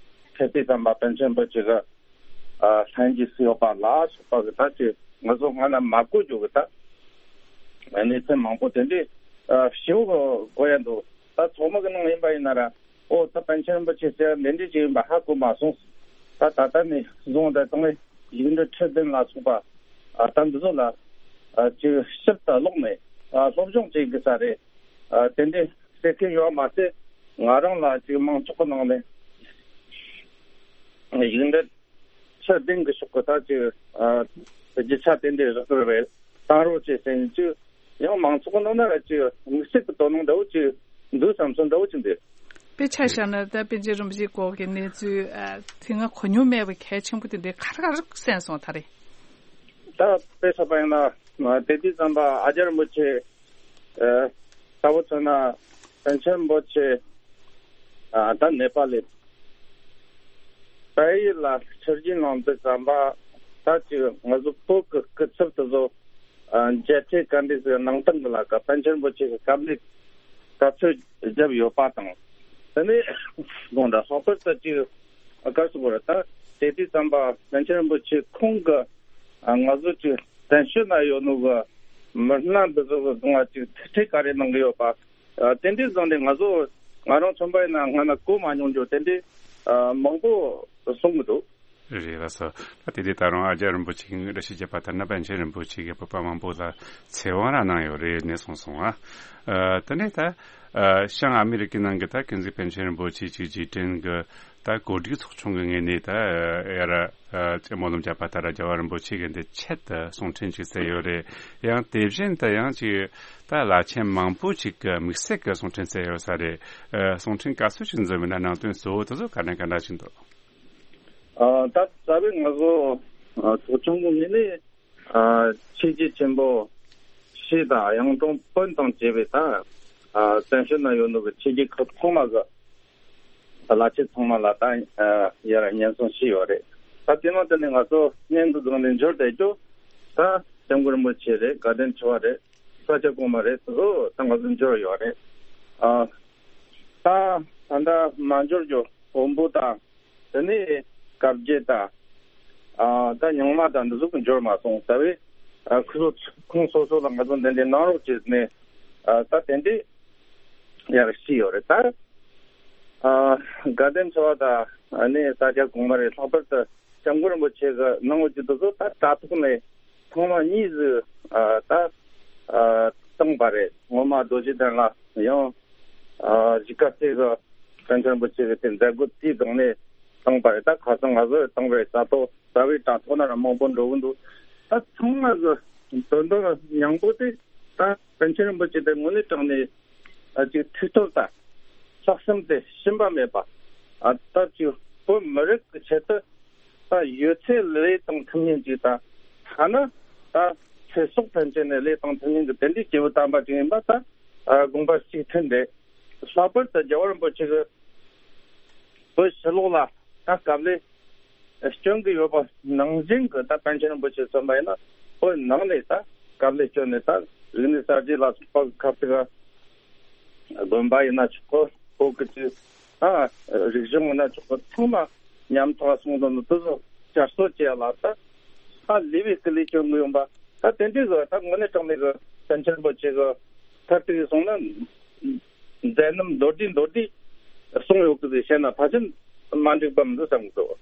ཕེབས་དུས་ཙམ་པ་པཎ་ཆེན་རིན་པོ་ཆེ་གི་ཨ་ལྷན་རྒྱས་སུ་ཡོད་པ་ལ་སོགས་པ་གི་ད་ཅི་ང་ཚོ་སྔ་ན་མ་གོ་རྒྱུ་གི་ད་གནས་ཚུལ་མང་པོ་དེ་འདྲའི་ཨ་ཞིབ་གོ་ཡ་འདུག་ད་ཚོགས་མི་གི་ནང་ཡིན་པ་ཡིན་ན་ར། ཨོ་ད་པཎ་ཆེན་རིན་པོ་ཆེ་ཟེར་འདི་འདྲའི་ཅིག་ཡིན་པ་ཧ་གོ་མ་སོང་། ད་ད་ལྟ་ནས་བཟུང་ད་དང་ཡིག་འབྲུ་ཁྲི་བདུན་ལ་སོགས་པ་ཨ་ད་འདི་ཚོ་ལ་ཨ་ཅིག་ཞིབ་ཏུ་ཀློག་ནས་ཨ་སློབ་སྦྱོང་བྱེད་དགོས་ས་རེད། ཨ་དེ་འདྲའི་ཟེར་མཁན་ཡོད་མ་ཟད། ང་རང་ལ་ཅིག་མང་ཚོགས་ཀྱི་ནང་ནས་ཡིག་འབྲུ་ཁྲི་བདུན་གྱི་ཕྱོགས་ཀྱི་ད་ཅིག་ཨ་རྒྱུ་ཆ་དེ་འདྲའི་རག་གི་རེད། བཏང་རོགས་བྱེད་ཟེར་ནས་ཅིག་ཡང་མང་ཚོགས་ཀྱི་ནང་ན་ར་ཅིག་དམིགས་བསལ་གྱི་དོ་སྣང་འདྲ་བོ་ཅིག་འདུག་བསམ་སོང་། འདྲ་བོ་ཅིག་འདུག་དཔེ་ཆ་བཞག་ན་ད་པཎ་ཆེན་རིན་པོ་ཆེའི་སྐོར་གྱི་གནས་ཚུལ་ཨ་དེ་སྔ་གོ་མྱོང་མེད་པ་གལ་ཆེན་པོ་དེ་འདྲའི་ག་རེ་ག་རེ་གསན་སོང་ད་རེས། ད་དཔེ་ཆ་པ་ཡིན་ན་དེ་དུས་ཙམ་པ་ཨ་ཅག་རིན་པོ་ཆེ་ཨ་ལྟ་བུ་མཚོན་ན་པཎ་ཆེན་རིན་པོ་ཆེ་ཨ་ད་ནེ་པ་ལི་བལ་ཡུལ་ལ་ཆོས་བརྒྱུད་གནང་དུས་ཙམ་པ་ད་ཅིག་ང་ཚོ་བོད་ཀྱི་སྐུ་ཚབ་དེ་ཚོ་ཨ་མཇལ་འཕྲད་ག་འདྲ་ཟེར་གནང་སྟངས་ཀྱི་ལ་ཀ་པཎ་ཆེན་རིན་པོ་ཆེ་གི་བཀའ་མོལ་ག་ཚོད་བརྒྱབ་ཡོད་པ་དང་། དེ་ནས་དགོངས་དག་ལྷག་པར་དུ་ཅིག་ཨ་ག་རེ་ཟེར་དགོས་རེད། ད་དེ་དུས་ཙམ་པ་པཎ་ཆེན་རིན་པོ་ཆེ་ཁོང་གི་ཨ་ང་ཚོ་ཅིག་བཙན་བྱོལ་ན་ཡོད་ནོ་གི་མི་སྣ་འདི་ཚོ་གི་སྒང་ལ་ཅིག་ཐུག་འཕྲད་ག་རེ་གནང་གི་ཡོད་པ། ཨ་དེ་འདྲའི་སྒང་ནས་ང་ཚོ་ང་རང་མཚོན་པ་ཡིན་ན་སྔ་ན་གོ་མ་མྱོང་རྒྱུ་དེ་འདྲའི་ཨ་མང་པོ་གསུང་གི་འདུག་རེད་ལགས་སོ། ད་དེ་དུས་ད་རུང་ཨ་ཅག་རིན་པོ་ཆེ་གིས་བཀྲ་ཤིས་བརྒྱད་པ་ལྟར་ན་པཎ་ཆེན་རིན་པོ་ཆེ་གིས་བོད་པ་མང་པོ་ལ་ཚེ་དབང་རང་གནང་ཡོད་རེད་ནས་གསུངས་སོང་ཨ། ཨ་དེ་ནས་ད་ཨ་བྱང་ཨ་མི་རི་ཀའི་ནང་གི་ད་ཀུན་གཟིགས་པཎ་ཆེན་རིན་པོ་ཆེ་ཅིག་རྗེས་དྲན་གྱི་ད་གོ་སྒྲིག་ཚོགས་ཆུང་གི་ངོས་ནས་ད་ཡར་ཨ་ཅིག་སྨོན་ལམ་བརྒྱབ་པ་ལྟར་རྒྱལ་བ་རིན་པོ་ཆེ་གི་འདི་ཆེད་དུ་གསུང་འཕྲིན་ཅིག་བསྩལ་ཡོད་རེད། ཡང་དེ་བཞིན་དུ་ཡང་ཅིག་ད་བླ་ཆེན་མང་པོ་ཅིག་གི་དམིགས་བསལ་གྱི་གསུང་འཕྲིན་བསྩལ་ཡོད་ས་རེད། ཨ་གསུང་འཕྲིན་ག་ཚོད་ཅིག་འཛོམས་ཡོད་ན་ནང་དོན་གཙོ་བོ་དེ་ཚོ་ག་འདྲ་ག་འདྲ་ཅིག་འདུག་ཨ་ད་རྩ་བའི་ང་ཚོ་ཨ་ཚོགས་ཆུང་གི་ངོས་ནས་ཨ་ཆོས་བརྒྱུད་ཆེན་པོ་བཞི་དང་གཡུང་དྲུང་བོན་དང་བཅས་པའི་ད་ཨ་བཙན་བྱོལ་ན་ཡོད་ནོ་གི་ཆོས་བརྒྱུད་ཁག་ཚང་མ་གི་བླ་ཆེན་ཚང་མ་ལ་ད་ཨ་ཡར་སྙན་སེང་ཞུས་ཡོད་རེད། ད་དེ་ནང་དེ་ནས་ང་ཚོ་སྙན་གི་སྒང་ནས་འབྱོར་བསྡད་རྒྱུ་ད་སྐྱབས་མགོན་རིན་པོ་ཆེ་རེད། དགའ་ལྡན་ཆོས་པ་རེད། ས་སྐྱ་གོང་མ་རེད། དེ་ཚོ་ད་ང་ཚོ་འབྱོར་ཡོད་རེད། ཨ་ད་ད་ལྟ་མ་འབྱོར་རྒྱུ་བོན་པོ་དང་། དེ་ནས་བཀའ་བརྒྱུད་དང་། ཨ་ད་རྙིང་མ་དང་འདི་ཚོ་གི་འབྱོར་མ་སོང་། ད་བས་ཨ་ཁོ་ཚོ་ཁོང་སོ་སོ་ལ་ང་ཚོ་འདི་འདྲའི་གནང་རོགས་བྱས་ནས་ཨ་ད་དེ་འདྲའི་ཡར་ཞུས་ཡོད་རེད། ད་ཨ་དགའ་ལྡན་ཆོས་པ་དང་ཨ་ནི་ས་སྐྱ་གོང་མ་རེད། ལྷག་པར་དུ་སྐྱབས་མགོན་རིན་པོ་ཆེ་གི་གནང་བ་ཅིག་འདི་ཚོ་ད་དྲ་ཐོག་ནས་ཚང་མ་གཉིས་སུ་ཨ་ད་ཨ་བཏང་པ་རེད། སྔོན་མ་རྡོ་རྗེ་གདན་ལ་ཡང་ཨ་གཞིས་ཀ་རྩེ་གི་པཎ་ཆེན་རིན་པོ་ཆེ་གི་དེ་མཛད་སྒོ་དེའི་སྒང་ནས་བཏང་པ་རེད། ད་ཁ་སང་ང་ཚོས་བཏང་བའི་ས་ཐོག་རྩ་བའི་དྲ་ཐོག་ན་ར་མང་པོ་འགྲོ་གི་འདུག་ད་ཚང་མ་གི་དོན་དག་སྙིང་པོ་དེ་ད་པཎ་ཆེན་རིན་པོ་ཆེ་དེ་དངོས་གནས་དྲང་ནས་ཨ་ཅིག་ཐུགས་སྟོབས་དང་ལྷག་བསམ་དེ་ཞུམ་པ་མེད་པ། ཨ་ད་ཅིག་བོད་མི་རིགས་ཀྱི་ཆེད་དུ་ད་ཡོད་ཚད་ལས་བཏང་ཐུབ་མཁན་ཅིག་དང་། ཐ་ན་ད་ཚེ་སྲོག་ཐམས་ཅད་ནས་ལས་བཏང་ཐུབ་མཁན་གྱི་དེ་འདྲའི་སྐྱེས་བུ་དམ་པ་ཅིག་ཡིན་པ་ད་ཨ་དགོངས་པ་གཅིག་མཐུན་རེད། ལྷག་པར་དུ་རྒྱལ་བ་རིན་པོ་ཆེ་གིས་བོད་ཕྱི་ལོགས་ལ་ད་དཀའ་ལས་སྐྱོན་གྱི་ཡོད་པ་ནང་བཞིན་གྱི་ད་པཎ་ཆེན་རིན་པོ་ཆེ་མཚོན་པ་ཡིན་ན་བོད་ནང་ནས་ད་དཀའ་ལས་སྐྱོན་ནས་ད་རིག་གནས་གསར་བརྗེ་ལ་སོགས་པ་གི་ཁ་ཐུག་ག་དགོན་པ་ཡིན་ན་ཆོག་གི། བོད་ཀྱི་ཅིག་ཨ་རིག་གཞུང་ཡིན་ན་ཆོག་གི། ཚང་མ་ཉམ་ཐག་སོང་དོན་དུ་དེ་ཚོ་བསྐྱར་གསོ་བྱེད་ཡ་ལ་ད་ཧ་ལས་པའི་སྐུ་ལས་སྐྱོན་གི་ཡོང་པ། ད་དེ་འདྲའི་གི་ད་དངོས་གནས་དྲང་གནས་གི་པཎ་ཆེན་རིན་པོ་ཆེ་གི་མཐར་ཐུག་གི་སོང་ན་མཛད་རྣམ་མདོར་བསྡུས་མདོར་བསྡུས་གསུངས་ཡོད་གི་ཟེར་བཤད་ན་ཕལ་ཆེར་མ་འགྲིག་པ་མི་འདུག་བསམ་གི་འདུག་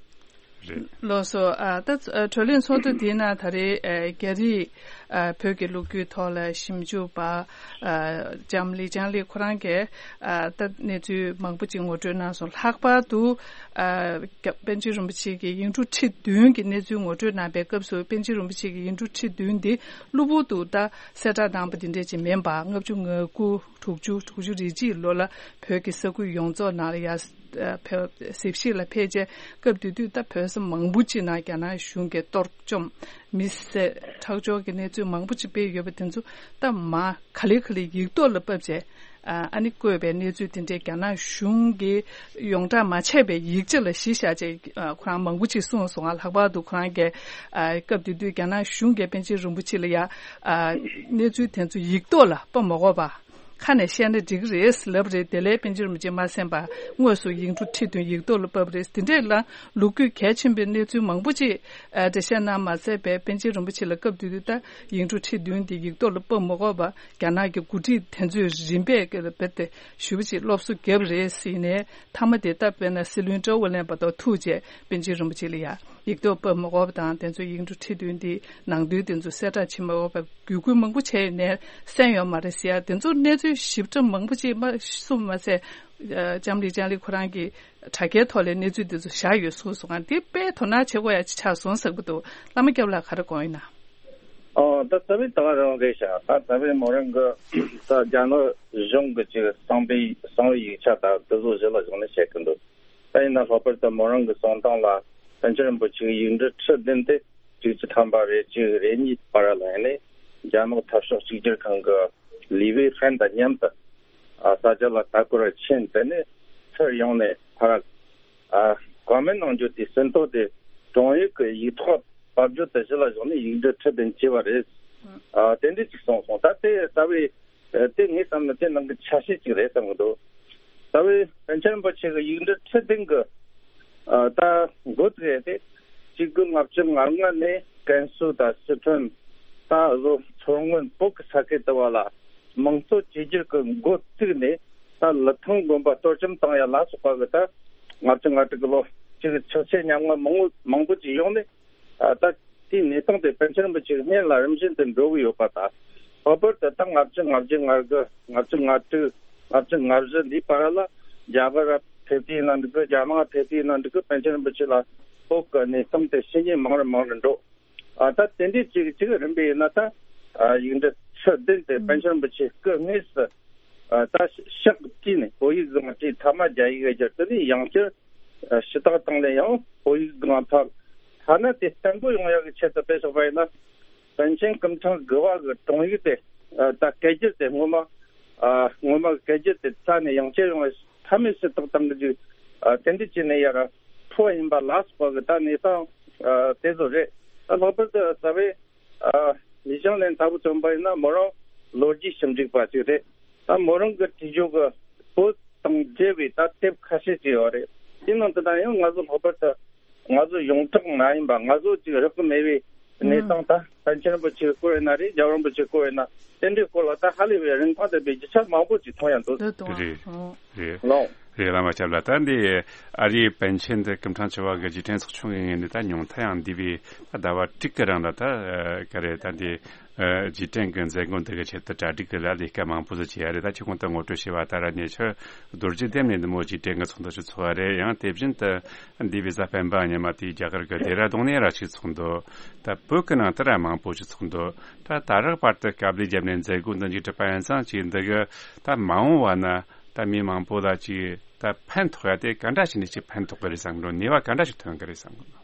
རེད། ལགས་སོ། ཨ་ད་ཨ་གྲོས་གླེང་ཚོགས་འདུ་དེའི་ནང་ད་རེས་ཨ་རྒྱ་རིགས་ཨ་བོད་ཀྱི་ལོ་རྒྱུས་ཐོག་ལ་ཞིབ་འཇུག་པ་ཨ་ལྕམ་ལི་ཅང་ལི་ཁོ་རང་གིས་ཨ་ད་གནས་ཚུལ་མང་པོ་ཅིག་ངོ་སྤྲོད་གནང་སོང་། ལྷག་པར་དུ་ཨ་རྒྱ་པཎ་ཆེན་རིན་པོ་ཆེ་གི་ཡིག་འབྲུ་ཁྲི་བདུན་གྱི་གནས་ཚུལ་ངོ་སྤྲོད་གནང་པའི་སྐབས་སུ་པཎ་ཆེན་རིན་པོ་ཆེ་གི་ཡིག་འབྲུ་ཁྲི་བདུན་འདི་གློ་བུར་དུ་ད་གསལ་བསྒྲགས་གནང་པ་འདི་འདྲས་ཅིག་མིན་པ། ལྔ་བཅུ་ང་དགུ་དྲུག་ཅུ་དྲུག་ཅུ་རེ་གཅིག་ལོ་ལ་བོད་ཀྱི་ས་ཁུལ་ཡོངས་རྫོགས་ནང་ལ་ཡ། ཨ་བོད་གཟིགས་ཞིབ་ལ་ཕེབས་རྗེས་སྐབས་དེ་དུས་ད་བོད་ས་མང་པོ་ཅིག་ནང་རྒྱ་ནག་གཞུང་གིས་གཏོར་བཅོམ་མི་བསད་ཁྲག་སྦྱོར་གྱི་གནས་ཚུལ་མང་པོ་ཅིག་སྤེལ་ཡོད་པ་དེ་ཚོ་ད་མར་ག་ལེ་ག་ལེ་ཡིག་ཐོག་ལ་ཕབ་བྱས་ ཨ་ནི་བཀོད་པའི་གནས་ཚུལ་དེ་འདྲས་རྒྱ་ནག་གཞུང་གིས་ཡོངས་གྲགས་མ་བྱས་པའི་ཡིག་ཆ་ལ་གཞི་བཞག་བྱས་ཁོ་རང་མང་པོ་ཅིག་གསུངས་སོང་ང་། ལྷག་པར་དུ་ཁོ་རང་གིས་སྐབས་དེ་དུས་རྒྱ་ནག་གཞུང་གིས་པཎ་ཆེན་རིན་པོ་ཆེ་ལ་ཡ་གནས་ཚུལ་དེ་ཚོ་ཡིག་ཐོག་ལ་ཕབ་མ་དགོས་པ། ཁ་ནས་བཤད་ན་འགྲིག་གི་རེད་ལབ་རེད། དེ་ལས་པཎ་ཆེན་རིན་པོ་ཆེ་མ་གསན་པར་དངོས་སུ་ཡིག་འབྲུ་ཁྲི་བདུན་ཡིག་ཐོག་ལ་ཕབ་རེད། དེ་འདྲས་ལ་ལོ་རྒྱུས་གལ་ཆེན་པོའི་གནས་ཚུལ་མང་པོ་ཅིག་འགྲེལ་བཤད་གནང་མ་ཚད་པའི་པཎ་ཆེན་རིན་པོ་ཆེ་ལ་སྐབས་དེ་དུས་ད་ཡིག་འབྲུ་ཁྲི་བདུན་དེ་ཡིག་ཐོག་ལ་ཕབ་མ་དགོས་པར་རྒྱ་ནག་གི་འགོ་ཁྲིད་དེ་ཚོས་རིམ་པས་རྦད་དེ་ཞེ་པོ་ཅིག་སློབ་གསོ་བརྒྱབ་རེད་ཟེར་ནས། མཐའ་མ་དེ་ད་དཔེར་ན་སྲིད་བློན་ཀྲོའུ་ཝེ་ལན་བར་དུ་ཐུག་རྗེས་པཎ་ཆེན་རིན་པོ་ཆེ་ལ་ཡ་ཡིག་ཐོག་ཕབ་མ་དགོས་པ་དང་། དེ་ཚོ་ཡིག་འབྲུ་ཁྲི་བདུན་དེ་ནང་དོན་དེ་ཚོ་གསལ་བསྒྲགས་བྱེད་མ་དགོས་པར་བརྒྱུད་སྐུལ་མང་པོ་བྱས་ནས་གསན་ཡོད་མ་རེད་ཟེར་ཡ། དེ་ཚོ་གནས་ཚུལ་ཞིབ་ཕྲ་མང་པོ་ཅིག་མ་གསུངས་མ་ཟད། ལྕམ་ལི་ཅང་ལི་ཁོ་རང་གིས་དྲ་རྒྱའི་ཐོག་ལ་གནས་ཚུལ་དེ་ཚོ་བཞག་ཡོད་གསུངས་སོང་ང་། འདི་དཔེ་དོ་སྣང་བྱེད་དགོས་ཡ་ཅིག་ཆགས་སོང་ཟེར་གི་འདུག། བླ་མ་སྐྱབས་ལགས་ག་རེ་དགོངས་ཡིན་ན། ཨོ། ད་རྩ་བའི་ད་ག་རང་རེད་ཤག། ད་རྩ་བའི་མོ་རང་གི་ད་རྒྱ་ནག་གཞུང་གི་ཅིག་གསང་བའི་གསང་བའི་ཡིག་ཆ་དང་དེ་ཚོ་གཞི་ལ་བཞག་ནས་བཤད་གི་འདུག། ད་ཡིན་ན་ལྷག་པར་དུ་མོ་རང་གི་གསུང་སྟངས་ལ་པཎ་ཆེན་རིན་པོ་ཆེའི་ཡིག་འབྲུ་ཁྲི་བདུན་དེ་གཅིག་གཅིག་ཐམ་པ་རེ་གཅིག་རེ་གཉིས་བར་ལ་ཡིན་ནས་རྒྱ་ནག་འཐབ་ཕྱོགས་གཅིག་གྱུར་ཁང་གི་ལི་ཝེ་ཧྥན་དང་མཉམ་དུ་ཨ་ས་ཆ་ལ་ལྟ་སྐོར་ཕྱིན། དེ་ནས་ཚུར་ཡོང་ནས་ཕར་ཨ་བཀའ་མོལ་གནང་རྒྱུ་དེ་ཟིན་ཐོ་དེ་དྲུང་ཡིག་གི་ཡིག་ཐོག་ཕབ་རྒྱུ་དེ་གཞི་ལ་བཞག་ནས་ཡིག་འབྲུ་ཁྲི་བདུན་བྱས་པ་རེད། ཨ་དེ་འདྲ་ཅིག་གསུངས་སོང་། ད་དེ་རྩ་བའི་ཨ་དེ་ངས་བསམ་ན་དེ་ནང་གི་ཆ་ཤས་ཅིག་རེད་བསམ་གི་འདུག། རྩ་བའི་པཎ་ཆེན་རིན་པོ་ཆེ་གི་ཡིག་འབྲུ་ཁྲི་བདུན་གི་ཨ་ད་འགོ་བཙུགས་ཏེ་གཅིག་དགུ་ལྔ་བཅུ་ང་ལྔ་ནས་ཀན་སུའུ་དང་སི་ཁྲོན་ད་བཟོ་མཚོ་སྔོན་བོད་ཀྱི་ས་ཁུལ་དུ་བ་ལ་དམངས་གཙོ་བཅོས་བསྒྱུར་གྱི་འགོ་བཙུགས་ནས། ད་ལི་ཐང་དགོན་པ་གཏོར་བཅོམ་བཏང་ཡ་ལ་སོགས་པ་གི་ད་ལྔ་བཅུ་ང་དྲུག་གི་ལོ་གཅིག་ཆག་ཆེ་ཉམ་ང་མང་པོ་མང་པོ་ཅིག་ཡོང་ནས། ཨ་ད་དེའི་གནས་སྟངས་དེ་པཎ་ཆེན་རིན་པོ་ཆེའི་སྔོན་ལ་རིམ་བཞིན་དུ་འགྲོ་གི་ཡོད་པ་དང་། ལྷག་པར་དུ་ད་ལྔ་བཅུ་ང་བརྒྱད་ང་དགུ་ལྔ་བཅུ་ང་དྲུག་ལྔ་བཅུ་ང་བཞི་འདིའི་བར་ལ་རྒྱ་གར་ཕེབས་དུས་ཡིན་ན་འགྲིག་གི། རྒྱ་ནག་ཕེབས་དུས་ཡིན་ན་འགྲིག་གི། པཎ་ཆེན་རིན་པོ་ཆེ་ལ་བོད་ཀྱི་གནས་སྟངས་དེ་ཞུ་མཁན་མང་རུ་མང་རུ་འགྲོ། ཨ་ད་དེ་འདྲའི་གཅིག་གཅིག་རིམ་པས་ཡིན་ན། ད་ཨ་ཡིག་འབྲུ་ཁྲི་བདུན་དེ་པཎ་ཆེན་རིན་པོ་ཆེ་སྐུ་དངོས་སུ་ཨ་ད་ཕྱག་བྲིས་ནས་བོད་ཡིག་སྒང་བྲིས། ཐ་མ་རྒྱ་ཡིག་བསྒྱུར། དེ་ནས་ཡང་བསྐྱར་ཨ་ཞུ་དག་བཏང་ནས་ཡང་བོད་ཡིག་སྒང་ཕབ། ཐ་ན་དེ་བརྟན་པོ་ཡོང་ཡག་གི་ཆེད་དུ་དཔེ་བཞག་པ་ཡིན་ན། པཎ་ཆེན་སྐུ་ཕྲེང་དགུ་པ་གི་དྲུང་ཡིག་དེ་ཨ་ད་སྐད་སྒྱུར་དེ་སྔོན་མ་ཨ་སྔོན་མ་གི་སྐད་སྒྱུར་དེ་རྩ་ནས་ཡང་བསྐྱར་ཡོང་བའི་ཐ་མའི་ཞུ་དག་བཏང་གི་འཇུག། ཨ་དེ་འདྲ་བྱས་ནས་ཡར་འཕོ་བ་ཡིན་པ་ལ་སོགས་པ་གི་ད་གནས་སྟངས་ཨ་དེ་ཚོ་རེད། ད་ལྷག་པར་དུ་རྩ་བའི་ཨ་ལི་ཅང་ལན་ལྟ་བུ་མཚོན་པ་ཡིན་ན་མོ་རང་ལོ་རྒྱུས་ཞིབ་འཇུག་པ་ཅིག་རེད། ད་མོ་རང་གི་བྲིས་རྒྱུ་གི་བོད་དང་འབྲེལ་བའི་ད་དེབ་ཁ་ཤས་ཅིག་ཡོད་རེད། དེ་ནང་དུ་ད་ཡང་ང་ཚོ་ལྷག་པར་དུ་ང་ཚོ་ཡོངས་གྲགས་མ་ཡིན་པ། ང་ཚོ་ཅིག་རག་གི་མེད་པའི་གནས་སྟངས། ད་པཎ་ཆེན་རིན་པོ་ཆེའི་སྐོར་ཡིན་ན་རེད། རྒྱལ་བ་རིན་པོ་ཆེའི་སྐོར་ཡིན་ན། དེ་འདྲའི་སྐོར་ལ་ད་ཧ་ལས་པའི་རིན་ཐང་ལྡན་པའི་རྒྱུ་ཆ་མང་པོ་ཅིག་མཐོང་ཡ་འདུག། འདི་དང་། རེད། ཨོ། རེད། ལོ། རེད། བླ་མ་སྐྱབས་ལགས། ད་འདི་ཨ་རིའི་པཎ་ཆེན་འདི་སྐུ་ཕྲེང་བཅུ་པ་གི་རྗེས་དྲན་ཚོགས་ཆུང་གི་ངོས་ནས་ད་ཉུང་མཐའ་ཡང་འདས་པའི་ད་ཟླ་བ་དྲུག་གི་རིང་ལ་ད་ག་རེ་ད་འདི་རྗེས་དྲན་གྱི་མཛད་སྒོ་འདི་གི་ཆེད་དུ་གྲ་སྒྲིག་གི་ལས་ཀ་མང་པོ་ཟིག་བྱས་ཡ་རེད། ད་ཁྱེད་ཁོང་དུ་ངོ་སྤྲོད་བྱས་པ་ལྟར་ཉེ་ཆར་རྡོ་རྗེ་གདན་ནས་འདི་མོ་རྗེས་དྲན་གྱི་ཚོགས་འདུ་ཞིག་ཚོགས་པ་རེད། ཡང་དེ་བཞིན་དུ་འདས་པའི་གཟའ་སྤེན་པ་ཉི་མ་དེའི་རྒྱ་གར་གྱི་ལྡེ་ར་ལྡུན་ནས་ར་ཅིག་ཚོགས་འདུ། ད་བོད་ཀྱི་ནང་དུ་ར་མང་པོ་ཞིག་ཚོགས་འདུ། ད་ད་རག་བར་དུ་དཀའ་ལས་བརྒྱབ་ནས་མཛད་སྒོ་འདི་མཇུག་གྲུབ་པ་ཡིན་ཙང་། ཅིག་འདི་གི་ད་མ་འོངས་བ་ན་ད་མི་མང་པོ་ལ་ཅིག་ད་ཕན་ཐོགས་ཡ་དེ་ག་འདྲ་ཞིག་ནས་ཅིག་ཕན་ཐོགས་གི་རེད་བསམ་གི་འདུག། ནུས་པ་ག་འདྲ་ཞིག་ཐོན་གི་རེད་བསམ་གི་འདུག།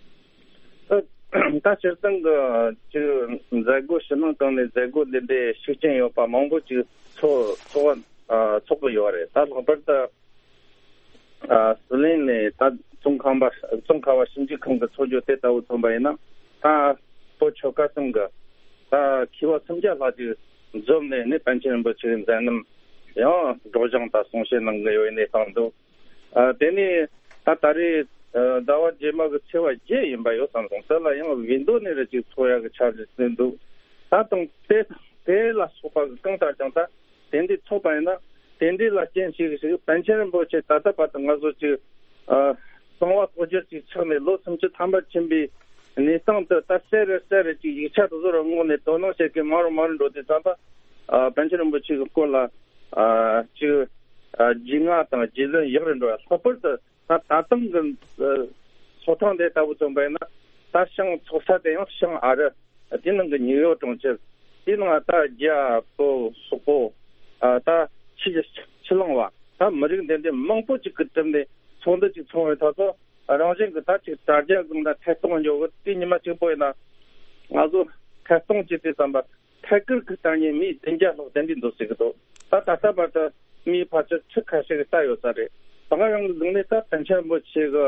ད་སྤྱིར་བཏང་གི་ཅིག་མཛད་སྒོ་ཕྱི་ནང་གང་ནས་མཛད་སྒོ་འདི་འདྲའི་ཤུགས་རྐྱེན་ཡོད་པ་མང་པོ་ཅིག་ཚོགས་ཚོགས་པ་ཚོགས་གི་ཡོད་རེད། ད་ལྷག་པར་དུ། ཨ་སྲིད་བློན་ནས་ད་ཙོང་ཁ་པ་ཙོང་ཁ་པ་ཞིབ་འཇུག་ཁང་གི་ཚོགས་འདུ་དེ་ལྟ་བུ་མཚོན་པ་ཡིན་ན། ད་བོད་ཆོལ་ཁ་གསུམ་གི་ད་མཁས་པ་སུམ་བརྒྱ་ལྷག་ཅིག་འཛོམས་ནས་ནི་པཎ་ཆེན་རིན་པོ་ཆེའི་མཛད་རྣམ་ཡང་སྒྲོག་སྦྱང་དང་གསུང་བཤད་གནང་གི་ཡོད་པའི་གནས་སྟངས་འདུག། ཨ་དེ་ནས་ད་ད་རེས་ཨ་ཟླ་བ་རྗེས་མ་གི་ཚེས་པ་བརྒྱད་ཡིན་པ་ཡོད་བསམ་སོང་། དེ་ལ་ཡང་བིས་མདོ་ནས་རེ་ཅིག་ཚོགས་ཡག་གི་འཆར་གཞི་བཟོས་འདུག། ད་དང་དེ་དེ་ལ་སོགས་པ་གི་གང་ལྟར་ཀྱང་ད། དེ་འདྲའི་ཚོགས་པ་ཡིན་ན། དེ་འདྲའི་ལ་རྐྱེན་ཞིག་ཞིག་པཎ་ཆེན་རིན་པོ་ཆེ་ད་ལྟ་བར་དུ་ང་ཚོ་ཅིག་ཨ་གསང་བ་རྟོགས་བརྗོད་ཅིག་ཆགས་ནས་ལོ་སུམ་ཅུ་ཐམ་པ་ཕྱིན་པའི་གནས་སྟངས་དེ་ད་གསལ་རུ་གསལ་རུ་ཅིག་ཡིག་ཆ་དེ་ཚོ་ར་བསྔོགས་ནས་དོ་སྣང་བྱེད་མཁན་མང་རུ་མང་རུ་འགྲོ་དུས་ཙམ་པ། ཨ་པཎ་ཆེན་རིན་པོ་ཆེ་གི་སྐོར་ལ་ཨ་ཅིག་ཨ་རྒྱུས་མངའ་དང་རྒྱུས་ལོན་ཡག་རུ་འགྲོ་བ། ལྷག་པར་དུ། ད་ད་ཐེངས་ཀྱི་ཚོགས་ཐེངས་དེ་ལྟ་བུ་མཚོན་པ་ཡིན་ན། ད་ཞིང་ཚོགས་ས་དེ་ཡང་ཞིང་ཨ་རི། དེ་ནང་གི་ནིའུ་ཡོག་གྲོང་ཁྱེར། དེ་ནང་ད་རྒྱ་བོད་སོག་པོ། ཨ་ད་ཕྱི་ཕྱི་གླིང་བ། ད་མི་རིགས་འདི་འདྲའི་མང་པོ་ཅིག་གིས་གྲུབ་ནས་ཚོགས་འདུ་ཅིག་ཚོགས་པའི་ཐོག་ཏུ། རང་བཞིན་གྱི་ད་ཅིག་དྲ་རྒྱ་སྒང་ད་ཐད་གཏོང་འཇོག་གི་དེ་ཉི་མ་གཅིག་པོ་ཡིན་ན། ང་ཚོ་ཐད་གཏོང་བྱེད་དུས་ཙམ་པ། ཐད་ཀར་གྱི་ལྟ་ཉན་མི་བདུན་བརྒྱ་ལྷག་དེ་འདྲ་འདུག་ཟེར་གྱི་འདུག། ད་ད་ལྟ་བར་དུ་ མིའི་ཕལ་ཆེར་ཁྲི་ཁ་ཤས་ཀྱིས་ལྟ་ཡོད་ས་རེད། ད་ག་རང་གི་ལུགས་ནས་ད་བཙན་བྱོལ་རིན་པོ་ཆེ་གི་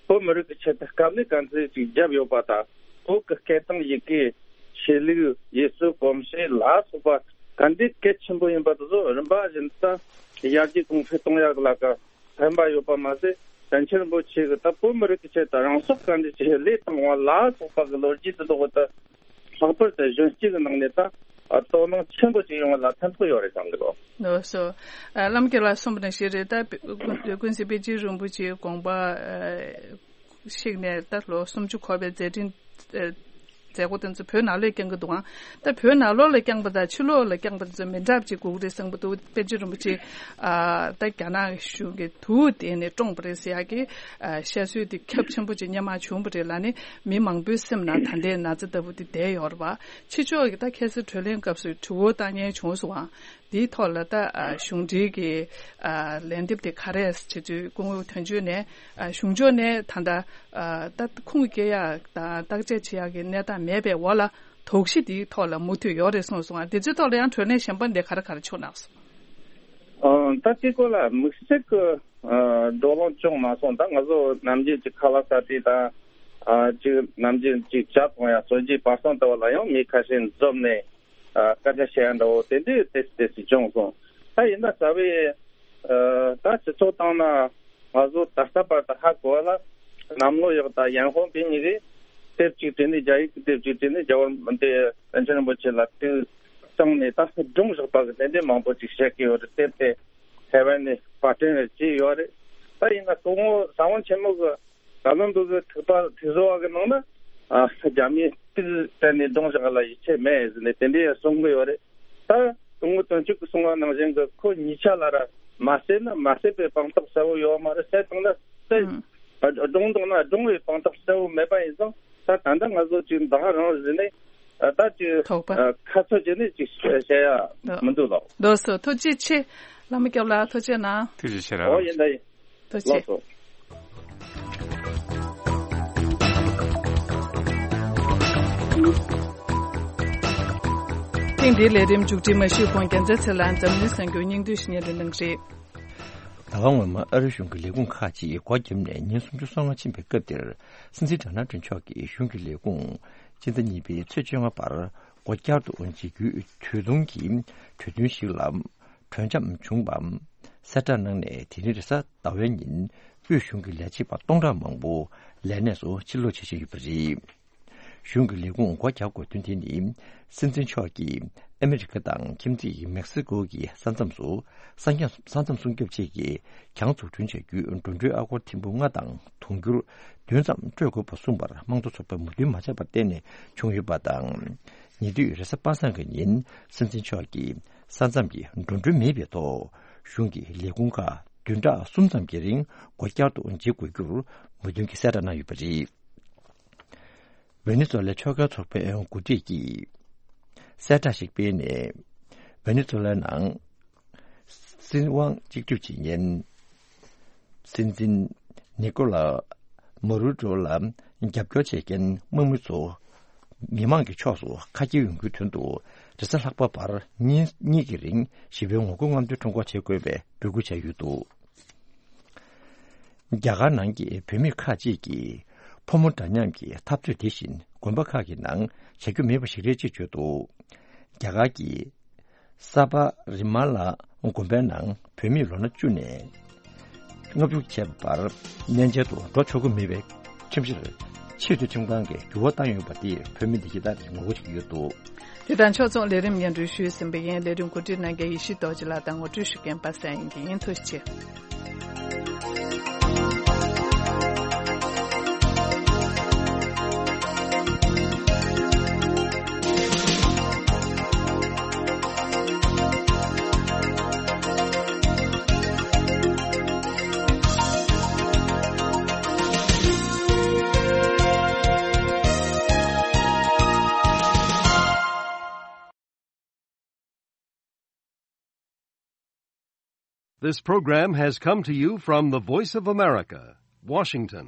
བོད་མི་རིགས་ཀྱི་ཆེད་དུ་དཀའ་ལས་ག་ཚོད་ཅིག་བརྒྱབ་ཡོད་པ་དང་། བོད་ཀྱི་སྐད་དང་ཡི་གེ། ཆོས་ལུགས། ཡུལ་སྲོལ་གོམས་གཤིས་ལ་སོགས་པ་ག་འདྲའི་གལ་ཆེན་པོ་ཡིན་པ་དེ་ཚོ་རིམ་པ་བཞིན་དུ་ཡར་རྒྱས་གོང་འཕེལ་གཏོང་ཡག་ལ་ཀ་ཕན་པ་ཡོད་པ་མ་ཟད། བཙན་བྱོལ་རིན་པོ་ཆེ་གིས་ད་བོད་མི་རིགས་ཀྱི་ཆེད་དུ་རང་སྲོག་ག་འདྲ་ཅིག་བློས་བཏང་བ་ལ་སོགས་པ་གི་ལོ་རྒྱུས་དེ་དག་ད་ལྷག་པར་དུ་གཞོན་སྐྱེས་ཀྱི་ནང་ནས་ད་དོ་སྣང་ཆེན་པོ་ཅིག་ཡོང་བ་ལ་ཕན་ཐོགས་ཡོད་རེད་བསམ་གི་འདུག། ལགས་སོ། ཨ། བླ་མ་སྐྱབས་ལགས་གསུངས་པ་ནང་བཞིན་རེད། ད་ཀུན་ཀུན་གཟིགས་པཎ་ཆེན་རིན་པོ་ཆེའི་དགོངས་པ་ཨ་བཤིག་ནས་ད་ལོ་སུམ་ཅུ་འཁོར་བའི་མཛད་འཕྲིན་ཨ་མཛད་སྒོ་དེ་ཚོ་བོད་ནང་ལོགས་བསྐྱངས་ཀྱི་འདུག་ཨང་། ད་བོད་ནང་ལོགས་ལ་བསྐྱངས་པ་དང་ཕྱི་ལོགས་ལ་བསྐྱངས་པ་དེ་ཚོ་མི་འདྲ་བ་ཅིག་དགོས་ཀྱི་རེད་བསམ་གྱི་འདུག། པཎ་ཆེན་རིན་པོ་ཆེ་ཨ་ད་རྒྱ་ནག་གཞུང་གིས་དུ་བ་བསྟན་ནས་བཀྲོངས་པ་རེད་ཟེར་ཡག་གི་ཨ་བཤད་སྲོལ་དེ་ཁྱབ་ཆེན་པོ་ཅིག་སྔོན་མ་བྱུང་བ་རེད་ལ་ནི། མི་མང་པོའི་སེམས་ནང་ད་ལྟའི་ན་ཚ་ལྟ་བུ་དེ་བསྡད་ཡོད་རེད་པ། ཕྱི་ཕྱོགས་ཀྱི་ད་ཁ་སང་གྲོས་གླེང་སྐབས་སུ་དྲི་བ་བཏང་མཁན་བྱུང་སོང་ཨང་། དེའི་ཐོག་ལ་ད་ཨ་གཞུང་འབྲེལ་གྱི་ཨ་ལན་འདེབས་དེ་ག་རེ་བྱེད་ཚུལ། སྐུ་ངོ་དོན་གཅོད་ནས་ཨ་གཞུང་ཕྱོགས་ནས་ད་ལྟ་ཨ་ད་ཁུངས་སྐྱེལ་ཡག་དང་བརྟག་དཔྱད་བྱེད་ཡག་གི་གནས་སྟངས་མེད་པའི་འོག་ལ། དོགས་གཞི་དེའི་ཐོག་ལ་མུ་མཐུད་ཡོད་རེད་གསུངས་སོང་ཨ། དེ་ཚོའི་ཐོག་ལ་ཡང་གྲོས་གླེང་གཞན་པ་འདི་ག་རེ་ག་རེ་བྱུང་གནང་སོང་། ཨ་ད་དེ་སྐོར་ལ་དམིགས་བསལ་གྱི་ཨ་བགྲོ་གླེང་བྱུང་མ་སོང་། ད་ང་ཚོ་ནམ་རྒྱུན་གྱི་ཁ་ལག་ཟ་དུས་དང་། ཨ་ཅིག་ནམ་རྒྱུན་ཅིག་ཇ་འཐུང་ཡ་གསོལ་ཇའི་བར་གསེང་ལྟ་བུ་ལ་ཡང་མི་ཁ་ཤས་འཛོམས་ནས། ཨ་སྐད་ཆ་བཤད་ཡ་འདྲ་བོ་དེ་འདྲའི་ཏོག་ཙམ་ཏོག་ཙམ་བྱུང་སོང་། ད་ཡིན་ན་རྩ་བའི་ཨ་ད་སྤྱི་ཚོགས་སྟེང་ན་ང་ཚོ་ད་ལྟ་བར་དུ་ཧ་གོ་བ་ལ། གནམ་ལོ་ཡག་དང་ཡན་ཧོང་པི་གཉིས་ཀས་དེབ་གཅིག་བྲིས་ནས། རྒྱ་ཡིག་གི་དེབ་གཅིག་བྲིས་ནས། རྒྱ་བོད་འདི་པཎ་ཆེན་རིན་པོ་ཆེ་ལ་དུས་གཙང་ནས་ད་སྒྲུང་བཞག་པ་གི་དེ་འདྲའི་མང་པོ་ཅིག་བཤད་ཀྱི་ཡོད་རེད། དེབ་དེ་ཐའེ་ཝན་ནས་པར་སྐྲུན་རེ་བྱས་ཡོད་རེད། ད་ཡིན་ན་སྐུ་ངོ་ས་བོན་ཆེན་མོ་གི་ད་ལམ་དུ་གི་ཐིགས་པ་ཐིགས་བཟོ་བ་གི་ནང་ན། ཨ་རྒྱ་མིས་དུས་གཏན་ནས་སྒྲུང་བཞག་ལ་ཡིད་ཆེས་མེད་ཟེར་ནས་དེ་འདྲའི་གསུང་གི་ཡོད་རེད། ད་སྐུ་ངོ་དོན་གཅོད་ཀྱིས་གསུང་བ་ནང་བཞིན་གི་ཁོ་གཉིས་ཆ་ལ་ར་མ་བསད་ན་མ་བསད་པའི་དཔང་རྟགས་གསལ་བོ་ཡོད་མ་རེད། བསད་བཏང་ན་བསད། ཨ་སྒྲུང་བཏང་ན་སྒྲུང་བའི་དཔང་རྟགས་གསལ་བོ་མེད་པ་ཡིན་ཙང་། ད་ད་ལྟ་ང་ཚོ་ཅིག་ད་ག་རང་བཟོས་ནས་ཨ་ད་ཅིག་དོགས་པ། ཨ་ཁ་ཚོད་བྱས་ནས་ཅིག་བཤད་ཡ་མི་འདུག་ལགས། ལགས་སོ། ཐུགས་རྗེ་ཆེ། བླ་མ་སྐྱབས་ལགས་ཐུགས་རྗེ་གནང་། ཐུགས་རྗེ་ཆེ་ར། ཨོ་ཡིན་ད་ཡིན། ཐུགས་རྗེ་ཆེ། ལགས་སོ། ཐེངས་འདིའི་ལས་རིམ་མཇུག་སྒྲིལ་མ་ཞུས་གོང་རྒྱལ་མཚན་ཚེ་ལགས་འཛམ་གླིང་གསར་འགྱུར་སྙིང་བསྡུས་ཤིག་སྙན་སྒྲོན་གནང་གི་རེད། ཟླ་བ་སྔོན་མ་ཨ་རིའི་གཞུང་གི་ལས་ཁུངས་ཁག་ཅིག་སྒོ་བརྒྱབ་ནས་ཉིན་སུམ་ཅུ་སོ་ལྔ་ཕྱིན་པའི་སྐབས་དེར། སྲིད་འཛིན་ཌོ་ནལ་ཊམ་མཆོག་གིས་གཞུང་གི་ལས་ཁུངས་སྤྱི་ཟླ་གཉིས་པའི་ཚེས་བཅོ་ལྔ་བར་སྒོ་བསྐྱར་དུ་འབྱེད་རྒྱུའི་གྲོས་ཐུང་གི་གྲོས་མཐུན་ཞིག་ལ་གྲོས་འཆམ་བྱུང་བ་གསལ་བསྒྲགས་གནང་ནས། དེ་རིང་རེས་གཟའ་ཟླ་བའི་ཉིན་དབུས་གཞུང་གི་ལས་བྱེད་པ་སྟོང་ཕྲག་མང་པོ་ལས་གནས་སུ་ཕྱིར་ལོག་བྱེད་བཞིན་ཡོད་པ་རེད། གཞུང་གི་ལས་ཁུངས་སྒོ་རྒྱག་དགོས་དོན་དེ་ནི། སྲིད་འཛིན་མཆོག་གིས་ཨ་མི་རི་ཀ་དང་ཁྱིམ་མཚེས་མེག་སི་ཀོ་གི་ས་མཚམས་སུ་ས་མཚམས་ས་མཚམས་སྲུང་སྐྱོབ་ཆེད་ཀྱི་གྱང་འཛུགས་སྐྲུན་བྱ་རྒྱུའི་འགྲོ་གྲོན་ཨ་སྒོར་ཐེར་འབུམ་ལྔ་དང་དུང་ཕྱུར་བདུན་ཙམ་སྤྲོད་དགོས་པ་གསུངས་པར་དམངས་གཙོ་ཚོགས་པས་མོས་མཐུན་མ་བྱས་པར་བརྟེན་ནས་བྱུང་ཡོད་པ་དང་། ཉེ་དུས་རེས་གཟའ་པ་སངས་ཀྱི་ཉིན་སྲིད་འཛིན་མཆོག་གིས་ས་མཚམས་ཀྱི་འགྲོ་གྲོན་མེད་པའི་ཐོག་གཞུང་གི་ལས་ཁུངས་ཁག་བདུན་ཕྲག་གསུམ་ཙམ་གྱི་རིང་སྒོ་བསྐྱར་དུ་འབྱེད་དགོས་རྒྱུར་མོས་མཐུན་གྱི་གསལ་བསྒྲགས་གནང་ཡོད་པ་རེད། ཝེ་ནེ་ཛུ་ལའི་ཕྱོགས་འགལ་ཚོགས་པའི་འགོ་ཁྲིད་ཀྱིས་གསལ་བསྒྲགས་ཤིག་སྤེལ་ནས། ཝེ་ནེ་ཛུ་ལའི་ནང་སྲིད་དབང་གཅིག་སྡུད་བྱེད་མཁན་སྲིད་འཛིན་ནི་ཀོ་ལ་མ་ཌུ་རོ་ལ་རྒྱབ་སྐྱོར་བྱེད་མཁན་དམག་མི་ཚོ་མི་མང་གི་ཕྱོགས་སུ་ཁ་གྱེས་ཡོང་རྒྱུའི་དོན་དུ། རེས་གཟའ་ལྷག་པ་བར་ཉིན་གཉིས་ཀྱི་རིང་ཞི་བའི་ངོ་རྒོལ་རྔམ་སྟོན་ཁྲོམ་སྐོར་བྱེད་དགོས་པའི་འབོད་སྐུལ་བྱས་ཡོད་འདུག། རྒྱ་གར་ནང་གི་བོད་མི་ཁག་ཅིག་གིས་ཕོ་མོ་འདྲ་མཉམ་གྱི་འཐབ་རྩོད་དེ་བཞིན་དགོན་པ་ཁག་གི་ནང་བྱ་རྒྱུ་མེད་པ་ཞིག་རེད་ཅེས་བརྗོད་འདུག། རྒྱ་གར་གྱི་ས་པ་རི་མ་ལ་དགོན་པའི་ནང་བོད་མིས་ལོ་ན་བཅུ་ནས་ལྔ་བཅུ་བྱས་པ་བར་གནས་མཇལ་དུ་འགྲོ་ཆོག་གི་མེད་པའི་ཁྲིམས་གཞིར་ཆེས་མཐོའི་ཁྲིམས་ཁང་གིས་འགྱུར་བ་བཏང་ཡོད་པ་དེས་བོད་མི་འདི་གའི་ཐད་ངོ་རྒོལ་བྱེད་ཀྱི་ཡོད་འདུག། དེ་དང་ཕྱོགས་མཚུངས་ལས་རིམ་སྙན་སྒྲོན་ཞུས་ཟིན་པ་ཡིན། ལས་རིམ་གོ་སྒྲིག་གནང་མཁན་ཡེ་ཤེས་རྡོ་རྗེ་ལགས་དང་ངོ་སྤྲོད་ཞུ་མཁན་པ་སངས་དབྱངས་སྐྱིད་ཡིན། ཐུགས་རྗེ་ཆེ། This program has come to you from the Voice of America, Washington.